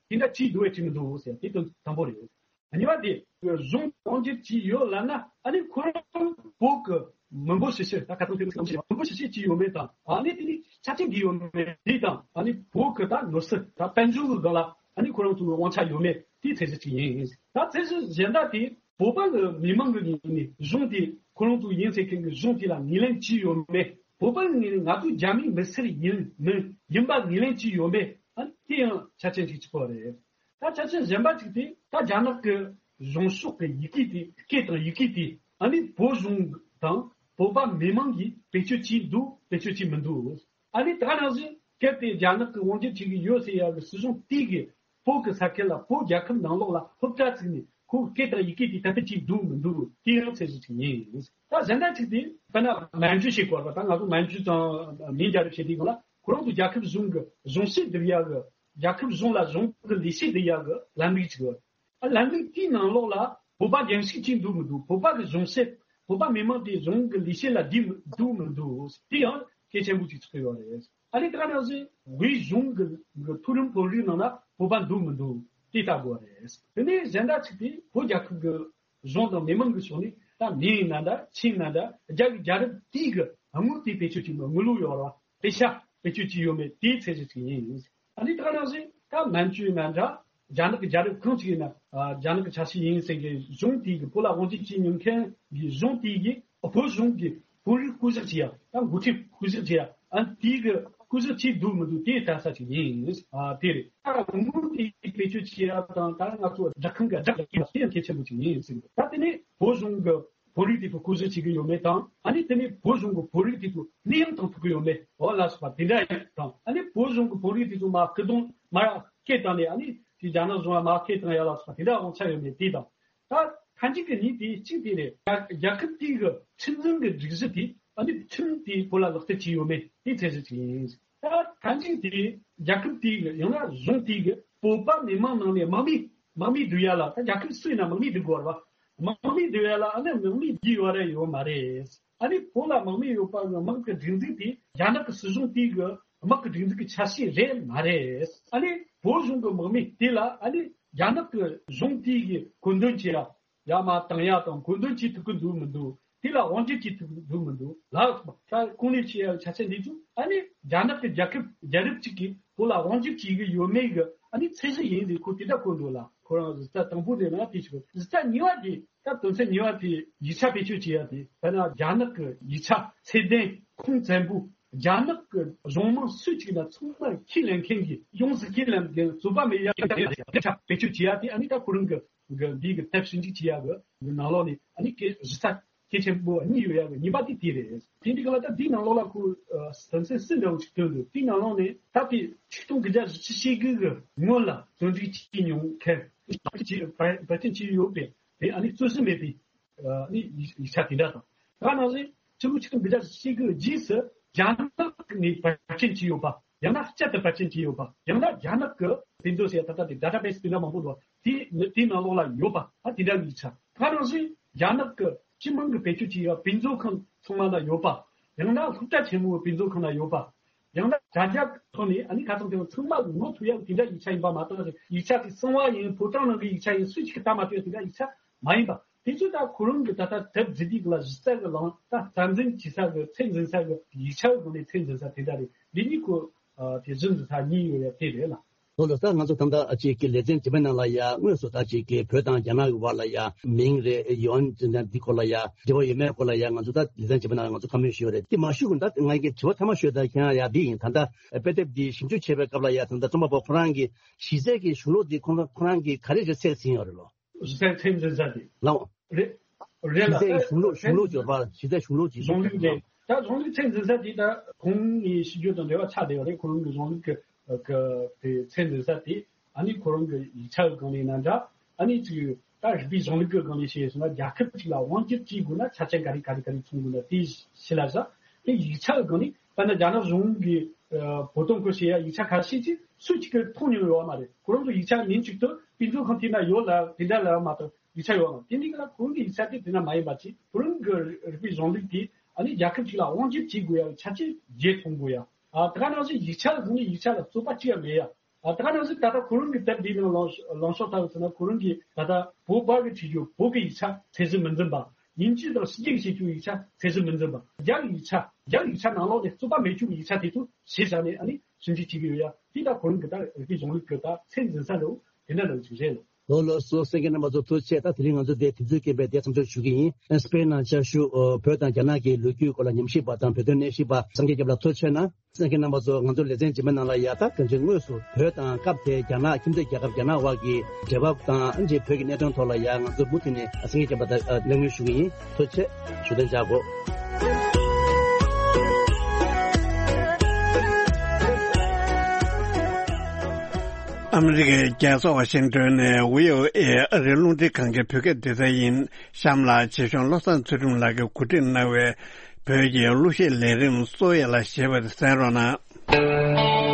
དེ་འདྲ་ཅིག་འདུག་བས་ཅིག་མི་འདུག་ཟེར། དེ་དོན་དང་པོ་རེད། གཉིས་པ་དེ་གཞུང་དབང་སྒྱུར་བྱས་ཡོད་ལབ་ན། ཨ་ནི་ཁོ་རང་བོད་ཀྱི་མི་འབོར་ཞིབ་བཤེར། ད་ཁ་སང་ཐེངས་གསུམ་བྱས་མི་འབོར་ཞིབ་བཤེར་བྱས་ཡོད་མེད་དང་། ཨ་ནི་དེ་ནི་ཆ་རྐྱེན་འདི་ཡོད་མེད་དེ་དང་། ཨ་ནི་བོད་ཀྱི་ད་ནོར་སྲིད་ད་དཔལ་འབྱོར་གྱི་སྒང་ལ་ཨ་ནི་ཁོ་རང་ཚོའི་དབང་ཆ་ཡོད་མེད་དེའི་ཚད་གཞི་ཅིག་ཡིན། ད་ཚད་གཞི་གཞན་དག་དེ་བོད་པ་གི་མི་མང་གི་ངོས་ནས་གཞུང་དེ་ཁོ་རང་ཚོ་ཡིན་ཟེར་མཁན་གྱི་གཞུང་དེ་ལ་ངོས་ལེན་བྱས་ཡོད་མེད། བོད་པ་གི་ངོས་ནས་ང་ཚོ་རྒྱ་མིའི་མི་སེར་ཡིན་མིན་ཡིན་པ་ངོས་ལེན་བྱས་ཡོད་མེད། ཨ་ནི་དེ་ཡང་ཆ་རྐྱེན་ཅིག་གཅིག་པ་རེད། ད་ཆ་རྐྱེན་གཞན་པ་གཅིག་དེ་ད་རྒྱ་ནག་གི་གཞུང་ཕྱོགས་ཀྱི་ཡི་གེ་དེ། སྐད་དང་ཡི་གེ་དེ་ཨ་ནི་བོད་གཞུང་དང་བོད་པ་མི་མང་གིས་བེད་སྤྱོད་བྱས་འདུག་བེད་སྤྱོད་བྱས་མི་འདུག་ཨ་ནི་ད་ག་ནང་བཞིན་གལ་ཏེ་རྒྱ་ནག་གིས་དབང་སྒྱུར་བྱེད་ཀྱི་ཡོད་ཟེར་ཡག་གི་སྲིད་གཞུང་དེ་གིས་བོད་ཀྱི་ས་ཁུལ་ལ་བོད་རྒྱལ་ཁབ་ནང་ལོགས་ལ་སློབ་གྲྭ་བཙུགས་ནས་ཁོའི་སྐད་དང་ཡི་གེ་དེ་དར་སྤེལ་བྱས་འདུག་མི་འདུག་དེ་ཡང་ཚད་གཞི་ཅིག་ཡིན། ད་གཞན་དག་ཅིག་དེ་དཔེར་ན་མན་ཇུ་ཞེས་གོ་བ། ད་ང་ཚོ་མན་ཇུ་དང་མིང་རྒྱལ་རབས་བཤད་དུས་སྒང་ལ་ཁོ་རང་ཚོ་རྒྱལ་ཁབ་གཞུང་གི་གཞུང་བཤད་འདེབས་ཡག་གི། རྒྱལ་ཁབ་གཞུང་ལ་གཞུང་གི་ལས་བྱེད་འདེབས་ཡག་གི་ལམ་ལུགས་ཅིག་ཡོད། ཨ་ལམ་ལུགས་དེའི་ནང་ལོགས་ལ་བོད་པ་འགན་ཞིག་ཅིག་འདུག་མི་འདུག་བོད་པ་གི་གཞུང་བཤད། བོད་པ་མི་མང་དེ་གཞུང་གི་ལས་བྱེད་ལ་འདུག་མི་འདུག་དེ་ཡང་གལ་ཆེན་པོ་ཅིག་ཆགས་ཡོད་རེད། ཨ་ནི་ད་ག་ནང་བཞིན་དབུས་གཞུང་གི་གི་མཐོ་རིམ་དཔོན་རིགས་ནང་ན་བོད་པ་འདུག་མི་འདུག་དེ་ལྟ་དགོས་རེད། དེ་ནས་གཞན་དག་ཅིག་དེ་བོད་རྒྱལ་ཁབ་ཀྱི་གཞུང་དང་མི་མང་གི་ཕྱོགས་ནས་ ད་མིང་ཡིན་ན་འདྲ་ཆིང་ན་འདྲ་རྒྱ་གི་རྒྱལ་རབས་དེའི་གི་དངུལ་དེ་བེད་སྤྱོད་བྱེད་མི་དངུལ་ལོ་ཡོད་ར་བ་དེ་ཤ་བེད་སྤྱོད་བྱས་ཡོད་མེད་དེའི་ཚད་གཞི་ཅིག་ཡིན། ཨ་ནི་ད་ག་ནང་བཞིན་ད་མན་ཇུ་ཡིན་ན་འདྲ་རྒྱ་ནག་གི་རྒྱལ་རབས་གང་ཅིག་ཡིན་ན་ཨ་རྒྱ་ནག་གི་ཆ་ཤས་ཡིན་ཟེར་གི་གཞུང་དེའི་གི་བོད་ལ་དབང་སྒྱུར་བྱས་མྱོང་མཁན་གི་གཞུང་དེའི་གི་བོད་གཞུང་གི་དཔོན་རིགས་བསྐོ་གཞག་བྱེད་ཡ་ད་འགོ་ཁྲིད་བསྐོ་གཞག་བྱེད་ཡ་ཨ་ནི་དེའི་གི་བསྐོ་གཞག་བྱས་འདུག་མི་འདུག་དེའི་ལྟ་ས་ཅིག་ཡིན། ཨ་དེ་རེད། ད་དངུལ་དེ་བེད་སྤྱོད་བྱེད་ཡ་དང་ད་ང་ཚོ་སྦྲག་ཁང་གི་སྦྲག་ཡ་དེ་ཡང་གལ་ཆེན་པོ་ཅིག་ཡིན་ཟེར་གི་ད་དེ་ནས་བོད་གཞུང་གི་བོད་རིགས་དེ་ཚོ་བསྐོ་གཞག་བྱེད་ཀྱི་ཡོད་མེད་དང་ཨ་ནི་དེ་ནས་བོད་གཞུང་གི་བོད་རིགས་དེ་ཚོ་གནས་དབྱུང་བཏང་ཐུབ་ཀྱི་ཡོད་མེད་འོ་ལ་སོགས་པ་དེ་འདྲ་ཡང་དང་ཨ་ནི་བོད་གཞུང་གི་བོད་རིགས་དེ་ཚོ་མར་སྐུ་གདུང་མར་སྐད་བཏང་ནས་ཨ་ནི་དེ་རྒྱ་ནག་གཞུང་ལ་མར་སྐད་བཏང་ཡ་ལ་སོགས་པ་དེ་འདྲ་དབང་ཆ་ཡོད་མེད་དེ་དང་ད་མཐའ་མཇུག་གི་གཉིས་དེ་གཅིག་དེ་རེད། རྒྱལ་ཁབ་དེའི་གི་ཁྲིམས་འཛིན་གི་སྒྲིག་གཞི་དེ་ཨ་ནི་ཁྲིམས་དེ་བོད་ལ་ལག་བསྟར་བྱས་ཡོད་མེད་དེ་ཚད་གཞི་ཅིག་ཡིན། ད་མཐའ་མཇུག་དེ་རྒྱལ་ཁབ་དེའི་གི་ཡང་ན་གཞུང་དེའི་གི་བོད་པ་མི་མང་ནང་ནས་དམག་མི་དམག་མི་བསྡུ་ཡ་ལ་ད་རྒྱལ་ཁབ་སུ་ཡིན་ན་དམག་མི་བསྡུ་དགོས་རེད་བ། དམག་མི་བསྡུ་ཡ་ལ་ཨ་ནི་དམག་མི་བསྡུ་ཡོད་རེད་ཡོད་མ་རེད། ཨ་ནི་བོད་ལ་དམག་མི་ཡོད་པ་གི་དམག་གི་སྒྲིག་འཛུགས་དེ་རྒྱ་ནག་གི་སྲིད་གཞུང་དེའི་གི་དམག་གི་སྒྲིག་འཛུགས་ཀྱི་ཆ་ཤས་རེད་མ་རེད། ཨ་ནི་བོད་གཞུང་གི་དམག་མི་དེ་ལ་ཨ་ནི་རྒྱ་ནག་གི་གཞུང་དེའི་གི་བཀོད་འདོམས་བྱེད་ཡ་ཡར་མར་བཏང་ཡ་དང་བཀོད་འདོམས་བྱེད་ཐུབ་ཀྱི་འདུག་མི་འདུག་དེ་ལ་དབང་སྒྱུར་བྱེད་ཐུབ་ཀྱི་འདུག་མི་འདུག་ལ་ད་གོང་ནས་བཤད་ཡ་ཆ་ཤས་འདི་ཚོ་ཨ་ནི་རྒྱ་ནག་གི་རྒྱལ་ཁབ་རྒྱལ་རབས་གཅིག་གིས་བོད་ལ་དབང་སྒྱུར་བྱེད་ཀྱི་ཡོད་མེད་ཀྱི་ཨ་ནི་ཚད་གཞི་ཡིན་ཟེར་ཁོ་དེ་འདྲ་བཀོད་འདུག་ལ། ཁོ་རང་གཟི་རྩ་དང་པོ་དེ་ན་དེ་ཞིག་གཟི་རྩ་གཉིས་པ་དེ་ད་དོན་ཚན་གཉིས་པ་དེ་ཡིག་ཆ་བེད་སྤྱོད་བྱེད་ཡ་དེ་དཔེར་ན་རྒྱ་ནག་གི་ཡིག་ཆ་ཚད་ལྡན་ཁུངས་བཙན་པོ་རྒྱ་ནག་གི་གཞུང་མང་སུ་གཅིག་ན་ཚང་མར་ཁས་ལེན་མཁན་གྱི་ཡོངས་སུ་ཁས་ལེན་མཁན་རྩོད་པ་མེད་ཡ་ཡིག་ཆ་བེད་སྤྱོད་བྱེད་ཡ་དེ་ཨ་ནི་ད་ཁོ་རང་གི་གི་འདི་གི་ཐབས་ཞིབ་འཇུག་བྱེད་ཡ་གི་ནང་ལོགས་ནས་ཨ་ནི་གི་གཟི་རྩ་གལ་ཆེན་པོ་གཉིས་ཡོད་ཡ་གི་གཉིས་པ་དེ་དེ་རེད། དེ་འདི་ག་ལ་ད་འདིའི་ནང་ལོགས་ལ་ཁོ་དོན་ཚན་གསུམ་འདྲ་བོ་ཞིག་བཏོན་འདུག་དེའི་ནང་ལོགས་ནས་ད་དེ་ཆིག་སྟོང་དགུ་བརྒྱ་བཞི་བཅུ་ཞེ་དགུ་གི་སྔོན་ལ་བཙོན་འཇུག་བྱས་མྱོང་མཁན་བར་ཆད་བྱས་ཡོད་པའི་དེ་ཨ་ནི་རྩོད་ཟིན་མེད་པའི་ཨ་ནི་ཡིག་ཆ་དེ་འདྲ་དང་། ད་ནང་བཞིན་ཕྱི་ལོ་ཆིག་སྟོང་དགུ་བརྒྱ་བཞི་བཅུ་ཞེ་དགུ་རྗེས་སུ་རྒྱ་ནག་ནས་པར་སྐྲུན་བྱས་ཡོད་པ། ཡང་ན་བསྐྱར་དུ་པར་སྐྲུན་བྱས་ཡོད་པ། ཡང་ན་རྒྱ་ནག་གི་དེ་ཚོ་ཟེར་ད་ལྟ་དེ་ཌེ་ཊ་བེ་སི་དེ་འདྲ་མང་པོ་འདུག་དེ་དེའི་ནང་ལོགས་ལ་ཡོད་པ། ད་དེ་འདྲ་ཡིག་ཆ། ད་ནང་བཞིན་རྒྱ་ནག་གི་སྤྱི་དམངས་ཀྱི་བེད་སྤྱོད་བྱེད་ཡ་དཔེ་མཛོད་ཁང་ཚང་མ་ལ་ཡོད་པ། ཡང་ན་སློབ་གྲྭ་ཆེན་མོའི་དཔེ་མཛོད་ཁང་ལ་ཡོད་པ། ཡང་ན་དྲ་རྒྱ་ཐོག་ནས་ཨ་ནི་ཁ་ཚང་དེ་ཚང་མ་ངོ་ཐུག་ཡ་དེ་འདྲ་ཡིག་ཆ་ཡིན་པ་མ་གཏོགས་ཡིག་ཆ་དེ་གསང་བ་ཡིན་ཕོ་བྲང་ནང་གི་ཡིག་ཆ་ཡིན་སུ་གཅིག་གིས་ལྟ་མ་ཐུབ་ཡ་དེ་འདྲ་ཡིག་ཆ་མ་ཡིན་པ། དེ་ཚོ་ད་ཁོ་རང་གི་ད་ལྟ་དེབ་འབྲི་དུས་ལ་གཞི་རྩ་གི་ལང་ད་རྩ་འཛིན་བྱེད་ས་གི་ཚད་འཛིན་ས་གི་ཡིག་ཆ་གི་སྒང་ནས་ཚད་འཛིན་ས་དེ་འདྲ་རེད། འདི་གཉིས་ཁོ་དེ་གཞི་འཛིན་ས་གཉིས་ཡོད་ཡ་དེ་རེད་ལ། ལོ་ལོ་ས་ང་ཚོ་ད་ལྟ་ཅིག་གི་ལེ་ཚན་རྗེས་མའི་ནང་ལ་ཡ་དངོས་སུ་ད་ཅིག་གི་བོད་དང་རྒྱ་ནག་གི་བར་ལ་ཡ་མིང་རེད་ཡོན་འདི་སྐོར་ལ་ཡ་འབྲེལ་བ་ཡོད་མེད་སྐོར་ལ་ཡ་ང་ཚོ་ད་ལེ་ཚན་རྗེས་མའི་ནང་ལ་ང་ཚོ་བཀའ་མོལ་ཞུ་ཡ་རེད། དེ་མ་ཞུ་གོང་ད་ང་གི་དྲི་བ་མཐའ་མ་ཞུ་ཡ་ད་ཁྱེད་རང་ཡ་འདི་ཡིན། ད་ལྟ་དཔེ་དེབ་འདི་ཞིབ་འཇུག་བྱེད་པའི་སྐབས་ལ་ཡ་ད་ལྟ་རྩོམ་པ་པོ་ཁོ་རང་གི་གཞི་རྩའི་གི་གཞུང་ལུགས་འདི་ཁོ་རང་ཁོ་རང་གི་ག་རེ་རེད་ཚད་ཟིན་ཡོད་རེད་ལོ། གཞི་རྩའི་ཚད་འཛིན་ས་དེ། ལའོ། རེད། རེད་ལ་ད་གཞུང་ལུགས་གཞུང་ལུགས་སྦྱོར་བ་གཞི་རྩའི་གཞུང་ལུགས་ཀྱི་གཞུང་ལུགས་རེད། ད་གཞུང་ལུགས་ཚད་འཛིན་ས་དེ་ད་ཁོང་གི་ཤེས་རྒྱུད་དང་འབྲེལ་བ་ཆགས་བསྡད་པ་རེད། ཁོ་རང་གི་གཞུང་ལུགས་ཀྱི་གི་དེ་ཚད་འཛིན་ས་དེ་ཨ་ནི་ཁོ་རང་གི་ཡིག་ཆ་གི་སྒང་ནས་ན་འདྲ་ཨ་ནི་ཅིག་ད་རིག་པའི་གཞུང་ལུགས་ཀྱི་སྒང་ནས་བཤད་སོང་ན་རྒྱལ་ཁབ་ཅིག་ལ་དབང་སྒྱུར་བྱེད་དགོས་ན་ཆ་རྐྱེན་ག་རེ་ག་རེ་ག་རེ་ཚང་དགོས་ན་དེ་ཤེས་ལ་ཟ། དེ་ཡིག་ཆ་གི་སྒང་ནས་དཔེར་ན་རྒྱ་ནག་གཞུང་གི་བོད་དོན་སྐོར་བཤད་ཡ་ཡིག་ཆ་ཁ་ཤས་ཅིག་སུ་གཅིག་གིས་མཐོང་མྱོང་ཡོད་མ་རེད། ཁོ་རང་ཚོ་ཡིག་ཆ་ཉིན་གཅིག་ཏུ་དཔེ་མཛོད་ཁང་དེ་ན་ཡོད་ལ་དེ་འདྲ་ལ་མ་གཏོགས་ཡིག་ཆ་ཡོད་མ་རེད། དེ་འདི་ག་ལ་ཁོ་རང་གི་ཡིག་ཆ་དེ་དེ་ན་མ་ཡིན་པ་ཅིག་ཁོ་རང་གི་རིག་པའི་གཞུང་ལུགས་དེ་ཨ་ནི་རྒྱལ་ཁབ་ཅིག་ལ་དབང་སྒྱུར་བྱེད་དགོས་ཡ་ཆ་རྐྱེན་བརྗེ་ཐོང་དགོས་ཡ། ཨ་ད་ག་ནང་བཞིན་ཡིག་ཆ་ལ་དགོས་ནས་ཡིག་ཆ་ལ་རྩོད་པ་ཅི་ཡང་མེད་ཡ། ཨ་ད་ག་ནང་བཞིན་ད་ལྟ་ཁོ་རང་གི་དེབ་འདིའི་ནང་ལ་ལངས་ཕྱོགས་ལྟ་བུ་ཟེར་ན་ཁོ་རང་གིས་ད་ལྟ་བོད་པ་གི་བྲིས་རྒྱུ་བོད་ཀྱི་ཡིག་ཆ་ཚད་གཞི་མི་འཛིན་པ། དབྱིན་ཇི་དང་ཕྱི་རྒྱལ་གྱི་བྱེད་རྒྱུ་ཡིག་ཆ་ཚད་གཞི་མི་འཛིན་པ། རྒྱ་ཡིག་ཆ་རྒྱ་ཡིག་ཆ་ནང་ལོགས་ནས་རྩོད་པ་མེད་རྒྱུ་གི་ཡིག་ཆ་དེ་ཚོ་གཞི་བཞག་ནས་ཨ་ནི་ཞིབ་འཇུག་བྱེད་ཀྱི་ཡོད་ཡ། དེ་ད་ཁོ་རང་གི་ད་རིག་པའི་གཞུང་ལུགས་ཀྱི་ད་ཚད་འཛིན་ས་འདྲ་བོ་དེ་འདྲ་འདྲ་བོ་ཅིག་རེད། ལོ་ལོ་སོ་གསན་མཁན་རྣམ་པ་ཚོ་ཐུགས་རྗེ་ཆེ། ད་དེ་རིང་ང་ཚོ་འདིར་དུས་ཚོད་རྐྱེན་པས་འདིར་མཚམས་འཇོག་ཞུ་གི་ཡིན། སྤེན་ནང་བཅའ་བཞུགས་བོད་དང་རྒྱ་ནག་གི་ལོ་རྒྱུས་སྐོར་ལ་ཉམས་ཞིབ་པ་དང་བོད་དོན་གནས་བཤད་པ་སངས་རྒྱས་སྐྱབས་ལགས་ཐུགས་རྗེ་ཆེ་གནང་། གསན་མཁན་རྣམ་པ་ཚོ་ང་ཚོ་ལེ་ཚན་རྗེས་མའི་ནང་ལ་ཡ་ད་གང་ཅི་དངོས་སུ་བོད་དང་སྐབས་དེའི་རྒྱ་ནག་ཁྱིམ་མཚེས་རྒྱལ་ཁབ་རྒྱ་ནག་དབར་གྱི་འབྲེལ་བ་དང་ཨ་ནི་བོད་ཀྱི་གནད་དོན་ཐོག་ལ་ཡ་ང་ཚོ་མུ་མཐུད་ནས་སངས་རྒྱས་སྐྱབས་ལགས་ད་གླེང་མོལ་ཞུ་གི་ཡིན། ཐུགས་རྗེ་ཆེ། ཞུ་དོན་བྱ་དགོས། ཨ་མི་རི་ཀའི་རྒྱལ་ས་ཝ་ཤིང་ཏོན་ནས་བྷི་ཨོ་ཨེ་ཨ་རིའི་རླུང་འཕྲིན་ཁང་གི་བོད་སྐད་སྡེ་ཚན་ཡིན། གཤམ་ལ་རྗེ་གཞུང་བློ་བཟང་ཚུལ་ཁྲིམས་ལགས་ཀྱིས་གོ་སྒྲིག་གནང་བའི་བོད་ཀྱི་གླུ་གཞས་ལས་རིམ་གཙོ་བོ་ཡ་ལ་ཞེས་པ་དེ་གསན་རོགས་གནང་།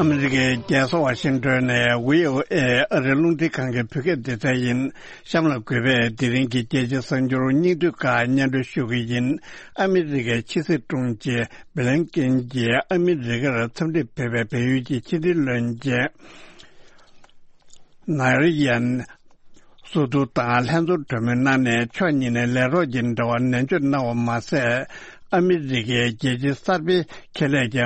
ཨ་མི་རི་ཀའི་རྒྱལ་ས་ཝ་ཤིང་ཏོན་ནས་བྷི་ཨོ་ཨེ་ཨ་རིའི་རླུང་འཕྲིན་ཁང་གི་བོད་སྐད་སྡེ་ཚན་ཡིན། གཤམ་ལ་གུས་པས་དེ་རིང་གི་རྒྱལ་སྤྱིའི་གསར་འགྱུར་སྙིང་བསྡུས་ཁག་སྙན་སྒྲོན་ཞུ་གི་ཡིན། ཨ་མི་རི་ཀའི་ཕྱི་སྲིད་དྲུང་ཆེ་བྷི་ལིན་ཀེན་གྱིས་ཨ་མི་རི་ཀར་འཚམས་འདྲིར་ཕེབས་པའི་བལ་ཡུལ་གྱི་ཕྱི་འབྲེལ་བློན་ཆེན་ནཱ་རི་ཡན་སུ་ཏུ་དང་ལྷན་ཚོགས་གྲོས་མོལ་གནང་ནས་ཕྱོགས་གཉིས་ནས་ལས་རོགས་ཀྱི་འབྲེལ་བ་ནན་བརྗོད་གནང་བ་མ་ཟད། ཨ་མི་རི་ཀའི་རྒྱལ་སྤྱིའི་གསར་སྤེལ་ཁེ་ལས་ཀྱི་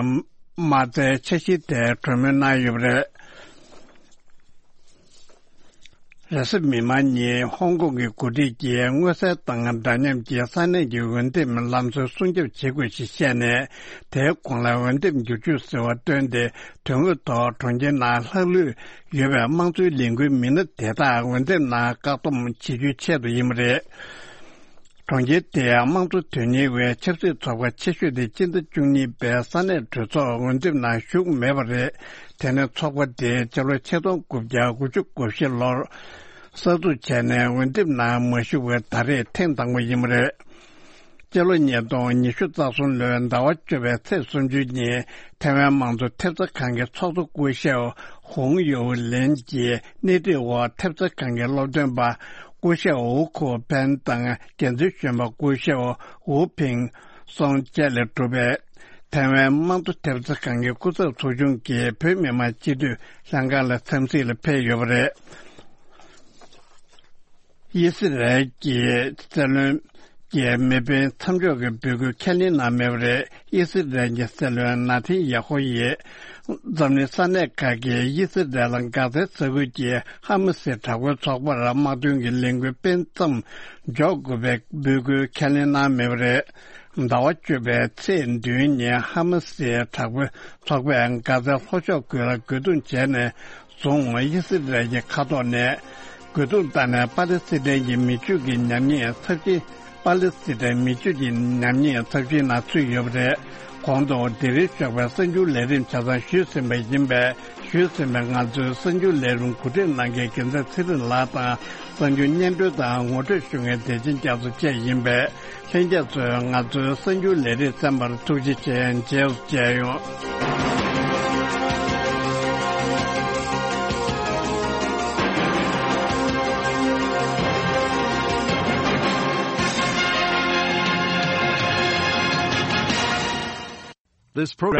མ་རྩའི་འཆར་གཞིའི་ཐད་གྲོས་མོལ་གནང་ཡོད་པ་རེད། རེས་གཟའ་མིག་དམར་ཉིན་ཧོང་ཀོང་གི་འགོ་ཁྲིད་ཀྱིས་མངོན་གསལ་དང་འདྲ་མཉམ་གྱི་ས་གནས་ཀྱི་འོས་འདེམས་ལམ་སྲོལ་སྲུང་སྐྱོབ་བྱེད་དགོས་ཞེས་བཤད་ནས། དེའི་གོང་ལ་འོས་འདེམས་བསྒྱུར་བཅོས་ཟེར་བ་བཏོན་ཏེ། དོན་དངོས་ཐོག་གྲོང་ཁྱེར་ནང་ལྷག་ལུས་ཡོད་པའི་དམངས་གཙོའི་ལས་འགུལ་མི་སྣ་དེ་དག་འོས་འདེམས་ནང་བཀག་སྡོམ་བྱེད་རྒྱུའི་ཆེད་དུ་ཡིན་པ་རེད། གྲོང་ཁྱེར་དེའི་དམངས་གཙོ་དོན་གཉེར་བའི་ཆབ་སྲིད་ཚོགས་པ་ཆེ་ཤོས་དེ་སྤྱི་ཟླ་བཅུ་གཉིས་པའི་ས་གནས་གྲོས་ཚོགས་འོས་འདེམས་ནང་ཞུགས་མེད་པ་རེད། དེ་ནི་ཚོགས་པ་དེ་སྤྱི་ལོ་ཆིག་སྟོང་དགུ་བརྒྱ་དགུ་བཅུ་གོ་བཞི་ལོར་གསར་འཛུགས་བྱས་ནས་འོས་འདེམས་ནང་མ་ཞུགས་པར་ད་རེས་ཐེངས་དང་པོ་ཡིན་པ་རེད། སྤྱི་ལོ་ཉིས་སྟོང་ཉི་ཤུ་རྩ་གསུམ་ལོའི་ཟླ་བ་བཅུ་པའི་ཚེས་སུམ་ཅུ་ཉིན་ཐའེ་ཝན་དམངས་གཙོ་ཐེབས་རྩ་ཁང་གི་ཚོགས་གཙོ་སྐུ་ཞབས་ཧོང་ཡོའུ་ལེན་གྱིས་སྣེ་ཁྲིད་འོག་ཐེབས་རྩ་ཁང་གི་སློབ་སྟོན་པ་སྐུ་ཞབས་ཝུ་ཁོ་ཕན་དང་འགན་འཛིན་གཞོན་པ་སྐུ་ཞབས་ཝུ་ཕིང་སོང་བཅས་ལས་གྲུབ་པའི་ཐའེ་ཝན་དམངས་གཙོ་ཐེབས་རྩ་ཁང་གི་སྐུ་ཚབ་ཚོགས་ཆུང་གིས་བོད་མི་མང་སྤྱི་འཐུས་ལྷན་ཁང་ལ་འཚམས་གཟིགས་ལ་ཕེབས་ཡོད་པ་རེད། དབྱི་སི་རལ་གྱི་སྲིད་བློན་གྱི་མེ་སྤེལ་མཚམས་འཇོག་གི་འབོད་སྐུལ་ཁས་ལེན་གནང་མེད་པ་རེད། དབྱི་སི་རལ་གྱི་སྲིད་བློན་ན་ཐན་ཡ་ཧོ་ཡིས་འཛམ་གླིང་ས་གནས་ཁག་གིས་དབྱི་སི་རལ་ལ་དགག་རྩའི་ས་ཁུལ་གྱི་ཧ་མ་སིའི་དྲག་པོའི་ཚོགས་པར་དམག་དོན་གྱི་ལས་འགུལ་སྤེལ་མཚམས་འཇོག་དགོས་པའི་འབོད་སྐུལ་ཁས་ལེན་གནང་མེད་པ་རེད། ཟླ་བ་བཅུ་པའི་ཚེས་བདུན་ཉིན་ཧ་མ་སིའི་དྲག་པོའི་ཚོགས་པས་གྷ་ཛའི་ལྷོ་ཕྱོགས་ཁུལ་ལ་རྒོལ་རྡུང་བྱས་ནས་བཟུང་། དབྱི་སི་རལ་གྱི་མཁའ་ཐོག་ནས་རྒོལ་རྡུང་བཏང་ནས་པ་ལི་སི་ཐན་གྱི་མི་སྤྱོད་ཀྱི་ཉམས་ཉེས་ཚབས་ཆེན། པ་ལི་སི་ཐན་མི་སྤྱོད་ཀྱི་ཉམས་ཉེས་ཚབས་ཆེན་ནང་ཚུད་ཡོད་པ་རེད། གོང་དུ་དེ་རིང་ཞོགས་པའི་གསར་འགྱུར་ལས་རིམ་ཆ་ཚང་ཞུས་ཟིན་པ་ཡིན་པས། ཞུས་ཟིན་པའི་ང་ཚོའི་གསར་འགྱུར་ལས་རིམ་གོ་སྒྲིག་གནང་མཁན་རྒྱལ་མཚན་ཚེ་རིང་ལགས་དང་། གསར་འགྱུར་སྙན་སྒྲོན་དང་ངོ་སྤྲོད་ཞུ་མཁན་བདེ་ཆེན་རྒྱ་མཚོ་བཅས་ཡིན་པས། ལྷན་རྒྱས་ཚོས་ང་ཚོའི་གསར་འགྱུར་ལས་རིམ་གསན་པར་ཐུགས་རྗེ་ཆེ། མཇལ་མཇལ་ཡོང་། This program